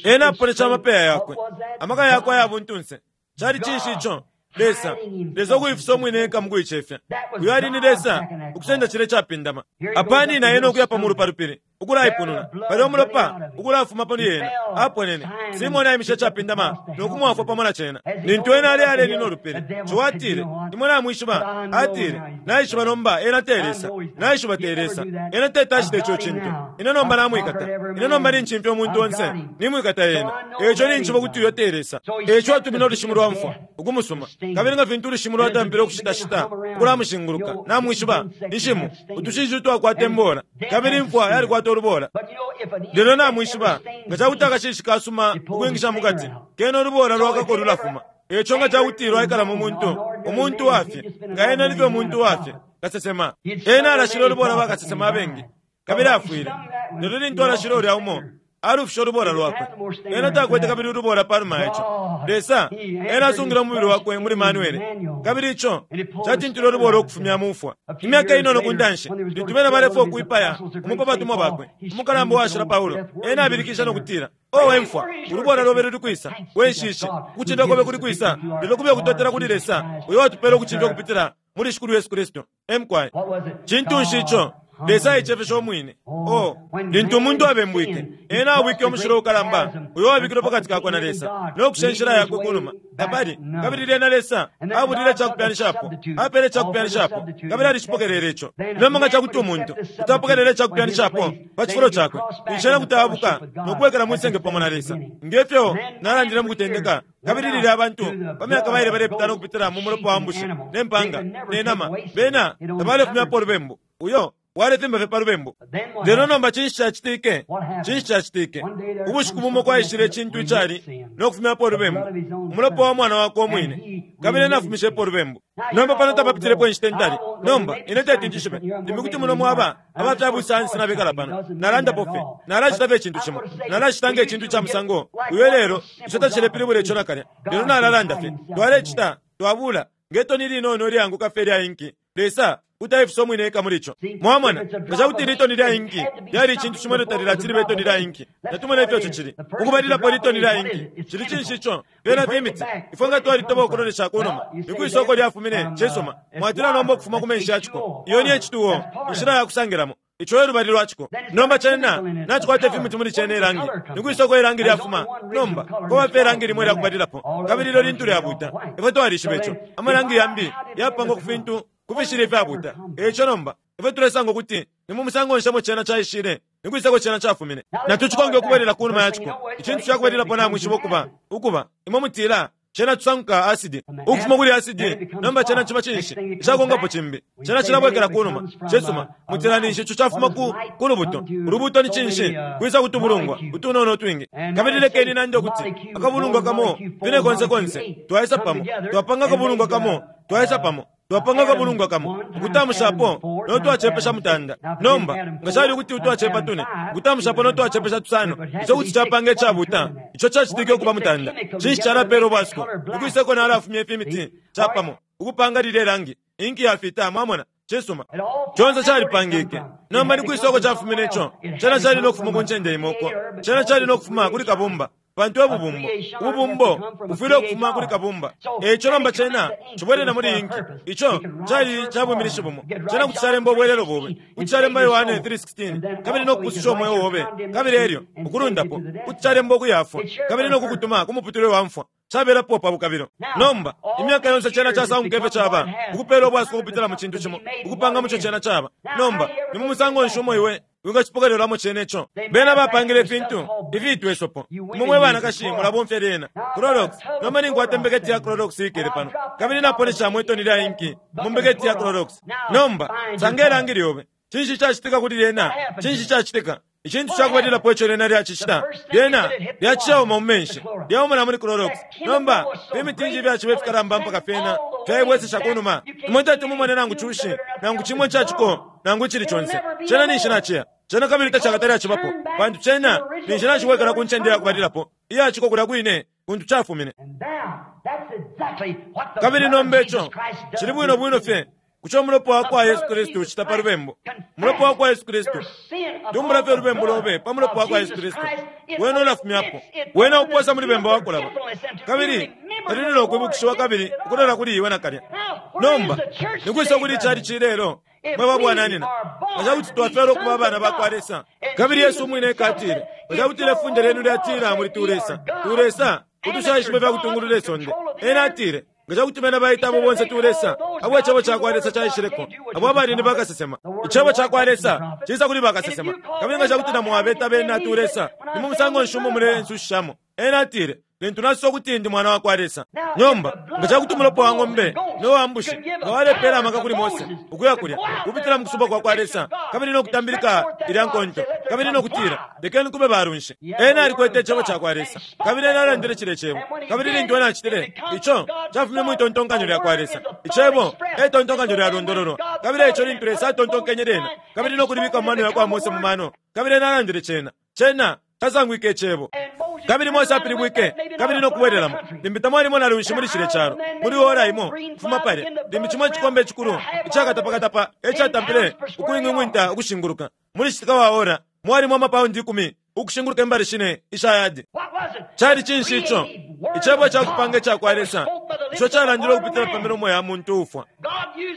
Ena aponesha amapeya yakwe, amaka yakwe aya buntunse. Cali cinshi ico? Lesa, Lesa ukuifisa umwine eka mukuicefya. Uyo ali ni Lesa, ukusenda cilya icapindama. Apa anina ena ukuya pa mulu pa lupili, ukulaipununa. Palya umulopa ukulafuma pali ena, aponene. Simone aimishe icapindama no kumwafwa pamo na cena. Lintu ena ale alenina ulupili, Ciwa atile, Imwe namwishiba? Atile, Naishiba nomba ena te Lesa. Naishiba te Lesa. Ena teti acite ico cintu. Ine nomba namwikata. Ine nomba nincimfya umuntu onse. Nimwikata ena. Eico ninjishiba ukuti uyo te Lesa. Eico atumine ulushimu lwa mfwa, ukumusuma. Kabili nga fintu ulushimu lwatampile ukushitashita ukulamushinguluka, namwishiba, inshimu, utushishi utwakwata imbola, kabili imfwa yalikwata ulubola. Lelo namwishiba, nga ca kuti akashishi kasuma ukwingisha mu kati, kena ulubola lwakako lulafuma. Eico nga ca kuti lwaikala mu muntu, umuntu wa fye, nga ena ni fye umuntu wa fye, kasesema. Ena alashile ulubola bakasesema abengi, kabili afwile. Lelo lintu alashile ulya umo, Alufishe ulubola lwakwe. Ena takwete kabili ulubola panuma ya ico. Lesa, ena asungile umubili wakwe muli Manuele, kabili ico catintile ulubola ukufumya mu mfwa. Imyaka inono ku ntanshi, lintu bena balefwaya ukwipaya umo pa batumwa bakwe, umukalamba uwashila Paulo, ena abilikishe no kutila, O we mfwa, ulubola lobe luli kwisa? We nshishi, ukucindwa kobe kuli kwisa? Lelo kube ukutotela kuli Lesa, uyo watupela ukucindwa ukupitila muli Shikulu Yesu Kristu. E mukwai. Cintu nshi ico? Lesa aicefeshe umwine. Oh, lintu umuntu abembwike, ena abwike umushilo ukalamba uyo wabikilwe pakati kakwe na Lesa, no kusha inshila yakwe kunuma. Tapali. Kabili lyena Lesa abulile icakupyanishapo, apele icakupyanishapo, kabili alicipokelele ico. Nomba nga cakuti umuntu kuti apokelela icakupyanishapo pa cifulo cakwe, ninshi ena kuti aabuka no kubwekela mwi senge pamo na Lesa. Nge fyo nalandile mu kutendeka, Kabili lilya abantu pa myaka baile balepitana ukupitila mu mulopa wa mbushi ne mpanga ne nama, bena tabalefumyapo ulubembu. Uyo walefimba fye pa lubembu. Lelo nomba cinshi cacitike? Cinshi cacitike? Ubushiku bumo kwaishile icintu icali no kufumyapo ulubembu, umulopa wa Mwana wakwe umwine, kabili ena afumishepo ulubembu. Nomba pano tapapitilepo inshita intali. Nomba, ine teti njishibe, limbi kuti muno mwaba aba fya busayansi nabekala pano. Nalandapo fye. Nalacita fye icintu cimo. Nalacita nge cintu ica musango uyo ilelo, ico tacilepilibula ico nakalya. Lelo nalalanda fye. Twalecita, twabula, nge toni ilinono ilyaanguka fye ilya inki. Lesa kuti aifisa umwine eka muli ico. Mwamona? Nga ca kuti ili toni lya inki lyali icintu cimo ilyo talilati libe itoni lya inki, natumone ifyo ico cili. Ukubalilapo ili toni lya inki, cili cinshi ico? Fyena fimiti. Ifwe nga twalitoba ukulolesha ku numa, ni kwi isoko lyafumine? Cisuma, mwatila nomba ukufuma ku menshi ya ciko. Iyo ni H2O, inshila ya kusangilamo. Ico e lubali lwa ciko. Nomba cena nacikwata ifimuti muli cena ilangi. Ni kwisa uko ilangi lyafuma? Nomba, kwaba fye ilangi limo ilya kubalilapo, kabili ilyo lintu lyabuuta. Ifwe twalishiba ico. Amalangi yambi yapangwa ku fintu ku fishili ifyabuuta. E ico nomba, ifwe tulesanga ukuti ni mu musango nshi emo cena caishile, ni kwisa uko cena cafumine. Natucikonke ukubwelela ku numa ya ciko. Icintu ca kubalilapo namwishiba ukuba, ukuba, imwe mutila, Cena cisanguka asidi. Ukufuma kuli asidi, nomba cena ciba cinshi? Icakonkapo cimbi. Cena cilabwekela kunuma. Cisuma, mutila ninshi ico cafuma ku, ku lubuto. Ulubuto ni cinshi? Kwisa ku tubulungwa utunono utwingi. Kabili lekeni nande ukuti akabulungwa kamo, fine konse konse, twaisa pamo, twapanga akabulungwa kamo, twaisa pamo. Twapanga akabulungwa kamo, ukutamushapo no twacepesha mutanda. Nomba, nga cali ukuti utwacepa tune, ukutamushapo no twacepesha tusano, ico kuti capanga icabuta. Ico cacitike ukuba mutanda. Cinshi calapeela ubwasuko? Ukwisa uko nalafumya ifimiti capamo, ukupanga lilye langi, inki yafita, mwamona. Cisuma. Conse calipangike. Nomba ni kwisa uko cafumine ico? Cena cali no kufuma ku ncende imo uko. Cena cali no kufuma kuli Kabumba. Pantu e bubumbo. Ububumbo bufwile ukufuma kuli Kabumba. E ico nomba cena cibwelela muli inki. Ico cali ca bwiminishi bumo. Cena kuti calemba ubwelelo bobe. Kuti calemba Yohane 3:16, kabili no kupususha umweo obe. Kabili elyo, ukulundapo, kuti calemba ukuyafwa, kabili no kukutuma ku muputule wa mfwa. Cabelapo pa bukabilo. Nomba, imyaka yonse cena casanguka ifyo caba, ukupela ubwasuko ukupitila mu cintu cimo, ukupanga muco cena caba. Nomba, ni mu musango nshi umo iwe wingacipokelelamo cena ico? Bena bapangile ifintu ifiitwa isopo. Imwe mwe banakashi mulabomfya lyena. Clorox. Nomba ninkwata imbeketi ya Clorox iikele pano, kabili naponeshamo itoni lya inki mu mbeketi ya Clorox. Nomba, sanga ilangi lyobe. Cinshi cacitika kuli lyena? Cinshi cacitika? Icintu ca kubalilapo ico lyena lyacicita, lyena lyacishauma mu menshi, lyauma na muli Clorox. Nomba, fimitinji ifyaciba ifikalamba mpaka fyena fyaibwesesha ku numa. Imwe teti mumone nangu cushi, nangu cimo ica ciko, nangu icili conse. Cena ninshi naciya. Cena kabili tacakatale acibapo, pantu cena ninshi nacibwekela ku ncende ya kubalilapo iya ciko kulya kwine kuntu cafumine. Kabili nomba ico cili bwino bwino fye Kuco umulopa wa kwa Yesu Kristu ucita pa lubembu. Umulopa wa kwa Yesu Kristu. Tumbula fye ulubembu lobe pa mulopa wa kwa Yesu Kristu. Wena ulafumyapo. Wena uposa muli bemba wa kulaba. Kabili talili no kwibukishiwa kabili ukulola kuli iwe nakalya. Nomba, ni kwisa kuli icali ilelo, mwe ba bwananyina, nga ca kuti twafyalwa ukuba abana ba kwa Lesa, kabili Yesu umwine eka atile, nga ca kutila ifunde lyenu lyatila muli tulesa, tulesa utushaishiba ifya kutungulula isonde. Ena atile, Nga ca kuti bena baita abo bonse tulesa, abo Icebo ca kwa Lesa caishileko, abo abali ni bakasesema. Icebo ca kwa Lesa ciisa kuli bakasesema. Kabili nga ca kuti na mwabeta bena tulesa, ni mu musango nshi umo mulensushishamo? Ena atile, Lintu nasosa ukuti ndi Mwana wa kwa Lesa. Nomba, nga ca kuti umulopa wa ng'ombe no wa mbushi nga walepeela amaka kuli Mose ukuya kulya, ukupitila mu kusubwa kwa kwa Lesa, kabili no kutambilika ilya nkonto, kabili no kutila, Lekeni kube balunshi. Ena alikwete Icebo cakwa Lesa, kabili ena alandile cilye Cebo. Kabili lintu ena acitile, ico cafumine mwi tontonkanyo lyakwa Lesa. Icebo e tontonkanyo lyalondololwa. Kabili eico lintu Lesa atontonkenye lyena, kabili no kulibika mu mano yakwa Mose mu mano, kabili ena alandile cena, cena. Casangwike Icebo. Kabili Mose apilibwike kabili no kubwelelamo. Limbi tamwalimo na lunshi muli cilya calo. Muli ora imo, kufuma palya, limbi cimo icikombe icikulu icakatapakatapa e catampile ukuing'wing'winta ukushinguluka. Muli citika wa ora, mwalimo amapaundi 10 ukushinguluka imbali shine isha yadi. Cali cinshi ico? Icebo ca kupanga ica kwa Lesa ico calandilwe ukupitila pa milomo ya muntu uufwa.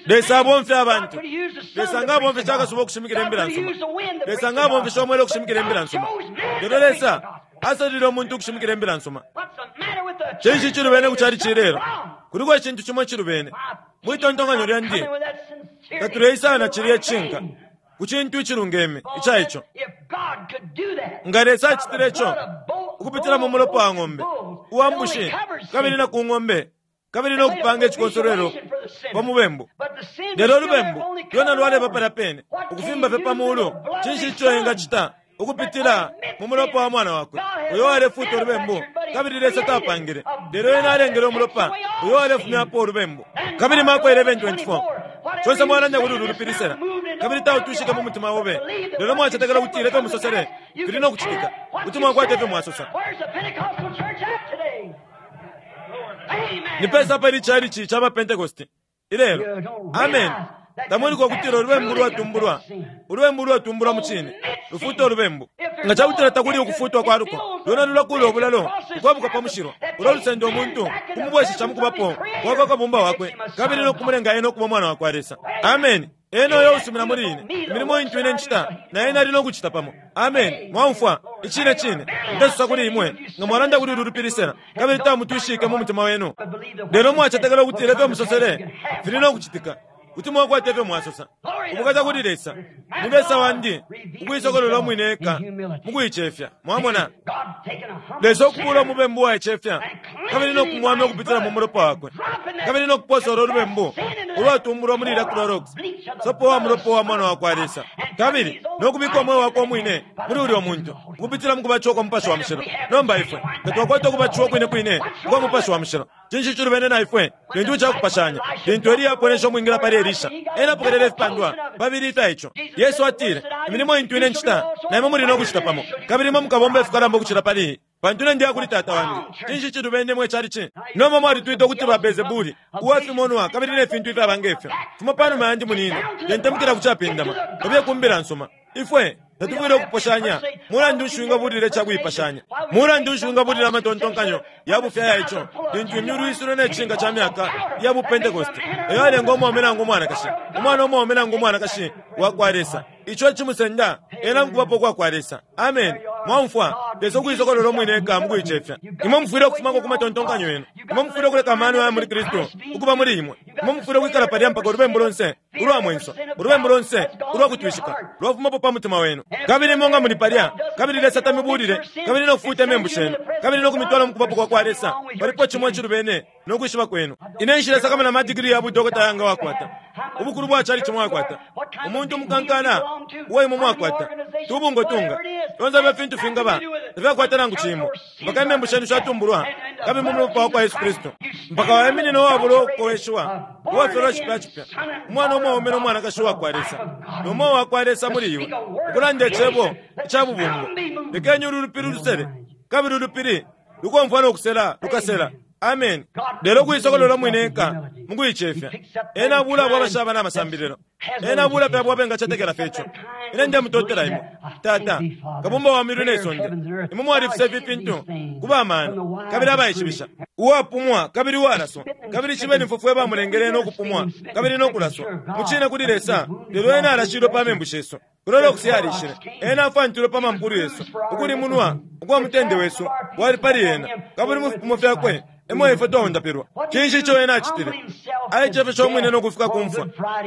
Lesa abomfya abantu. Lesa nga abomfeshe akasuba ukushimikila imbila nsuma. Lesa nga abomfeshe umwela ukushimikila imbila nsuma. Lelo Lesa asalile umuntu ukushimikila imbila nsuma. Cinshi cilubene ku cali cilelo? Kuliko icintu cimo icilubene. Mwitontonkanyo lyandi, tatuleisa na cilya icishinka ku cintu icilungeme ica ico. Nga Lesa acitile ico ukupitila mu mulopa wa ng'ombe, uwa mbushi, kabili na ku ng'ombe, kabili no kupanga icikonsolwelo pa mubembu. Lelo ulubembu lwena lwaleba palya pene, ukufimba fye pa mulu. Cinshi ico engacita ukupitila mu mulopa wa mwana wakwe uyo walefuuta ulubembu? Kabili Lesa tapangile, lelo ena alengele umulopa uyo walefumyapo ulubembu. Kabili Marko 11:24, conse mwalanda kuli ulu lupili sela, kabili tautwishike mu mutima obe, lelo mwacetekela ukutila ifyo musosele fili no kucitika, kuti mwakwata ifyo mwasosa. Ni pesa pali chalichi cha bapentekoste ilelo? Amen. Tamuliko kutila ulubembu lwatumbulwa, ulubembu lwatumbulwa mu cine lufuta ulubembu. Nga cakutila takuli ukufutwa kwa luko, lwena lulakula ubulalo ukwabuka pa mushilo ulo lusenda umuntu kumubwesesha mukubapo kwakwa kabumba wakwe kabili no kumulenga ena ukuba umwana wa kwa Lesa. Amen. Ena uyo usumina muli ine, imilimo intu ine ncita na ena ali no kucita pamo. Amen. Mwaumfwa? Icine cine ndesosa kuli imwe, nga mwalanda kuli ulu lupili sela, kabili tamutwishike mu mutima wenu, lelo mwacetekela ukutila ifyo musosele fili no kucitika, kuti mwakwata ifyo mwasosa. Ubukata kuli Lesa! Ni Lesa wandi ukuisokolola umwine eka mu kuicefya. Mwamona? Lesa ukubuula umubembu uwaicefya kabili no kumuwamya ukupitila mu mulopa wakwe, kabili no kuposa ulo lubembu ulwatumbulwa muli ilya Clorox, sopo wa mulopa wa Mwana wa kwa Lesa, kabili no kubika umweo wakwe umwine muli ulyo muntu ukupitila mu kubatishiwa kwa Mupashi wa Mushilo. Nomba ifwe nga twakwata ukubatishiwa kwine kwine ukwa Mupashi wa Mushilo, cinshi cilubene na ifwe lintu icakupashanya lintu Eliya aponeshe umwingila pali Elisha? Ena apokelele ifipandwa pabili ifya ico. Yesu atile, Imilimo intu ine ncita, na imwe muli no kucita pamo, kabili imwe mukabomba ifikalamba ukucila pali iyi, pantu ine ndiya kuli Tata wandi. Cinshi cilubene mwe calici? Nomba mwalitwita ukuti ba Beelzebuli, uwa fimonwa kabili ne fintu ifyaba nge fyo. Fuma panuma yandi, munine, tentemukila ku capindama, kabiye ku mbila nsuma. Ifwe tatufwile ukuposhanya. Mulandu nshi wingabulila icakuipashanya? Mulandu nshi wingabulila amatontonkanyo ya bufi aya ico, lintu imyulu isulwe ne cishinka ca myaka ya buPentekoste eyo alenga umwaume nangu umwanakashi, umwana umwaume nangu umwanakashi wa kwa Lesa, ico icimusenda ena mukubapo kwa kwa Lesa? Amen. Mwaumfwa? Lesa ukuisokolola umwine eka mu kuicefya. Imwe mufwile ukufumako ku matontonkanyo yenu. Imwe mufwile ukuleka amano aya muli Kristu ukuba muli imwe. Imwe mufwile ukwikala palya mpaka ulubembu lonse ulwa mwenso, ulubembu lonse ulwa kutwishika lwafumapo pa mutima wenu. Kabili imwe nga muli palya, kabili Lesa tamibulile, kabili no kufuuta imembu shenu, kabili no kumitwala mu kubapo kwa kwa Lesa, palipo cimo icilubene no kwishiba kwenu. Ine nshilesakamana amadigiri ya budokota yanga wakwata, ubukulu bwa calici mwakwata, umuntu umukankala uo imwe mwakwata, tubungwe tunga, fyonse ifyo fintu fingaba, tafyakwata nangu cimo, mpaka imembu shenu shatumbulwa kabili mu mulopa wa kwa Yesu Kristu, mpaka waiminina uwabula ukukoweshiwa, uwafyalwa cipya cipya, umwana umwaume no mwanakashi uwa kwa Lesa, no mweo wa kwa Lesa muli iwe, ukulanda icebo ica bubumbo. Lekeni ulu lupili lusele, kabili ulupili lukomfwa no kusela lukasela. Amen. Lelo ukuisokolola umwine eka mu kuicefya, ena abuula abo abashaba na masambililo, ena abuula fye abo abengacetekela fye ico. Ine ndemutotela imwe, Tata, Kabumba wa myulu ne sonde. Imwe mwalifisa ifi fintu ku ba mano kabili abaishibisha, uwapumwa kabili uwalaswa, kabili cibe ni fwe bamulengele no kupumwa kabili no kulaswa mu cine kuli Lesa. Lelo ena alashilwe pa membu shesu, Clorox yalishile, ena afwantilwe pa mampulu yesu, ukulimunwa ukwa mutende wesu wali pali ena, kabili mu fipimo fyakwe emo ifwe twaundapilwa. Cinshi ico ena acitile? Aicefeshe umwine no kufika ku mfwa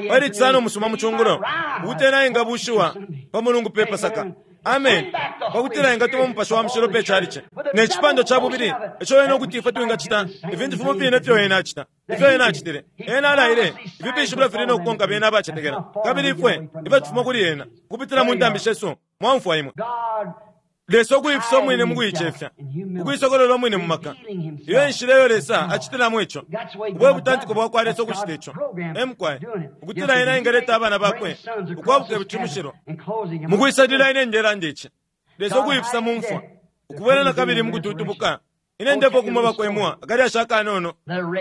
pali Cisano umusuma mu cungulo, ukuti ena engabushiwa pa Mulungu pe Pasaka. Amen. Pakutila engatuma Umupashi wa Mushilo pe calici. Ne cipando ca bubili ico ena ukuti ifwe twingacita ifintu fimo fine ifyo ena acita, ifyo ena acitile. Ena alaile ifi fishibilo fili no kukonka bena abacetekela. Kabili ifwe ifwe tufuma kuli ena ukupitila mu ntambi shesu. Mwaumfwa imwe. Lesa ukuifisa umwine mu kuicefya, ukuisokolola umwine mu maka. Iyo enshila iyo Lesa acitilamo ico. Ubo ebutantiko bwa kwa Lesa ukucita ico. Emukwaye, ukutila ena engaleta abana bakwe ukwabuka icimushilo. Mu kwisalila ine ndelanda ici. Lesa ukuifisa mu mfwa, ukubwela na kabili mu kututubuka. Ine ndefwa kumwe bakwemwa akalyashi akanono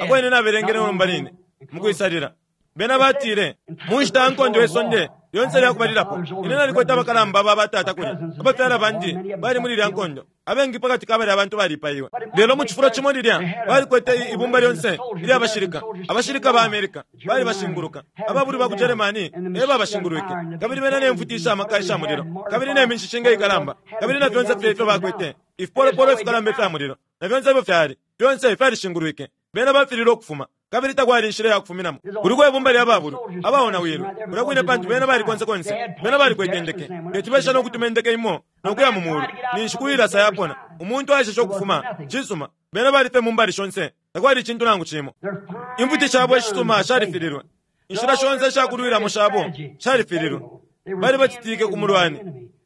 ako ine nabelengele nomba line mukwisalila. Bena batile, mu nshita ya nkondo ye sonde lyonse lya kubalilapo, ine nalikwete abakalamba ba batata kulya, abafyala bandi bali muli ilya nkondo. Abengi pakati ka balya bantu balipaiwe. Lelo mu cifulo cimo lilya, balikwete ibumba lyonse ilya bashilika, abashilika ba America balibashinguluka, ababulwi ba ku Germany e babashingulwike, kabili bena ne mfuti isha maka isha mulilo, kabili ne minshishinga ikalamba, kabili na fyonse fye ifyo bakwete, ifipolopolo ifikalamba ifya mulilo, na fyonse ifyo fyali, fyonse fyalishingulwike. Bena bafililwe ukufuma, kabili takwali inshila ya kufuminamo. Kuliko ibumba lya babulwi abaonawilwe kulya kwine pantu bena bali konse konse. Bena balikwete indeke. Teti besha no kutuma indeke imo no kuya mu mulu, ninshi kuilasa yapona. Umuntu aeseshe ukufuma. Cisuma, bena bali fye mu mbali shonse. Takwali icintu nangu cimo. Imfuti shabo ishisuma shalifililwe. Inshila shonse isha kulwilamo shabo shalifililwe. Bali bacitike ku mulwani.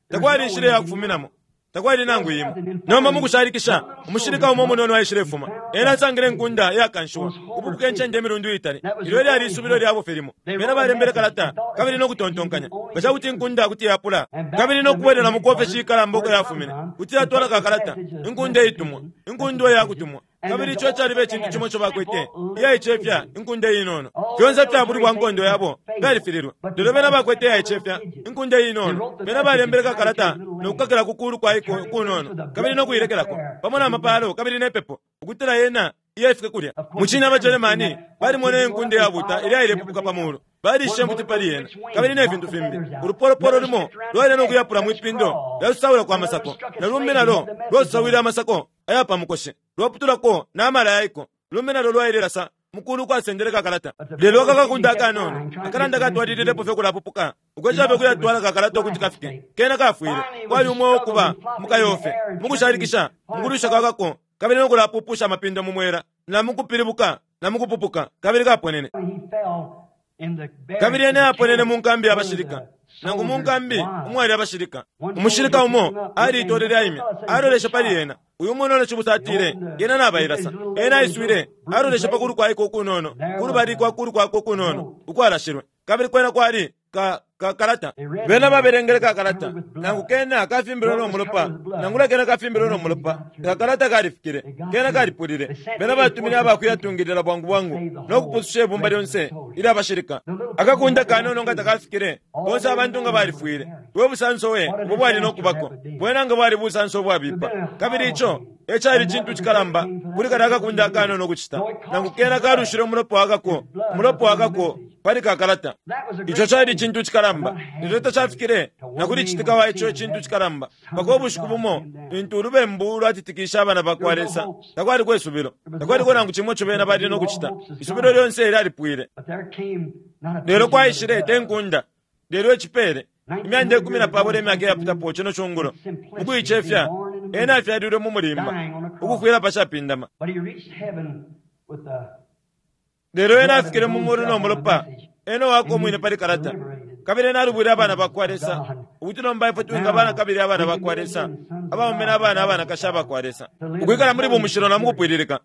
Takwali inshila ya kufuminamo. Takwali nangu imo. Nomba mukushalikisha, umushilika umo umunono aishilefuma. Ena asangile inkunda iyakanshiwa, ukupupuka incende imilundu iitali. Ilyo elyali isubilo lyabo fye limo. Bena balembele kalata kabili no kutontonkanya, nga ca kuti inkunda kuti yapula kabili no kubwelelamo ku ofeshi ikalamba uko yafumine, kuti yatwala ka kalata, inkunda iitumwa, inkundu iyakutumwa. Kabili ico caliba icintu cimo ico bakwete, iyaicefya, inkunda inono. Fyonse ifya bulwi bwa nkondo yabo fyalifililwe, lelo bena bakwete iyaicefya, inkunda inono. Bena balembele kakalata no kukakila ku kulu kwa iko kunono, kabili no kuilekelako, pamo na mapalo kabili ne pepo, ukutila yena iye ifike kulya. Mucine abaJeremani balimwene inkunda iyabuta ilya ilepupuka pa mulu. Balishe imfuti pali yena, kabili ne fintu fimbi. Ulupolopolo lumo lwaile no kuyapula mwi pindo lyasusawila kwa masako, na lumbi nalo lwasusawile amasako aya pa mukoshi, lwaputulako na mala yaiko. Lumbi nalo lwailelasa mu kulu ukwasendele kakalata. Lelo aka kakunda akanono akalanda katwalililepo fye ukulapupuka, ukwesha fye ukuyatwala kakalata ukuti kafike. Kena kafwile. Kwali umweo ukuba mu kayofe, mu kushalikisha, mu kulwisha kwa kako, kabili no kulapupusha amapindo mu mwela, na mu kupilibuka, na mu kupupuka, kabili kaponene. Kabili ena aponene mu nkambi ya bashilika, nangu mu nkambi umwali abashilika. Umushilika umo aliitolele aimya, aloleshe pali ena. Uyu munono cibusa atile, Yena nabailasa. Ena aiswile, aloleshe pa kulu kwaiko ukunono, kulubali kwa kulu kwakwe ukunono ukwalashilwe. Kabili kwena kwali ka, ka kalata. Bena babelengele ka kalata, nangu kena kafimbilwe no mulopa, nangula kena kafimbilwe no mulopa, ka kalata kalifikile, kena kalipulile. Bena batumine abakuyatungilila bwangu bwangu no kupususha ibumba lyonse ilya bashilika. Akakunda kanono nga takafikile, bonse abantu nga balifwile. We busanso we ubo bwali no kubako! Bwena nga bwali busanso ubwabipa. Kabili ico e cali icintu cikalamba kuli kalya akakunda akanono ukucita, nangu kena kalushile umulopa wakako, umulopa wakako pali ka kalata. Ico cali icintu cikalamba, lelo tacafikile na kuli citika wa ico icintu cikalamba mpaka ubushiku bumo lintu ulubembu lwatitikishe abana ba kwa Lesa. Takwaliko isubilo, takwaliko nangu cimo ico bena bali no kucita. Isubilo lyonse lyalipwile. Lelo kwaishile te nkunda, lelo icipele. Imyanda ikumi na pabula imyaka iyapitapo cino cungulo, mukuicefya, ena afyalilwe mu mulimba, ukufwila pa capindama. Lelo ena afikile mu mulu no mulopa, ena uwakwe umwine pali kalata, kabili ena alubwile abana bakwa Lesa, ukuti nomba ifwe twingaba nakabili abana bakwa Lesa, abaume na bana abanakashi abakwa Lesa, ukwikala muli bumushilo na mukupwililika,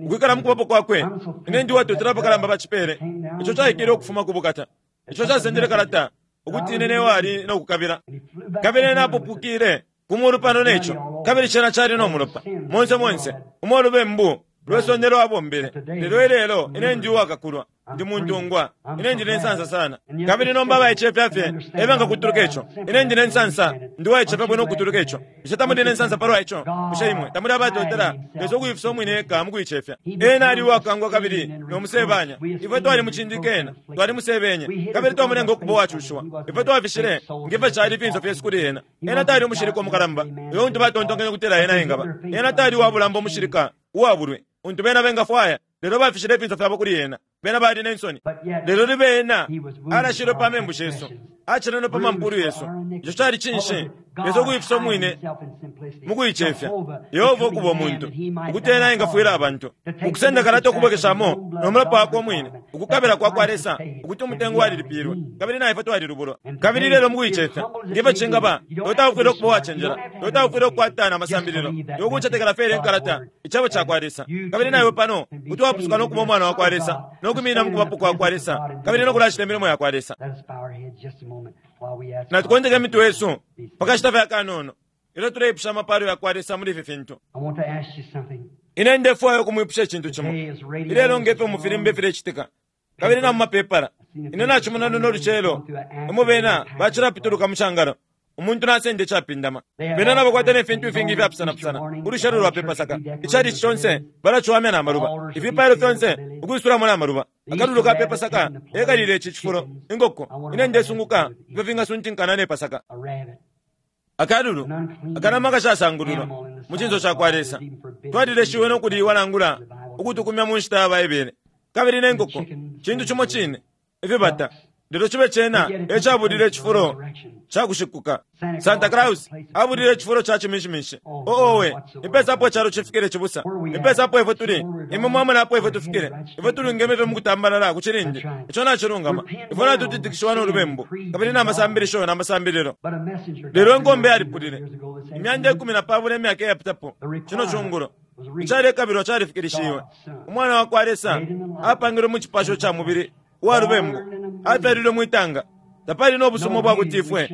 ukwikala mukubapo kwakwe. Ine ndi uwatotela apakalamba pa cipele ico caikele ukufuma ku bukata, ico casendele kalata, ukuti ine newali no kukabila. Kabili ena apupukile ku mulu pano neco, kabili cena cali no mulopa monse monse umo ulubembu lwe sonde lwabombele. Lelo ilelo ine ndi uwakakulwa, ndi muntungwa, ine ndi ne nsansa sana. Kabili nomba abaicefya fye e bengakutuluka ico. Ine ndi ne nsansa, ndi uwaicefya bwino ukutuluka ico. Bushe tamuli ne nsansa palwa ico? Bushe imwe tamuli abatotela Lesa ukuifisa umwine eka mu kuicefya? Ena ali uwakangwa kabili no musebanya. Ifwe twalimucindike ena, twalimusebenye, kabili twamulenga ukuba uwacushiwa. Ifwe twafishile nge fyo cali ifinso fyesu kuli ena. Ena tali umushilika umukalamba uyo untu batontonkenye ukutila ena engaba. Ena tali uwabulamba umushilika uwabulwi untu bena bengafwaya, lelo bafishile ifinso fyabo kuli ena. Bena bali ne nsoni. Lelo libe ena alashilwe pa membu shesu, acenenwe pa mampulu yesu. Ico cali cinshi? Lesa ukuifisa umwine mu kuicefya, Yehova ukuba umuntu, ukuti ena engafwila abantu, ukusenda kalata ukubwekeshamo no mulopa wakwe umwine, ukukabila kwa kwa Lesa, ukuti umutengo walilipilwe, kabili na ifwe twalilubulwa. Kabili ilelo mu kuicefya, nge fyo cingaba, iwe taufwile ukuba uwacenjela, iwe taufwile ukukwata na masambililo, iwe kucetekela fye ilya inkalata, Icebo cakwa Lesa. Kabili na iwe pano kuti wapusuka no kuba umwana wakwa Lesa, no kwiminina mu kubapo kwakwa Lesa, kabili no kulacita imilimo yakwa Lesa. Natukonteke imitwe yesu pa kashita fye akanono. Ilyo tuleipusha amapalo yakwa Lesa muli ifi fintu. Ine ndefwaya ukumwipusha icintu cimo. Ilelo nge fyo mufilimba ifilecitika, kabili na mumapepala, ine nacimona luno lucelo, umo bena bacilapituluka mu cangalo, umuntu nasenda icapindama. Bena nabakwata ne fintu ifingi ifyapusanapusana, ulushalo lwa pe Pasaka, icalici conse balaciwamya na maluba, ifipailo fyonse ukwisulamo na maluba, akalulu ka pe Pasaka ekalile ici cifulo, inkoko. Ine ndesunguka ifyo fingasuntinkana ne Pasaka. Akalulu, akanama akashasangululwa mu cinso ca kwa Lesa, twalileshiwe no kuliiwa nangula ukutukumya mu nshita ya Baibele. Kabili ne nkoko, cintu cimo cine, ifibata, lelo cibe cena e cabulile icifulo ca kushikuka. Santa Claus abulile icifulo ca ciminshimishi. Oh, owe, ni pesa apo icalo cifikile, cibusa? Ni pesa apo ifwe tuli? Imwe mwamona apo ifwe tufikile? Ifwe tulungeme fye mu kutambalala ku cilindi. Ico nacilungama. Ifwe natutitikishiwa no lubembu, kabili na masambilisho na masambililo. Lelo inkombe yalipulile 210 imyaka iyapitapo, cino cungulo. Icalekabilwa califikilishiwe. Umwana wa kwa Lesa apangilwe mu cipasho ca mubili uwa lubembu, afyalilwe mwitanga. Tapali no busuma ubwa kuti ifwe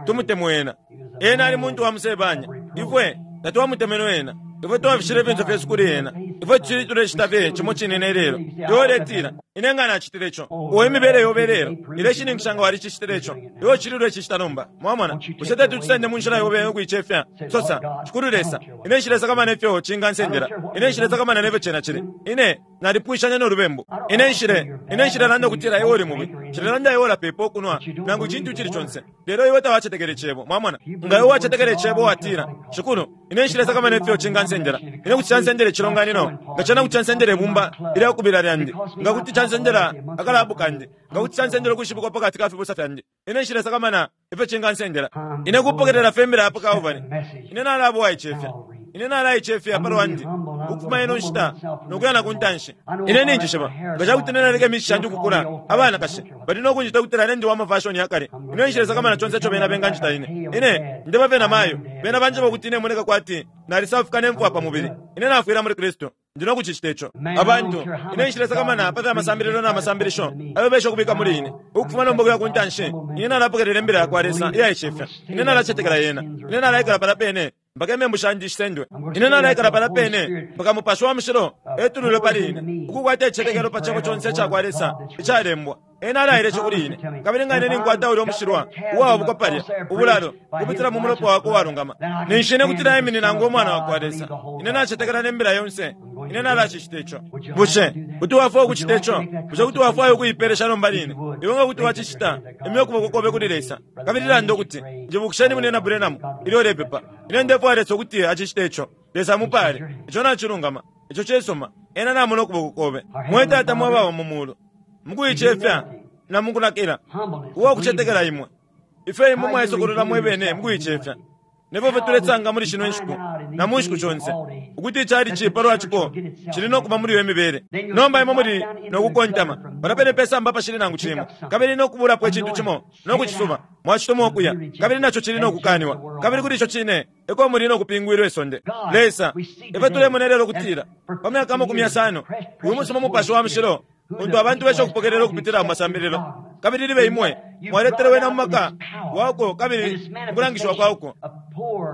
tumutemwe ena. Ena ali muntu wa musebanya. Ifwe tatwamutemenwe ena. Ifwe twafishile ifinso fyesu kuli ena. Ifwe tucili tulecita fye cimo cine ne lelo. Iwe uletila, Ine nga nacitile ico. Uo imibele yobe lelo ileshininkisha nga walicicitile ico. Iwe ucili ulecicita nomba. Mwamona? Bushe teti ucisende mu nshila yobe ukuicefya? Sosa, Shikulu Lesa, ine nshilesakamana ifyo cingansendela. Ine nshilesakamana nefyo cena cili. Ine nalipwishanya no lubembu. Ine nshile, ine nshilelanda ukutila iwe uli mubi. Nshilelanda iwe ulapepa ukunwa, nangu icintu icili conse. Lelo iwe tawacetekele Cebo. Mwamona? Nga iwe wacetekele Cebo watila, Shikulu, ine nshilesakamana ifyo cingansendela. Ine kuti cansendela icilonganino, nga cena kuti cansendela ibumba ilya kubila lyandi, nga kuti cansendela akalabu kandi, nga kuti cansendela ukwishibikwa pakati ka fibusa fyandi. Ine nshilesakamana ifyo cingansendela. Ine kupokelela fye imbila ya pa Kalbale. Ine nalaba uwaicefya. Ine nalaicefya pa lwandi ukufuma ino nshita no kuya na ku ntanshi. Ine ninjishiba nga ca kuti ine naleka imishishi yandi ukukula, abanakashi bali no kunjita ukutila ine ndi wa mafashoni ya kale. Ine nshilesakamana conse ico bena benganjita ine. Ine ndeba fye na mayo, bena banjeba ukuti ine moneka kwati nalisafuka ne mfwa pa mubili. Ine nafwila muli Kristu. Ndi no kucicita ico. Abantu, ine nshilesakamana pa fya masambililo na masambilisho ayo besha ukubika muli ine. Ukufuma nomba ukuya ku ntanshi, ine nalapokelela imbila ya kwa Lesa iyaicefya. Ine nalacetekela yena. Ine nalaikala palya pene mpaka imembu shandi shisendwe. Ine nalaikala palya pene mpaka Mupashi wa Mushilo etululwe pali ine, ukukwata icicetekelo pa Cebo conse ica kwa Lesa icalembwa. Ena alaile ico kuli ine. Kabili nga ine ninkwata ulya umushilwa uwaobokwa palya, ubulalo, ukupitila mu mulopa wakwe uwalungama, ninshi ine kuti naiminina ngo mwana wakwa Lesa. Ine nacetekela ne mbila yonse. Ine nalacicita ico. Bushe kuti wafwaya ukucita ico? Bushe kuti wafwaya ukuipelesha nomba line? Iwe nga kuti wacicita, imya ukuboko kobe kuli Lesa, kabili landa ukuti, Njibukisheni Munyina Branham ilyo ulepepa. Ine ndefwaya Lesa ukuti acicite ico. Lesa amupale. Ico nacilungama. Ico cisuma. Ena namona ukuboko kobe. Mwe Tata mwe baba mu Mulu, mukuicefya na mukunakila uwa kucetekela imwe, ifyo imwe mwaisokolola mwebene mukuicefya, nefyo fye tulesanga muli shino nshiku na mu nshiku shonse, ukuti icalici palwa ciko cili no kuba muli iyo mibele. Nomba imwe muli no kukontama palya pene pe samba apashili nangu cimo, kabili no kubulapo icintu cimo no kucisuba, mwacituma ukuya, kabili naco cili no kukaniwa, kabili kuli ico cine eko muli no kupingwilwa isonde. Lesa, ifyo tulemona ilelo ukutila pa myaka 50 uyu musuma Mupashi wa Mushilo untu abantu besha ukupokelela ukupitila mu masambililo, kabili libe imwe mwaletele wena mu maka wauko kabili mukulangishiwa kwauko.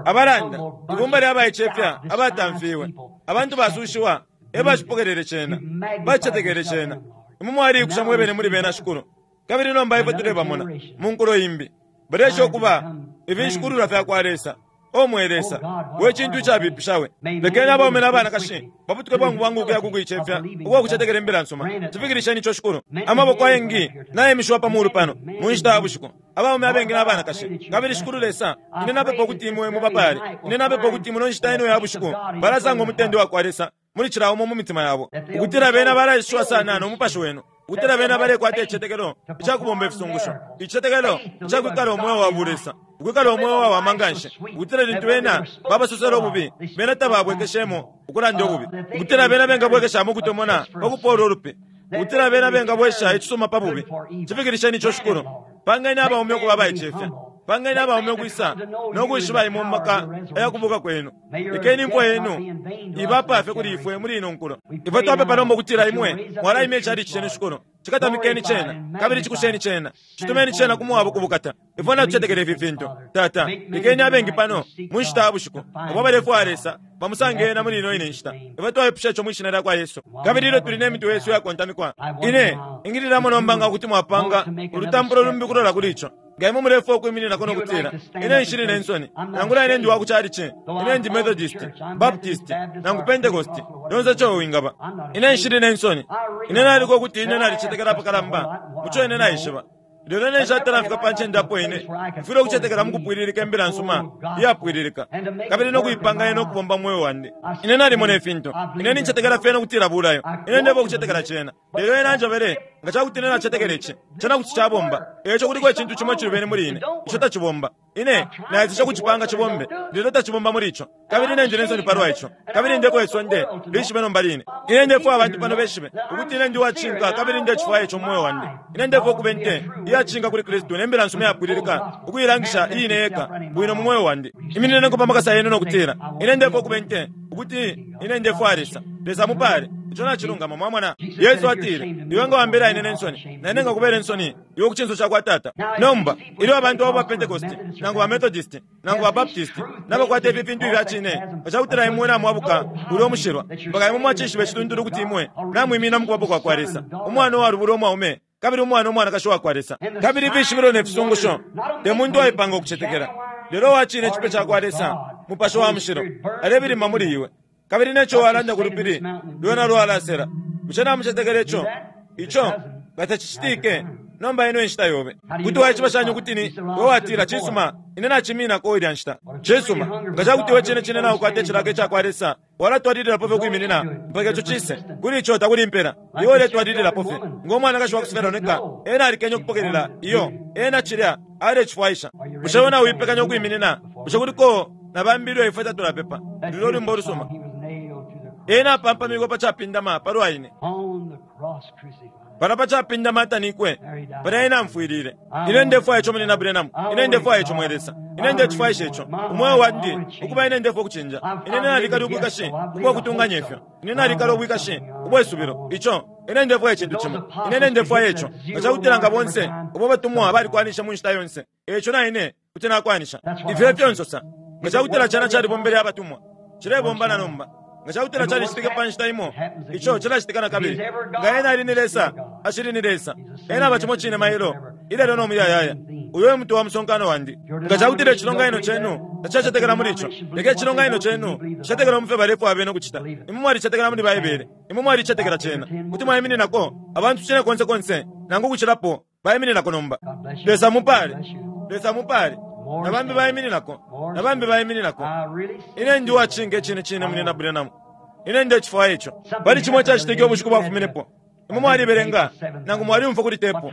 Abalanda, ibumba lya baicefya abatamfiwe, abantu basushiwa e bacipokelele cena, bacicetekele cena. Imwe mwaliikusha mwebene muli bena, Shikulu. Kabili nomba ifwe tulebamona mu nkulo imbi, baleesha ukuba ifinshikululwa fya kwa Lesa. O mwe Lesa, we cintu icabipisha we! Lekeni abaume na banakashi baputuke bwangu bwangu ukuya ku kuicefya ukwa kucetekela imbila nsuma. Cifikilisheni ico, Shikulu. Amaboko ayengi nayemishiwa pa mulu pano mu nshita ya bushiku, abaume abengi na banakashi. Kabili, Shikulu Lesa, ine napepa ukuti Imwe mubapaale. Ine napepa ukuti muno nshita ino ya bushiku balasanga umutende wakwa Lesa muli cila umo mu mitima yabo, ukutila bena balaishiwa sana no Mupashi Wenu, ukutila bena balekwata icicetekelo icakubomba ifisungusho, icicetekelo icakwikala umweo wa bulesa, ukwikala umweo wawama nganshi, ukutila lintu bena babasosela ububi, bena tababwekeshemo ukulanda ububi, ukutila bena bengabwekeshamo ukutomona pa kupola ulupi, ukutila bena bengabwesha icisuma pa bubi. Cifikilisheni ico, Shikulu. Pangeni abaume ukuba abaicefya. Pangeni abaume ukwisa no kwishiba imwe mu maka ayakubuka kwenu. Lekeni imfwa yenu iba fye kuli ifwe muli ino nkulo. Ifwe twapepa nomba ukutila imwe mwalaimya ichalichi cenu, Shikulu. Cikatamikeni cena, kabili cikusheni cena. Citumeni cena ku mwabo ku bukata. Ifwe natucetekela ifi fintu. Tata, lekeni abengi pano mu nshita ya bushiku abo balefwaya Lesa bamusange ena muli ino ine nshita. Ifwe twaipusha ico mwi Shina lyakwa Yesu. Kabili ilyo tuli ne mitwe yesu iyakontamikwa, ine ingililamo nomba nga kuti mwapanga ulutampulo lumbi ukulola kuli ico. Nga imwe mulefwaya ukwimininako no kutila, Ine nshili ne nsoni, nangula ine ndi wa ku chalichi, ine ndi Methodist, Baptist, nangu Pentecost, lyonse ico wingaba. Ine nshili ne nsoni. Ine naliko ukuti ine nalicetekela apakalamba muco ine naishiba. Lelo ine nshatala mfika pa ncende apo ine mfwile ukucetekela mukupwililika Imbila nsuma iyapwililika, kabili no kuipanga yena ukubomba mu mweo wandi. Ine nalimona ifintu. Ine nincetekela fyena ukutila bulayo. Ine ndefwaya ukucetekela cena. Lelo ena anjebele, Nga ca kuti ine nacetekela ici, cena kuti cabomba. Eico kuliko icintu cimo icilubene muli ine, ico tacibomba. Ine naeseshe ukucipanga cibombe, lelo tacibomba muli ico. Kabili ine ndi ne nsoni palwa ico. Kabili ndefwaya isonde lishibe nomba line. Ine ndefwaya abantu pano beshibe ukuti ine ndi uwacishinka kabili ndecifwaya ico mu mweo wandi. Ine ndefwaya ukuba inte iyacishinka kuli Kristu ne Mbila nsuma iyapwililika, ukuilangisha iine yeka bwino mu mweo wandi. Iminineniko pa makasa yenu no kutila, Ine ndefwaya ukuba inte ukuti ine ndefwaya Lesa. Lesa amupale. Ico nacilungama, mwamona. Yesu atile, Iwe nga wambela ine ne nsoni, na ine nkakubela insoni iwe ku cinso cakwa Tata. Nomba, ilyo abantu abo ba Pentecosti, nangu ba Methodisti, nangu ba Baptisti, nabakwata ifi fintu ifya cine, nga cakutila imwe namwabuka ulya umushilwa, mpaka imwe mwacishiba icituntulu ukuti imwe namwiminina mu Kubapo kwakwa Lesa, Umwana uwalubulwa umwaume kabili umwana umwanakashi uwakwa Lesa, kabili ifishibilo ne fisungusho, te muntu uwaipanga ukucetekela, lelo uwa cine icipe cakwa Lesa, Mupashi wa Mushilo, alebilima muli iwe. Kabili ne co walanda ku lupili, lwena lwalasela. Bushe namucetekela ico? Ico nga tacicitike, nomba ino e nshita yobe. Kuti waishiba shani ukuti ni we watila, Cisuma, ine nacimininako ilya nshita? Cisuma, nga ca kuti iwe cine cine naukwata icilaka ica kwa Lesa, walatwalililapo fye ukwiminina mpaka ico cise. Kuli ico takuli impela. Iwe uletwalililapo fye. Ngo mwanakashi wa ku Sifelonika, ena alikenye ukupokelela iyo. Ena cilya alecifwaisha. Bushe iwe nauipekanya ukwiminina? Bushe kuliko na bambi ilyo ifwe tatulapepa lulyo lwimbo ulusuma? Ena apampamikwe pa capindama palwa ine. Palya pa capindama atanikwe, palya Ena amfwilile. Ine ndefwaya ico, Munyina Branham. Ine ndefwaya ico, mwe Lesa. Ine ndecifwaisha ico. Umweo wandi, ukuba ine ndefwaya ukucinja. Ine nalikala ubwikashi ubwa kutunganya ifyo. Ine nalikala ubwikashi ubwe subilo. Ico, ine ndefwaya icintu cimo. Ine, ine ndefwaya ico. Nga cakutila nga bonse abo batumwa balikwanishe mu nshita yonse, eico na ine kuti nakwanisha. Ifyo efyo nsosa. Nga cakutila cena calibombele abatumwa, cilebomba na nomba. Nga cakutila calicitike pa nshita imo, ico cilacitika na kabili. Nga Ena ali ni Lesa, acili ni Lesa. Ena aba cimo cine mailo, ilelo no muyayaya. Uyo e mutwe wa musonkano wandi. Nga cakutila icilonganino cenu tacacetekela muli ico, leka icilonganino cenu cicetekele mu fyo balefwaya bena ukucita. Imwe mwalicetekela muli Baibele. Imwe mwalicetekela cena. Kuti mwaimininako abantu cine konse konse, nangu ukucilapo, baimininako nomba. Lesa amupale. Lesa amupale. Na bambi baimininako. Na bambi baimininako. Ine ndi uwacinka icine cine, Munyina Branham. Ine ndecifwaya ico. Pali cimo icacitike ubushiku bwafuminepo. Imwe mwalibelenga, nangu mwaliumfwa kuli tepu,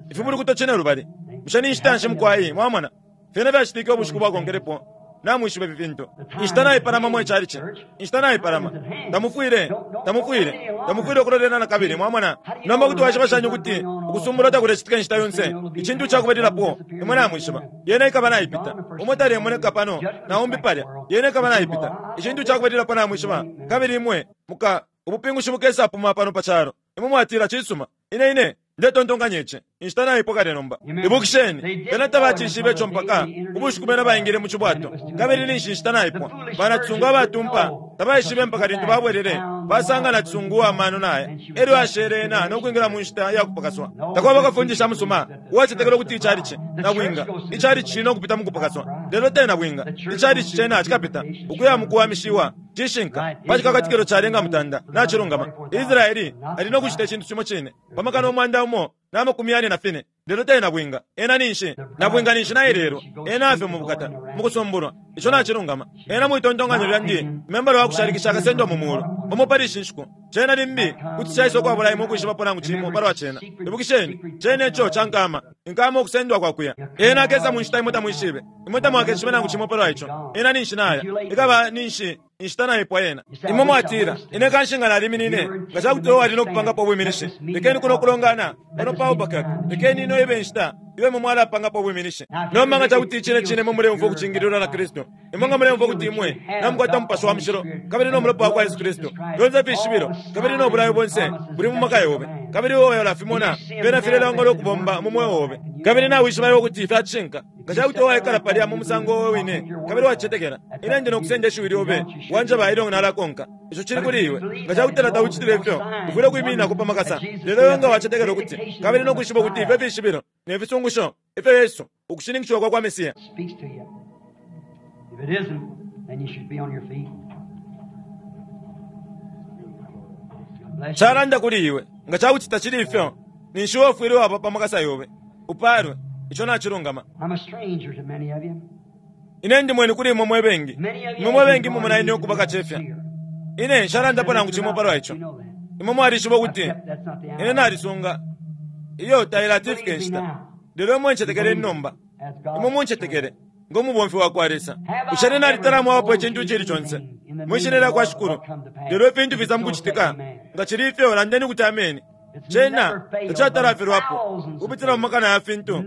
Ifibulukuto Cinelubali. Bushe ni nshita nshi, mukwai? Mwamona? Fyena fyacitike ubushiku bwakonkelepo. Namwishiba ifi fintu. Inshita naipalama, mwe chalichi. Inshita naipalama. Tamufwile, tamufwile, tamufwile ukulolela na kabili, mwamona. Nomba kuti waishiba shani ukuti ukusumbulwa takulecitika inshita yonse? Icintu icakubalilapo, imwe namwishiba, yena ikaba naipita. Umo talemoneka pano, na umbi palya. Yena ikaba naipita. Icintu icakubalilapo namwishiba, kabili imwe muka, ubupingushi bukesapuma pano pa calo. Imwe mwatila, Cisuma, ine, ine ndetontonkanya ici. Inshita naipwa kale nomba. Ibukisheni, bena tabacishibe ico mpaka ubushiku bena baingile mu cibwato, kabili ninshi inshita naipwa. Banacisungu abatumpa tabaishibe mpaka lintu babwelele basanga nacisungu uwa mano naya, elyo ashele ena no kwingila mu nshita ya kupakaswa. Takwaba kafundisha musuma uwacetekela ukuti icalici, nabwinga, icalici cili no kupita mu kupakaswa, lelo te nabwinga. Icalici cena cikapita ukuya mu kuwamishiwa. Cishinka, pa cikakatikilo calenga mutanda, nacilungama. Israeli ali no kucita icintu cimo cine pa makana 144,000, lelo te nabwinga. Ena ninshi? Nabwinga ninshi nailelwa. Ena afye mu bukata, mu kusumbulwa. Ico nacilungama. Ena mwitontonkanyo lyandi, membala wa kushalikisha akasendwa mu mulu, umo pali ishi nshiku. Cena limbi kuti caisa ukwabula imwe ukwishibapo nangu cimo palwa cena. Ibukisheni, cena ico ca nkama, inkama ukusendwa kwa kuya. Ena akesa mu nshita imwe tamwishibe. Imwe tamwakeshibe nangu cimo palwa ico. Ena ninshi naya. Ikaba ninshi. Inshita naipwa yena. Imwe mwatila, Ine kanshi nga naliminine, nga ca kuti iwe wali no kupangapo ubwiminishi. Lekeni kuno kulongana pano pa Albuquerque. Lekeni ino ibe inshita iyo imwe mwalapangapo ubwiminishi. Nomba nga ca kuti icine cine imwe muleumfwa ukucingililwa na Kristu, imwe nga muleumfwa ukuti imwe namukwata Mupashi wa Mushilo kabili no Mulopa wakwa Yesu Kristu, fyonse ifishibilo kabili no bulayo bonse buli mu maka yobe, kabili iwe ulafimona fyena filelangwa no kubomba mu mweo obe, kabili nawishiba iwe ukuti fya cishinka. Nga ca kuti iwe waikala palya mu musango obe wine kabili wacetekela, ine ndi no kusenda ishiwi lyobe, wanjeba ilyo nalakonka. Ico cili kuli iwe. Nga ca kutila taucitile ifyo, ufwile ukwimininako pa makasa. Lelo iwe nga wacetekela ukuti, kabili no kwishiba ukuti ifyo fishibilo ne fisungusho ifyo Yesu, ukushininkishiwa kwa kwa Mesia, Speaks to you. If it isn't, then you should be on your feet. God bless you. calanda kuli iwe. Nga ca kuti tacili ifyo, ninshi iwe ufwile waba pa makasa yobe. Upaalwe. Ico nacilungama. I'm a stranger to many of you. Ine ndi mweni kuli imwe mwe bengi. Many of you Imwe mwe bengi mumona ine have ukuba kacefya. sincere. Ine nshalandapo nangu cimo palwa ico. You know that. Imwe mwalishiba ukuti That's not the hour. ine nalisunga iyo tailatifika inshita. Lelo imwe ncetekeleni nomba. Imwe muncetekele ngo mubomfi wa kwa Lesa. Bushe ine nalitala mwabapo icintu icili conse mwi shina lya kwa Shikulu? Lelo ifintu fisa mukucitika. Nga cili ifyo, landeni ukuti ameni. Cena tacatalafilwapo ukupitila mu makana ya fintu.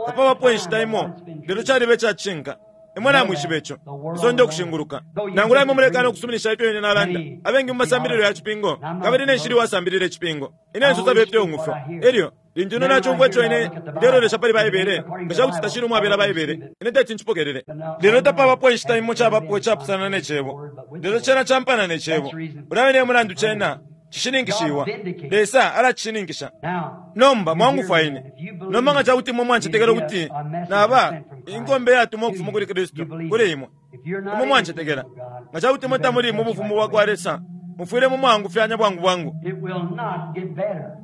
Tapabapo inshita imo, lelo caliba ica cishinka. Imwe namwishiba ico. Isonde ukushinguluka. Nangula imwe mulekana ukusuminisha ifyo ine nalanda, abengi mu masambililo ya cipingo, kabili ine nshili uwasambilila icipingo. Ine nsosa fye ifyo ng'umfwa. Elyo, lintu ine nacumfwa ico ine ndelolesha pali Baibele, nga ca kuti tacili umwabela Baibele, ine teti ncipokelele. Lelo tapabapo inshita imo cabapo icapusana ne Cebo. Lelo cena campana ne Cebo. Ulya wine e mulandu cena cishininkishiwa. Lesa alacishininkisha. Now, Nomba mwangufwa ine. Nomba nga ca kuti imwe mwancetekela ukuti naba inkombe iyatumwa ukufuma kuli Kristu kuli imwe, if you're not imwe in the mwancetekela. kingdom of God, Nga ca kuti imwe tamuli mu bufumu bwa kwa Lesa, mufwile mumwangufyanya bwangu bwangu. it will not get better.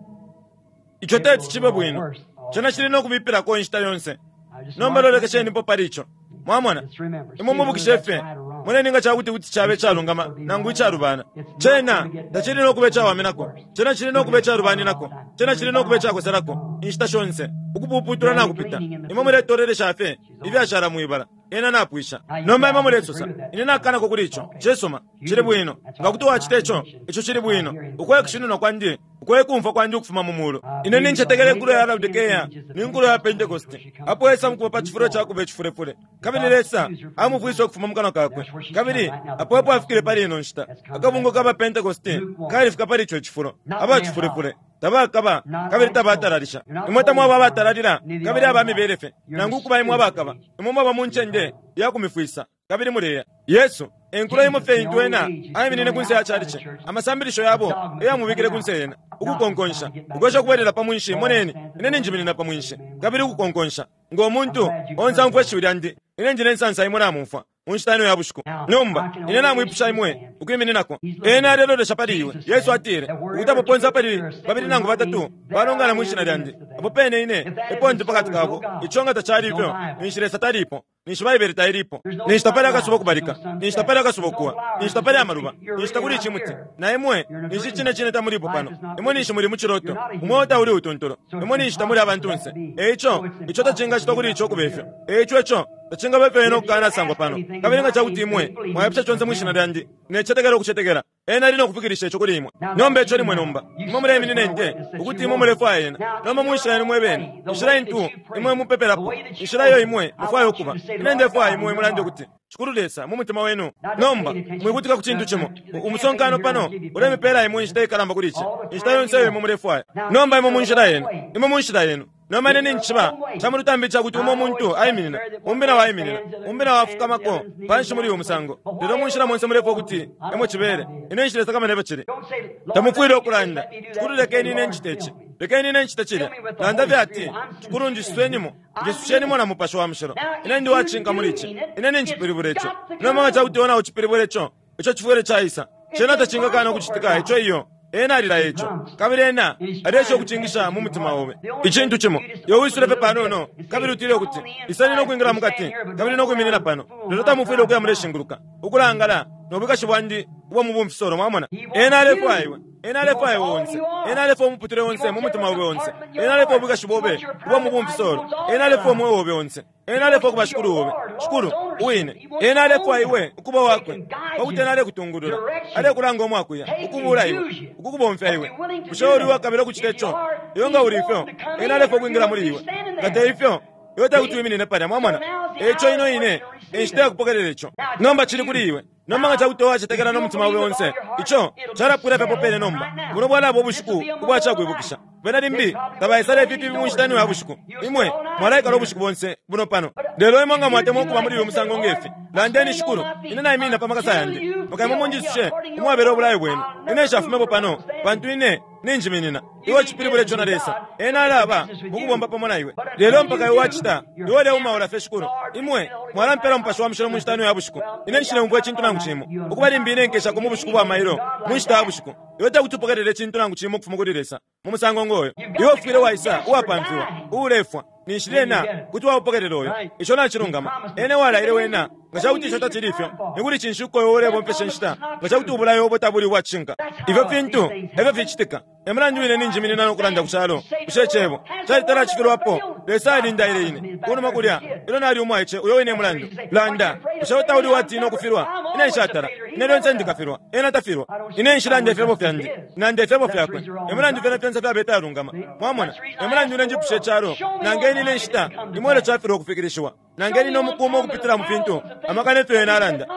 Ico teti cibe bwino. Cena cili no kubipilako inshita yonse. I just Nomba mark lolekeshenipo pali ico. Mwamona? Just remember, Imwe mubukishe fye. Moneni nga ca kuti kuti cabe icalungama nangu icalubana. Cena tacili no kuba icawaminako. Cena cili no kuba icalubaninako. Cena cili no kuba icakoselako inshita shonse. Ukupuputula nakupita. Imwe muletolelesha fye ifyashala mwibala. Ena napwisha. Nomba imwe mulesosa, ine nakanako kuli ico. Cisuma, cili bwino. Nga kuti wacita ico, ico cili bwino. Uko ekushininwa kwandi, uko ekumfwa kwandi ukufuma mu mulu. Ine nincetekela inkulo ya Laodikea ni nkulo ya Pentekoste. Apo Esa mukuba pa cifulo ca kuba icifulefule. Kabili Lesa amufwise ukufuma mu kanwa kakwe. Kabili apo epo afikile pali ino nshita. Akabungwe ka ba Pentekoste kalifika pali ico cifulo. Aba cifulefule. Tabakaba kabili tabatalalisha. Imwe tamwaba abatalalila kabili aba mibele fye. Nangu ukuba imwe abakaba. Imwe mwaba mu ncende ya kumifwisa kabili muleya. Yesu enkulo imo fye intu ena aiminine kunse ya chalichi. Amasambilisho yabo eyamubikile kunse yena. Ukukonkonsha. Ukwesha ukubwelela pa mwinshi, moneni, ine ninjiminina pa mwinshi. Kabili ukukonkonsha. Ngo muntu onse aumfwa ishiwi lyandi, ine ndi ne nsansa imwe namumfwa. Mu nshita ino ya bushiku. Nomba, ine namwipusha imwe ukwimininako. Ena alelolesha pali iwe. Yesu atile, ukuti apo ponse apali babili nangu batatu balongana mwi shina lyandi, apo pene ine epo ndi pakati kabo. Ico nga tacali ifyo, ninshi Lesa talipo, ninshi Baibele tailipo, ninshi tapali akasuba kubalika, ninshi tapali akasuba ukuwa, ninshi tapali amaluba, ninshi takuli icimuti. Na imwe, ninshi cine cine tamulipo pano. Imwe ninshi muli mu ciloto, umweo tauli utuntulu. Imwe ninshi tamuli abantunse. E ico, ico tacingacitwa kuli ico kuba ifyo. E ico ico tacingaba ifyo ena ukukanasangwa pano. Kabili nga ca kuti imwe mwaipusha conse mwi shina lyandi, necetekela ukucetekela, ena ali no kufikilisha ico kuli imwe. Nomba ico limwe nomba. Imwe muleiminina inte ukuti imwe mulefwaya ena. Nomba mu nshila yenu mwe bene, inshila intu imwe mupepelapo, inshila iyo imwe mufwaya ukuba. Ine ndefwaya imwe mulande ukuti, Shikulu Lesa, mu mutima wenu. Nomba, mwikutika ku cintu cimo. Umusonkano pano ulemipela imwe inshita ikalamba kuli ici. Inshita yonse iyo imwe mulefwaya. Nomba imwe mu nshila yenu. Imwe mu nshila yenu. Nomba ine nincishiba ca mu lutambi ica kuti umo muntu aiminina, umbi nawo aiminina, umbi nawo afukamako panshi muli uyu musango. Lelo mu nshila monse mulefwaya ukuti emo cibele, ine nshilesakamana efyo cili. Don't say, Lord, Tamufwile let me do ukulanda, this, let me do that. Shikulu lekeni ine ncite ici, lekeni ine ncite cilya. Landa fye ati, Shikulu njiswenimo, njisushenimo na Mupashi wa Mushilo. Ine ndi uwacishinka muli ici, ine ninjipilibula ico. Nomba nga ca kuti iwe naucipilibula ico, ico cifwile caisa. Cena tacingakana ukucitika ico iyo. Ena alilaya ico, kabili ena aleesha ukucingisha mu mutima obe. Icintu cimo, iwe wisule fye panono, kabili utile ukuti, Iseni no kwingila mukati, kabili no kwiminina pano. Lelo tamufwile ukuya muleshinguluka, ukulangala, no bwikashi bwandi ubwa mu bumfisolo, mwamona. Ena alefwaya iwe. Ena alefwaya iwe onse. Ena alefwaya umuputule onse mu mutima obe onse. Ena alefwaya ubwikashi bobe ubwa mu bumfisolo. Ena alefwaya umweo obe onse. Ena alefwaya ukuba Shikulu obe. Shikulu, uwine. Ena alefwaya iwe ukuba wakwe, pakuti ena alekutungulula, alekulanga umwakuya, ukubula iwe, ukukubomfya iwe. Bushe uli uwakabila ukucita ico? Iwe nga uli ifyo, ena alefwaya ukwingila muli iwe. Nga te ifyo, iwe tekuti wiminine palya. Mwamona? Eico ino ine e nshita yakupokelela ico. Nomba cili kuli iwe. Nomba nga cakuti wacetekela no mutima obe onse, ico calapwila fye apo pene nomba. Buno bwalaba ubushiku ubwa cakwibukisha. Bena limbi tabaisala ifi fibi mu nshita ino ya bushiku. Imwe mwalaikala ubushiku bonse buno pano. Lelo imwe nga mwatemwa ukuba muli uyu musango nge fi, landeni, Shikulu, ine naiminina pa makasa yandi, mpaka imwe munjisushe umwabela ubulayo bwenu. Ine nshafumepo pano, pantu ine ninjiminina. Iwe ucipilibula ico na Lesa. Ena alaba mukubomba pamo na iwe. Lelo mpaka iwe wacita, iwe uleumaula fye, Shikulu, imwe mwalampela Mupashi wa Mushilo mu nshita ino ya bushiku. Ine nshileumfwa icintu nangu cimo. Ukuba limbi ine nkeshako mu bushiku bwa mailo mu nshita ya bushiku. Iwe tekuti upokelele icintu nangu cimo ukufuma kuli Lesa mu musango ngo yo. Iwe ufwile waisa uwapamfiwa, uulefwa, ninshi lyena kuti waupokelela uyo. Ico nacilungama. Ena ewalaile wena. Nga ca kuti ico tacili ifyo, ni kuli cinshi uko iwe ulebomfesha inshita nga ca kuti ubulayo obo tabuli ubwa cishinka? Ifyo fintu e fyo ficitika. E mulandu wine ninjiminina no kulanda ku calo. Bushe Icebo calitala acifilwapo? Lesa alindaile ine kunuma kulya ilyo nali umwaice. Uyo wine e mulandu. Landa, bushe iwe tauli uwatiina ukufilwa? Ine nshatala. Ine lyonse ndikafilwa. Ena tafilwa. Ine nshilanda ifyebo fyandi. Nanda ifyebo fyakwe. E mulandu fyena fyonse fyaba ifyalungama. Mwamona? E mulandu ine njipusha icalo, Nangeni ine inshita imo ilyo cafilwa ukufikilishiwa. Nangeni ine umuku umo ukupitila mu fintu amaka ne fyo ena alanda.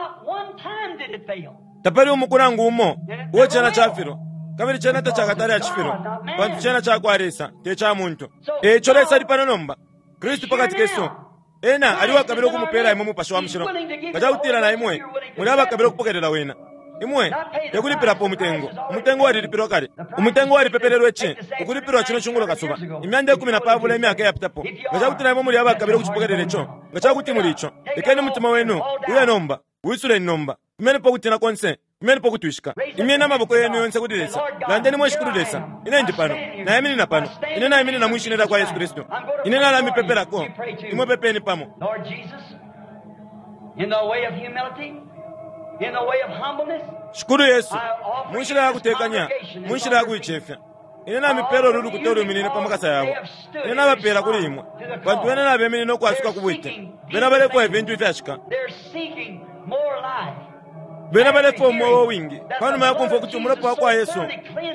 Tapali umuku nangu umo uo cena cafilwa, kabili cena tacakatale acifilwa, pantu cena cakwa Lesa, te ca muntu. E ico Lesa ali pano nomba, Kristu pakati kesu. Ena ali uwakabila ukumupela imwe Mupashi wa Mushilo, nga cakutila na imwe muli abakabila ukupokelela Wena. Imwe tekulipilapo umutengo. Umutengo walilipilwa kale. Umutengo walipepelelwe ci, ukulipilwa cino cungulo kasuba, 210 imyaka iyapitapo. Nga cakutila imwe muli abakabila ukucipokelela ico, nga cakuti muli ico, lekeni umutima wenu uye nomba. Wisuleni nomba. Fumyenipo ukutina konse. Fumyenipo ukutwishika. Imyeni amaboko yenu yonse kuli Lesa. Landeni, Mwe Shikulu Lesa, ine ndi pano. Naiminina pano. Ine naiminina mwi Shina lyakwa Yesu Kristu. Ine nalamipepelako. Imwe pepeni pamo. Lord Jesus, in the way of humility, in the way of humbleness, Shikulu Yesu, mu nshila ya kutekanya, mu nshila ya kuicefya, ine namipela ulu lukuta ulwiminine pa makasa yabo. Ine nabapeela kuli imwe, pantu bena nabeminina ukwasuka ku bwite. Bena balefwaya ifintu ifyashika. they're seeking more life. Bena balefwaya umweo uwingi pa numa ya kumfwa ukuti umulopa wa kwa Yesu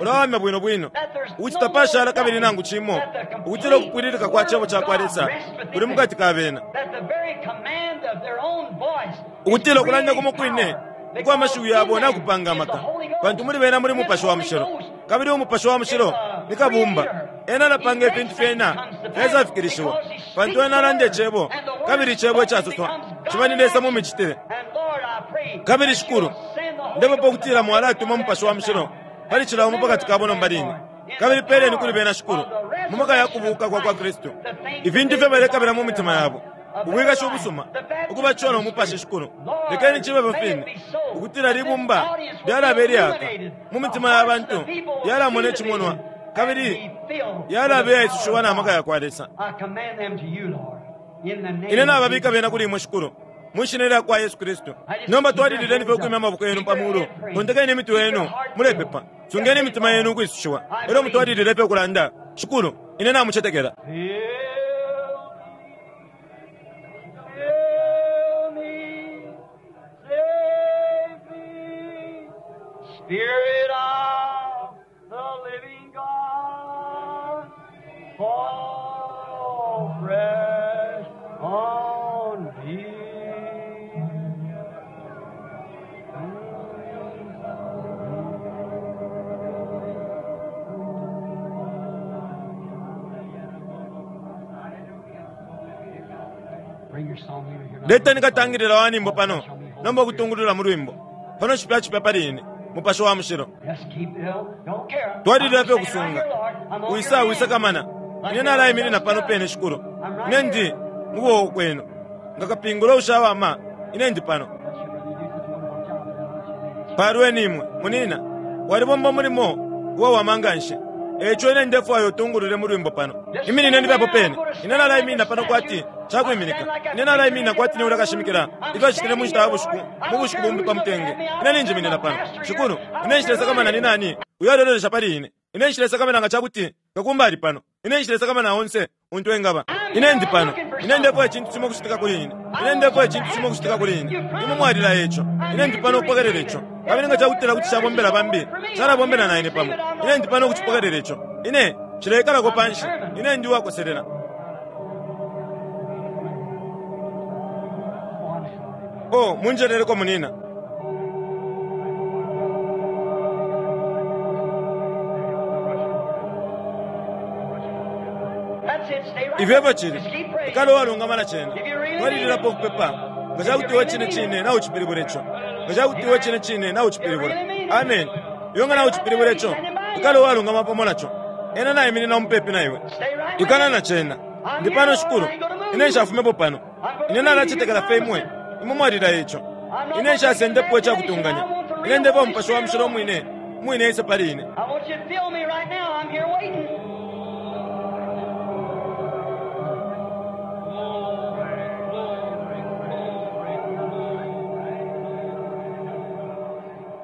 ulawamya bwino bwino, ukuti tapashala kabili nangu cimo, ukutila ukupwililika kwa Cebo ca kwa Lesa kuli mu kati ka bena, That the very command of their own voice ukutila ukulanda kumo kwine ukwa mashiwi yabo nakupanga amaka, pantu muli bena muli Mupashi wa Mushilo, kabili Umupashi wa Mushilo ni Kabumba. Ena alapanga ifintu fyena fyaisa-fikilishiwa, pantu Ena alanda Icebo, kabili Icebo icasoswa ciba ni Lesa mu micitile. And Lord, I pray Kabili Shikulu, ndepepa ukutila mwalatuma Umupashi wa Mushilo pali cila umo pakati kabo nomba line. Kabili peleni kuli bena, Shikulu, mu maka ya kubuuka kwa kwa Kristu, ifintu ifyo balekabila mu mitima yabo, ubwikashi ubusuma, ukubatishiwa no Mupashi, Shikulu. Lekeni cibe ifyo fine, ukutila libumba lyalaba ilyaka mu mitima ya bantu, lyalamona icimonwa, kabili lyalaba iyaisushiwa na maka ya kwa Lesa. I command them to you, Lord, in the name Ine of nababika Jesus. bena kuli imwe, Shikulu, mwi Shina lya kwa Yesu Kristu. Nomba twalilileni fye ukwimya amaboko yenu pa mulu, tontekeni imitwe yenu, mulepepa. Sungeni imitima yenu ukwisushiwa, elyo mutwalilile fye ukulanda, Shikulu, ine namucetekela. Fill me, save me, Spirit of the living God, fall fresh on me. Bring your song leader here. Leteni katangilila wa nyimbo pano, nomba ukutungulula mu lwimbo. Pano cipya cipya pali ine, Mupashi wa Mushilo. Just keep it. Don't care. Twalilila fye I'm standing ukusunga. right here, Lord. I'm on Wisa your wisa hand. kamana. Ine nalaiminina pano pene, Shikulu. Ine ndi mu kuboko kwenu. Nga kapingula ushawama, ine ndi pano. Palweni imwe, munina. Walibomba umulimo uwawama nga nshi. E ico ine ndefwaya utungulule mu lwimbo pano. Iminineni fye apo pene. Ine nalaiminina pano kwati cakwiminika. Ine nalaiminina kwati ni ulya kashimikila ifyo acitile mu nshita ya bushiku, mu bushiku bumbi pa mutenge. Ine ninjiminina pano. Shikulu, ine nshilesakamana ni nani uyo alelolesha pali ine. Ine nshilesakamana nga ca kuti kakumba ali pano. Ine nshilesakamana onse. untu engaba. Ine ndi pano. Ine ndefwaya icintu cimo ukucitika kuli ine. Ine ndefwaya icintu cimo ukucitika kuli ine. Imwe mwalilaya ico. Ine ndi pano ukupokelela ico. Kabili nga cakutila kuti cabombela bambi, calabombela na ine pamo. Ine ndi pano ukucipokelela ico. Ine nshileikalako panshi. Ine ndi uwakoselela. Oh, munjeleleko munina. That's it. Stay right Ifyo there. cili Just keep praying. ikala uwalungama na cena twalililapo ukupepa nga cakuti iwe cine cine naucipilibula ico nga cakuti iwe cine cine naucipilibula amen iwe nga naucipilibula ico ikala uwalungama pamo naco ena naiminina mupepi na iwe Stay right ikala there. na cena ndi pano shikulu ine nshafumepo pano ine nalacetekela fye imwe imwe mwalila ico ine nshasendepo icakutunganya ine ndepa umupashi wa mushilo umwine umwine ise pali ine I want you to feel me right now. I'm here waiting.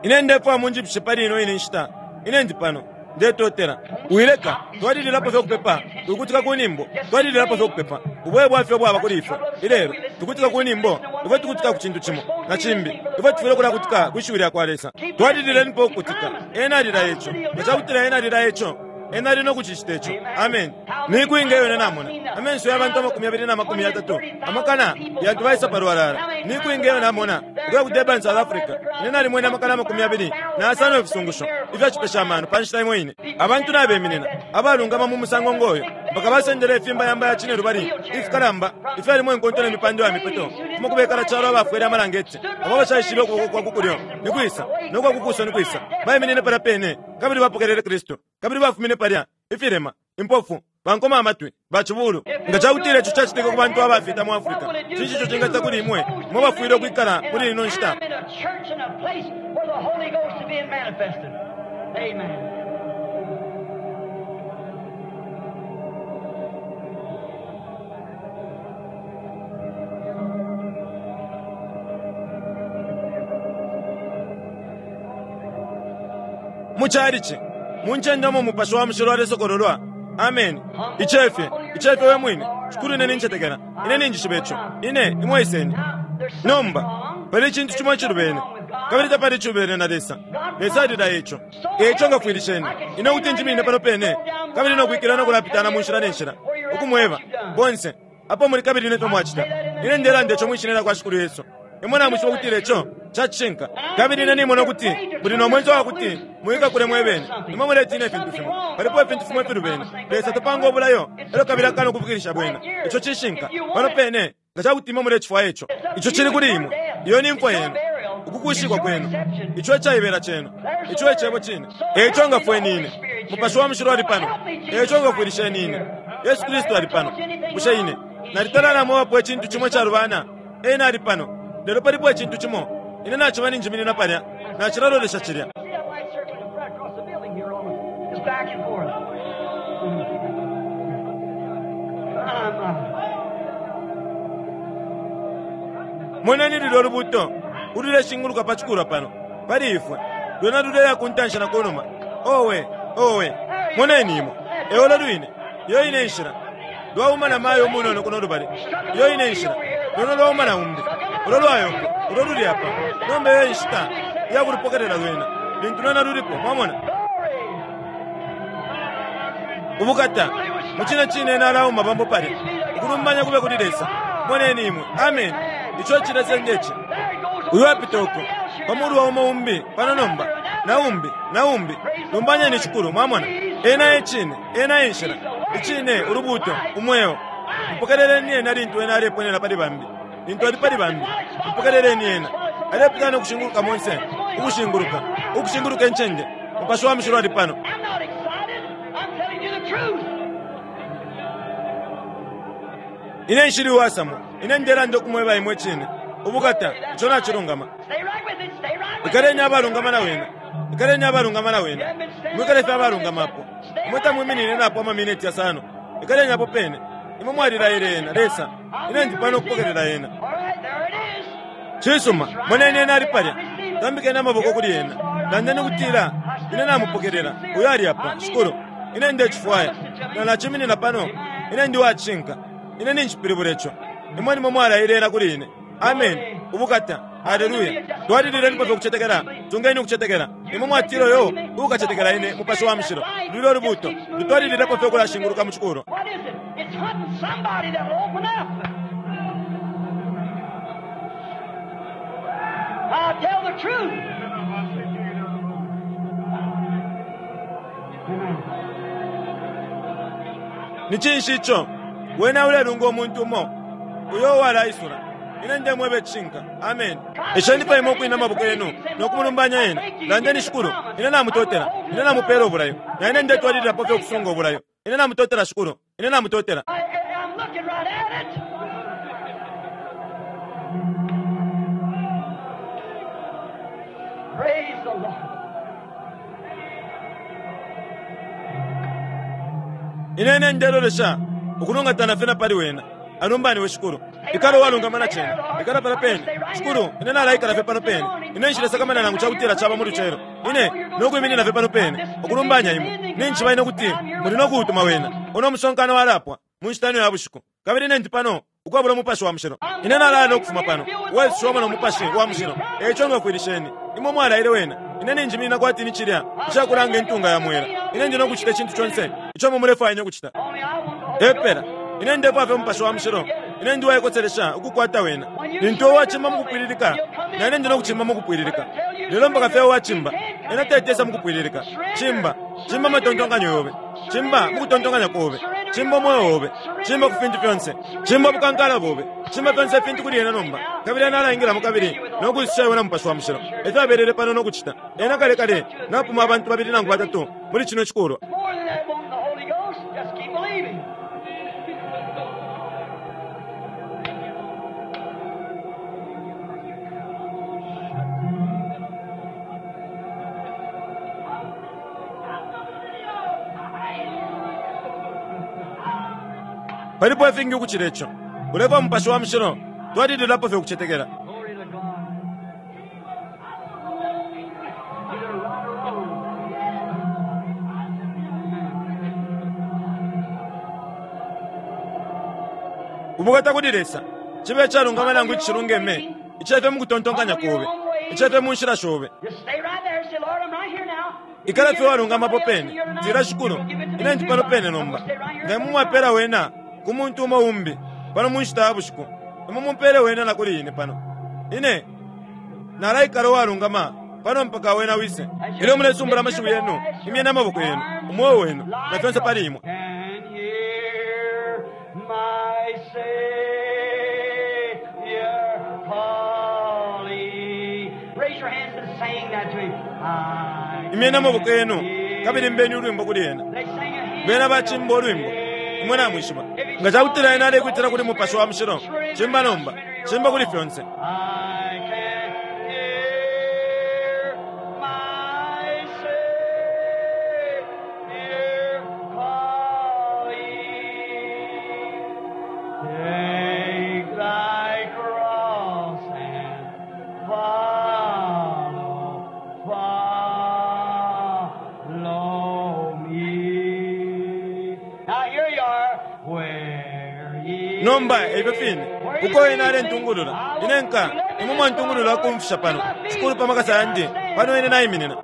Ine ndefwaya munjipushe pali ino ine nshita. Ine ndi pano. Ndetotela. Wileka. Twalililapo fye ukupepa. Tukutika ku nyimbo. Twalililapo fye ukupepa. Ubuye bwafye bwaba kuli ifwe. Ilelo, tukutika ku nyimbo. Ifwe tukutika ku cintu cimo. Na cimbi. Ifwe tufwile ukulakutika kwi shiwi lya kwa Lesa. Twalililenipo ukukutika. Ena alilaya ico. Nga cakutila ena alilaya ico, ena ali no kucicita ico. Amen. Miku inga iyo ine namona. Amenso ya bantu 230, amakana yantu baisa palwalala. Miku inga iyo namona. Ukuya ku Durban, South Africa. Ine nalimwene amakana 25 ifisungusho ifyacipesha amano pa nshita imo ine. Abantu nabeminina abalungama mu musango ngoyo mpaka basendele ifimbayamba ya cine lubali ifikalamba ifyalimo inkonto ne mipando ya mipeto kumo kubekala calo abafwele amalangeti abo bashaishibe ukuboko kwa kukulyo ni kwisa no kwa kukuso ni kwisa baiminine palya pene kabili bapokelele Kristu kabili bafumine palya ifilema impofu bankoma amatwi bacibulu nga cakutila ico cacitika ku bantu abafita mu Afrika cinshi ico cingacita kuli imwe mwe bafwile ukwikala muli ino nshita I'm in a church in a place where the Holy Ghost is being manifested. Amen. Mu calici mu ncende umo umupashi wa mushilo alesokololwa. Ameni. Icefye, icefye we mwine. Shikulu, ine nincetekela. Ine ninjishiba ico. Ine imwe iseni. Nomba pali icintu cimo icilubene, kabili tapali icilubene na Lesa. Lesa alilaya ico. Eico ngafwilisheni ine ukuti njimine pano pene kabili nokwikila nokulapitana mu nshila ne nshila ukumweba bonse apo muli kabili nefyo mwacita. Ine ndelanda ico mwishina lya kwa Shikulu Yesu. Imwe namwishiba ukutila ico cacishinka. Kabili ine nimona ukuti muli no mwenso wa kuti muikakule mwebene. Imwe muletina ifintu fimo. Palipo ifintu fimo ifilubene. Lesa tapanga obulayo elyo kabili akana ukufikilisha bwena. Ico cishinka. Pano pene nga cakuti imwe mulecifwaya ico. Ico cili kuli imwe. Iyo ni mfwa yenu. Ukukushikwa kwenu. Ico ecaibela cenu. Ico e cebo cine. Eico ngafweni ine. Mupashi wa mushilo ali pano. Eico ngafwilisheni ine. Yesu Kristu ali pano. Bushe ine nalitala namwebapo icintu cimo icalubana? Ena ali pano. Lelo palipo icintu cimo. Ine naciba ninjiminina palya. Nacilalolesha cilya. See that light circling in front across the building here on It's back and forth. Moneni lulyo ulubuuto ululeshinguluka pa cikulwa pano pali ifwe. Lwena luleya ku ntanshi na ku numa. Owe, owe, moneni imwe. Eolo lwine. Iyo ine nshila. Lwauma na mayo umunono kuno lubali. Iyo ine nshila. Lwena lwauma na umbi. Ulo lwayongo, ulo luli apa. Nomba iyo inshita iyakulupokelela lwena. Lintu lwena lulipo, mwamona. Ubukata, mu cine cine ena alauma pambo palya. Ukulumbanya kube kuli Lesa. Moneni imwe. Amen. Ico cilesenge ci. Uyu apita uko pa mulu wa umo umbi pano nomba na umbi na umbi. Lumbanyeni Shikulu, mwamona. Ena e cine, ena e nshila, icine, ulubuuto, umweo. Mupokeleleni ena lintu ena aleponena pali bambi. Lintu ali pali bambi, mupokeleleni ena. Alepitana ukushinguluka monse, ukushinguluka, ukushinguluka incende. Mupashi wa mushilo ali pano. I'm not excited. I'm telling you the truth. Ine nshili uwasamwa. Ine ndelanda ukumweba imwe icine. Ubukata, ico nacilungama. Stay right with it. Stay right with it. Ikaleni abalungama na wena. Ikaleni abalungama na wena. Mwikale fye abalungama apo. Imwe tamwiminine napo amamineti yasano. Ikaleni apo pene. Imwe mwalilaile ena, Lesa. Ine ndi pano ukupokelela ena. All right, there it is. Cisuma, moneni ena ali palya. Tambikeni amaboko kuli ena. Landeni ukutila, ine namupokelela. Uyo ali apa, Shikulu. Ine ndecifwaya. Na naciminina pano. Ine ndi uwacishinka. Ine ninshipilibula ico. Imwe nimwe mwalaile yena kuli ine. Ameni. Ubukata! Aleluya! Twalililenipo fye ukucetekela. Tungeni ukucetekela. Imwe mwatila uyo uukacetekela ine, Mupashi wa Mushilo, lulyo Lubuuto lutwalililepo fye ukulashinguluka mu cikulwa. What is it? It's hunting somebody that'll open up. I'll tell the truth. Ni cinshi ico? Wene ulelunga umuntu umo uyo uwalaisula. Ine ndemweba icishinka. Ameni. Esheni pa imwe ukwina amaboko yenu no kumulumbanya ena. Landeni, Shikulu, ine namutotela. Ine namupela ubulayo. Na ine ndetwalililapo fye ukusunga ubulayo. Ine namutotela, Shikulu. Ine namutotela. I'm looking right at it. Praise the Lord. Ine ine ndelolesha ukulungatana fye na pali wena. Alumbaniwe Shikulu. Ikala uwalungama na cena. Ikala pala pene. Shikulu, ine nalaikala fye pano pene. Ine nshilesakamana nangu cakutila caba mu lucelo. Ine nokwiminina fye pano pene, ukulumbanya imwe. Ninjishiba ine ukuti muli no kuutuma wena. Uno musonkano walapwa mu nshita ino ya bushiku. Kabili ine ndi pano ukwabula Umupashi wa Mushilo. Ine nalaya no kufuma pano, uwaisushiwamo no Mupashi wa Mushilo. Eico ngafwilisheni. Imwe mwalaile wena. Ine ninjiminina kwati ni cilya icakulanga intunga ya mwela. Ine ndi no kucita icintu conse ico imwe mulefwaya ine ukucita. Only I want the Holy Epela. Ine ndefwaya fye Umupashi wa Mushilo. Ine ndi uwaikoselesha ukukwata wena. Lintu uwe wacimba mukupwililika, na ine ndi no kucimba mukupwililika. Lelo mpaka fye uwacimba, ena tetesa mukupwililika. Cimba, cimba amatontonkanyo yobe. Cimba mukutontonkanya kobe. Cimba umweo obe. Cimba ku fintu fyonse. Cimba ubukankala bobe. Cimba fyonse ifintu kuli ena nomba. Kabili ena alaingilamo kabili no kwisusha iwe na Mupashi wa Mushilo. Efyo abelele pano no kucita. Ena kale kale napuma abantu babili nangu batatu muli cino cikulwa. More than that, want the Holy Ghost. Just keep believing. Palipo ifingi ukucila ico. Ulefwaya Mupashi wa Mushilo, twalililapo fye ukucetekela. Glory to God. Either right or wrong. Ubukata kuli Lesa, cibe icalungama nangu icishilungeme, icefye mu kutontonkanya kobe, icefye mu nshila shobe. Just stay right there and say, Lord, I'm right here now. Ikala fye walungamapo pene, tila Shikulu, ine ndi pano pene nomba. Nga imwe mwapela wena ku muntu umo umbi pano mu nshita ya bushiku, imwe mumpele wena na kuli ine pano. Ine nalaikala uwalungama pano mpaka wena wise. Ilyo mulesumbula amashiwi yenu, imyeni amaboko yenu, umweo wenu, na fyonse pali imwe. And hear my Savior calling. Raise your hands and sing that to him. I Imyeni amaboko yenu, can kabili mbeni ulwimbo kuli ena. They sing a hymn. Bena bacimba ulwimbo. Imwe namwishiba. Nga cakutila ena alekwitila kuli Mupashi wa Mushilo, cimba nomba, cimba kuli fyonse. I can hear my Savior calling. Take thy cross and follow, follow me. Now here you are. Where ye Nomba ebyo fine, uko ena alentungulula, ine nka, imwe mwantungulula ukumfisha pano, Shikulu pa makasa yandi, pano ine naiminina.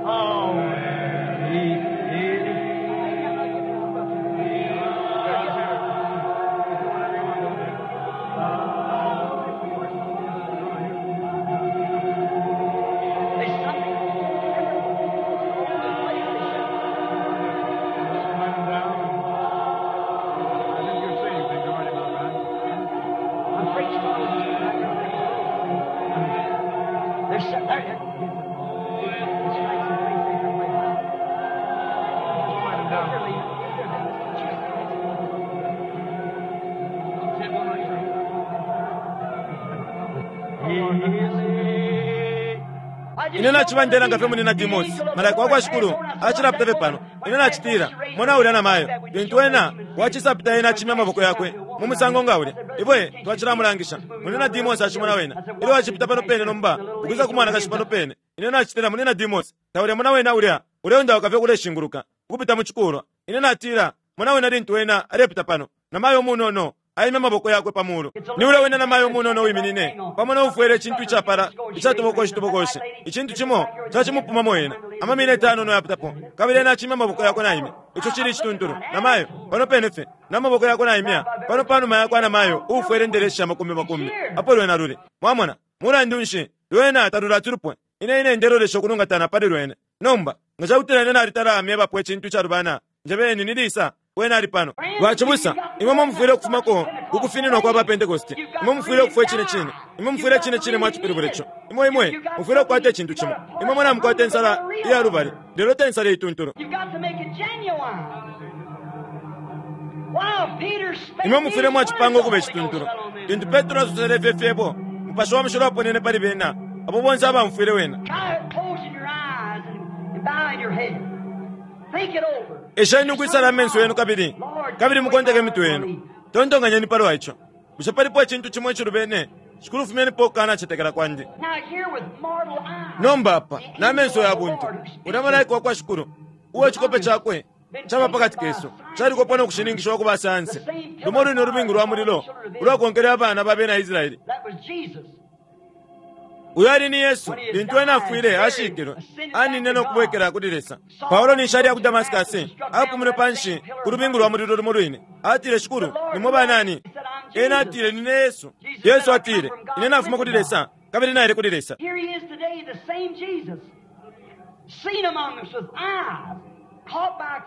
Oh, where he is. There's something. I'm preaching. There's some, there, it's right, Ine naciba ndelanga fye muli na Dimosi, malaika wa kwa Shikulu acilapita fye pano. Ine nacitila, mona ulya na mayo, lintu ena wacisapita ena acimya amaboko yakwe mu musango nga ulya. Ifwe twacilamulangisha, muli na Dimosi acimona wena. Ilyo acipita pano pene nomba, ukwisa ku mwanakashi pano pene. Ine nacitila muli na Dimosi, taulya mona wena ulya, uleundauka fye kuleshinguluka, ukupita mu cikulwa. Ine natila, Mona wena lintu ena alepita pano, namayo umunono aimya amaboko yakwe pa mulu. Ni ulya wene namayo umunono uwiminine pamo no ufwele icintu icapala icatubokoshi tubokoshi. Icintu cimo cacimupumamo ena, ama mineti ayanono ayapitapo, kabili ena acimya amaboko yakwe naimya. Ico cili icituntulu. Namayo, pano pene fye, na maboko yakwe naimya, pano panuma yakwa namayo uufwele indeleshi sha makumbi makumbi, apo lwena luli. Mwamona? Mulandu nshi, lwena talulati lupwe. Ine, ine ndelolesha ukulungatana pali lwene. Nomba, nga cakutila ine nalitala myebapo icintu icalubana, njebeni ni lisa. Wene ali pano. Bacibusa, imwe mufwile ukufumako ku kufininwa kwa ba Pentecost. Imwe mufwile ukufwa icine cine. Imwe mufwile icine cine mwacipilibula ico. Imwe, imwe mufwile ukukwata icintu cimo. Imwe mwe namukwata insala iya lubali, lelo te nsala iituntulu. Imwe mufwile mwacipanga ukuba icituntulu. Lintu Petro asosele ifyo fyebo, Mupashi wa Mushilo aponene pali bena, abo bonse abaumfwile wena. Esheni ukwisala amenso yenu kabili, kabili mukonteke imitwe yenu. Tontonkanyeni palwa ico. Bushe palipo icintu cimo icilubene? Shikulu, fumyenipo ukukanacetekela kwandi. Nomba apa, na menso ya buntu, ulya Malaika wakwa Shikulu, uo icikope cakwe caba pakati kesu, calikopwa no kushininkishiwa ku basayansi, lumo lwine ulubingu lwa mulilo ulwakonkele abana ba bena Israele. Uyo ali ni Yesu, lintu ena afwile, ashikilwe, aninine no kubwekela kuli Lesa. Paulo ninshi aliya ku Damaskasi, apumine panshi ku lubingu lwa mulilo lumo lwine. Atile, Shikulu, nimwe banani? Ena atile, Nine Yesu. Yesu atile, Ine nafuma kuli Lesa, kabili naile kuli Lesa.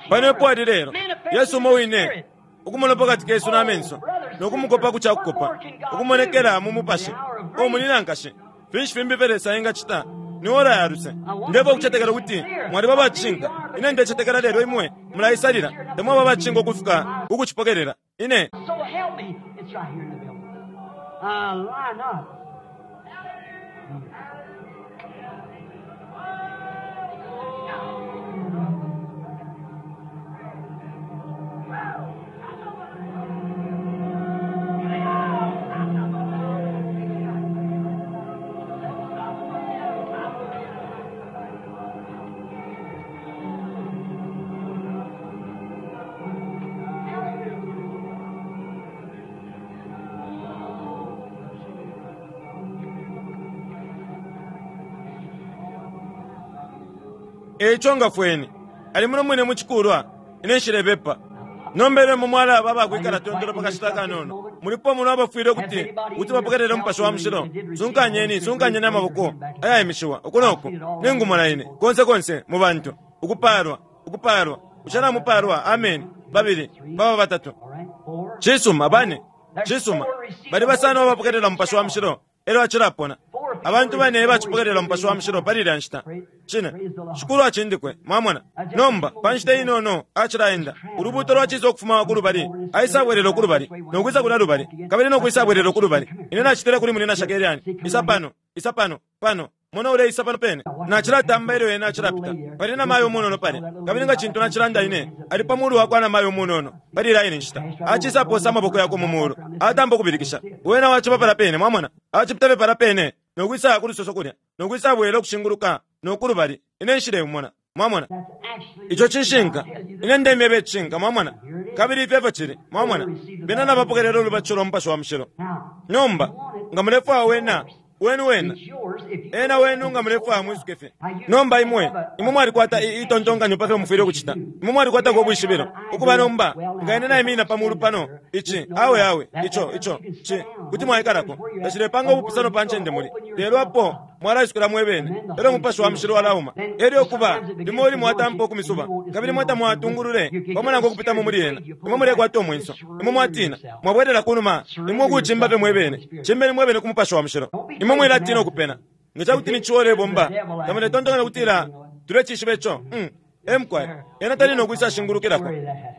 Pano epo ali lelo, Yesu umo wine, ukumona pakati kesu na menso, no kumukopa ku ca kukopa, ukumonekela mu mupashi. O munyina, nkashi, finshi fimbi ifyo Lesa engacita? Ni ora ya luse. Ndefwaya ukucetekela ukuti mwaliba aba cishinka. Ine ndecetekela lelo imwe mulaisalila, tamwaba aba cishinka ukufika ku kucipokelela. Ine. E ico ngafweni. Ali muno mwine mu cikulwa. Ine nshilebepa. Nomba ilyo imwe mwalaba abakwikala tondolo pa kashita akanono, mulipo muno abafwile ukuti ukuti bapokelele Umupashi wa Mushilo, sunkanyeni, sunkanyeni amaboko ayaimishiwa uku no ku. Ningumona ine, konse konse, mu bantu. Ukupaalwa, ukupaalwa. Bushe namupaalwa? Ameni. Babili, baba batatu. Cisuma, bane. Cisuma. Bali basano abapokelela Umupashi wa Mushilo. Elyo acilapona. Abantu bane ebacipokelela Umupashi wa Mushilo pali ilya nshita. Cine. Shikulu acindikwe. Mwamona? Nomba, pa nshita inono, acilaenda. Ulubuuto lwacisa ukufuma ku lubali, aisabwelela uku lubali, no kwisa kulya lubali, kabili no kwisabwelela uku lubali. Ine nacitile kuli Munyina Shakarian, Isa pano. Isa pano. Pano. Mona uleisa pano pene. Nacilatamba ilyo ena acilapita. Pali namayo umunono palya. Kabili nga cintu nacilanda ine, ali pa mulu wakwa namayo umunono pali ilya ine nshita. Acisaposa amaboko yakwe mu mulu. Atampa ukubilikisha. Wena waciba palya pene, mwamona. Acipita fye palya pene, no kwisaya ku lusoso kulya, no kwisabwela ukushinguluka no ku lubali. Ine nshileumona. Mwamona? Ico cishinka. Ine ndemyeba icishinka, mwamona. Kabili ifyo efyo cili, mwamona. Bena nabapokelela ulubatisho lwa Mupashi wa Mushilo. Nomba, nga mulefwaya wena, wenu wena. Ena wenu nga mulefwaya mwisuke fye. Nomba imwe, imwe mwalikwata i, itontonkanyo pa fyo mufwile ukucita. Imwe mwalikwatako ubwishibilo. Ukuba nomba, nga ine naiminina pa mulu pano, ici, awe, awe, ico, ico, ci, kuti mwaikalako. Tacilepanga ubupusano pa ncende muli. Lelo apo mwalaisukila mwebene, elyo Mupashi wa Mushilo walauma. Elyo ukuba, limo limo atampa ukumisuba, kabili imwe tamwatungulule pamo nankwe ukupitamo muli ena. Imwe mulekwata umwenso. Imwe mwatina. Mwabwelela kunuma. Imwe ukucimba fye mwebene. Cimbeni mwebene ku Mupashi wa Mushilo. Imwe mwilatina ukupena. Nga ca kuti ni ciwa ulebomba, tamuletontonkanya ukutila tulecishiba ico? Um. E mukwai. Ena tali no kwisa shingulukilako.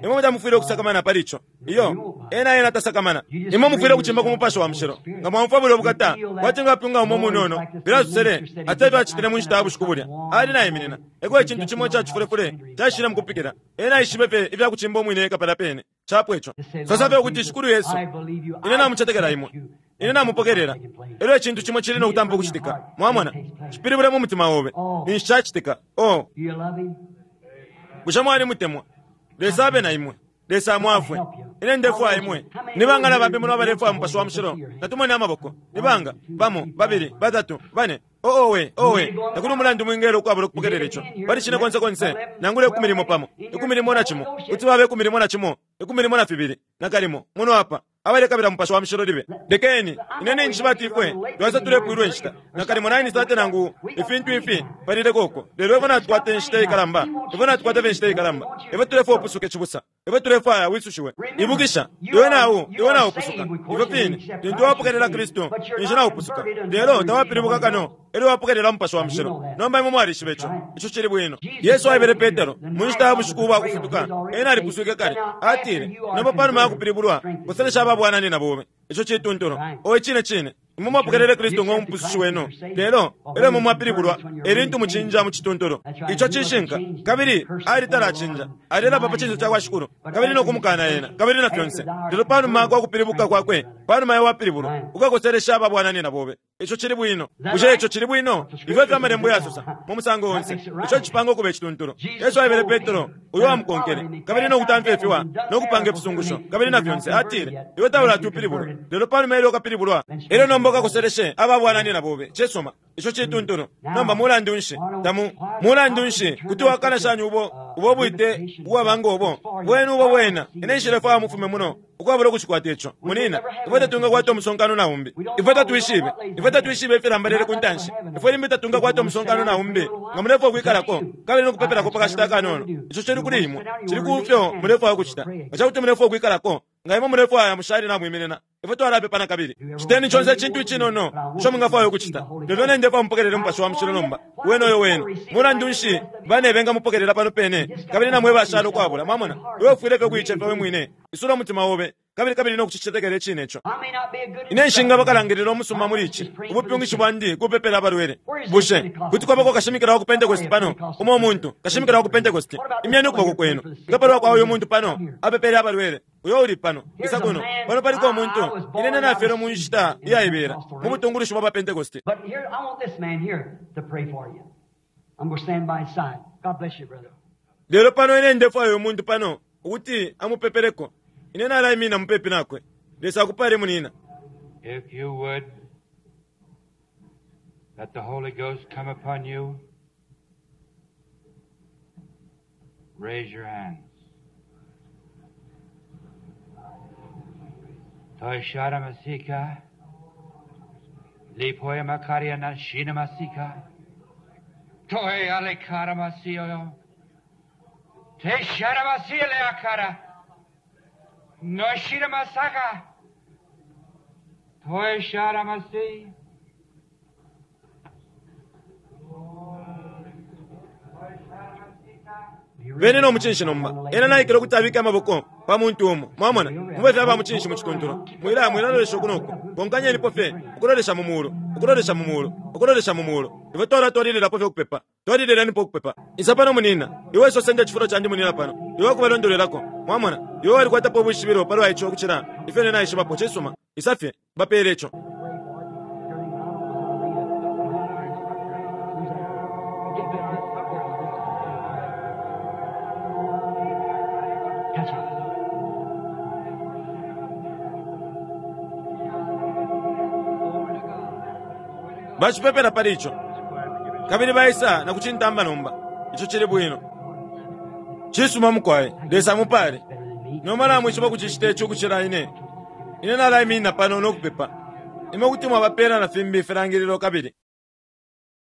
Imwe tamufwile ukusakamana pali ico. Iyo. Ena, ena tasakamana. Imwe mufwile ukucimba ku Mupashi wa Mushilo. Nga mwaumfwa bulyo bukata, kwati nga kapyunga umo umunono, filya asosele, ati efyo acitile mu nshita ya bushiku bulya. Ali naiminina. Eko icintu cimo ica cifulefule caishile mukupikila. Ena aishibe fye ifya kucimba umwine eka palya pene. Capwa ico. Sosa fye ukuti, Shikulu Yesu, ine namucetekela Imwe. Ine namupokelela. Elyo icintu cimo cili no kutampa ukucitika. Mwamona? Cipilibule mu mutima obe. Ninshi cacitika. Oh! Bushe mwalimutemwa? Lesa abe na imwe. Lesa amwafwe. Ine ndefwaya imwe. Ni banga na bambi muno abalefwaya Mupashi wa Mushilo? Natumone amaboko. Ni banga? Bamo, babili, batatu, bane. Oh, owe, owe. Takuli umulandu mwingela ukwabula ukupokelela ico. Pali cine konse konse, nangula 10 pamo, 11, kuti baba 11, 12, nakalimo, muno apa. Abalekabila Mupashi wa Mushilo libe. Lekeni, ine ninjishiba ati ifwe twaisa tulepwilwa inshita, nakalimo 9:30 nangu ifintu ifi palileko uko. Lelo ifwe natukwata inshita ikalamba, ifwe natukwata fye inshita ikalamba. Ifwe tulefwaya upusuke, cibusa. Ifwe tulefwaya wisushiwe. Ibukisha, iwe nau, iwe naupusuka. Ifyo fine, lintu wapokelela Kristu, ninshi naupusuka. Lelo tawapilibuka kano elyo wapokelela Mupashi wa Mushilo. Nomba imwe mwalishiba ico. Ico cili bwino. Yesu aebele Petero, mu nshita ya bushiku ubwa kufutuka, ena alipuswike kale. Atile, Nomba panuma ya kupilibulwa, koselesha aba bwananyina bobe. Ico cituntulu. Owe, cine cine. Imwe mwapokelele Kristu ngo Mupusushi wenu, lelo elyo imwe mwapilibulwa, e lintu mucinja mu cituntulu. Ico cishinka. Kabili ali talacinja. Alelapa pa cinso cakwa Shikulu, kabili no kumukana Ena, kabili na fyonse. Lelo panuma kwa kupilibuka kwakwe, panuma ya wapilibulwa, ukakoselesha aba bwananyina bobe. Ico cili bwino. Bushe ico cili bwino? Ifyo efyo Amalembo yasosa, mu musango onse. Ico cipanga ukuba icituntulu. Yesu aebele Petro, uyo wamukonkele, kabili no kutamfya ifiwa, no kupanga ifisungusho, kabili na fyonse, atile, Iwe taulati upilibulwe. Lelo panuma ilyo ukapilibulwa, elyo nomba ukakoseleshe aba bwananyina bobe. Cisuma. Ico cituntulu. Nomba mulandu nshi tamu, mulandu nshi kuti wakana shani ubo, ubo bwite ubwaba ngo bo? Bwenu ubo bwena. Ine nshilefwaya mufume muno ukwabula ukucikwata ico. Munina, ifwe tatungakwata umusonkano na umbi. Ifwe tatwishibe. Ifwe tatwishibe ifilambalele ku ntanshi. Ifwe limbi tatungakwata umusonkano na umbi. Nga mulefwaya ukwikalako kabili no kupepelako pa kashita akanono, ico cili kuli imwe. Cili ku fyo mulefwaya ukucita. Nga ca kuti mulefwaya ukwikalako, nga imwe mulefwaya mushale namwiminina, ifwe twalapepa na kabili. Citeni conse icintu icinono ico mwingafwaya ukucita. Lelo ine ndefwaya mupokelele Mupashi wa Mushilo nomba. Wena uyo wenu. Mulandu nshi bane bengamupokelela pano pene, kabili na mwe bashala ukwabula? Mwamona? Iwe ufwile fye ukuicefya we mwine. Isula umutima obe, kabili kabili no kucicetekela icine ico. Ine nshingaba kalangilila umusuma muli ici. Ubupyungishi bwandi kupepela abalwele. Bushe kuti kwabako kashimikila wa ku Pentecost pano? Umo umuntu, kashimikila wa ku Pentecost, imyeni ukuboko kwenu. Nga palwa kwa uyu muntu pano, apepele abalwele, uyo uli pano, isa kuno. Pano paliko umuntu, ine ine nafyelwe mu nshita iyaibela, mu butungulushi bwa ba Pentecost. But here, I want this man here to pray for you. I'm going to stand by his side. God bless you, brother. Lelo pano ine ndefwaya uyu muntu pano ukuti amupepeleko. Ine nalaiminina mupepi nakwe. Lesa akupale, munina. If you would, let the Holy Ghost come upon you. Raise your hands. Toishara masika. Lipoya makaria na shina masika. Toy alekara masio. Teshara masia le akara. No shina masaka. Toishara masi. Beni no mucinshi nomba. Ena naikele ukuti abike amaboko pa muntu umo. Mwamona? Mube fye aba mucinshi mu cituntulu. Mwila, mwilalolesha uku no ku. Konkanyenipo fye ukulolesha mu mulu, ukulolesha mu mulu, ukulolesha mu mulu. Ifwe twalatwalililapo fye ukupepa. Twalililenipo ukupepa. Isa pano, munina. Iwe iso senda icifulo candi, munina, pano. Iwe ukubalondolwelako. Mwamona? Iwe walikwatapo ubwishibilo palwa ico ukucila ifyo ine naishibapo. Cisuma. Isa fye. Bapeele ico. Touch it. Bacipepela pali ico. Kabili baisa na kucintamba nomba. Ico cili bwino. Cisuma mukwai. Lesa mupale. Nomba namwishiba kucicita ico ukucila ine. Ine nalaiminina pano no kupepa. Imwe kuti mwabapela na fimbi ifilangililo kabili.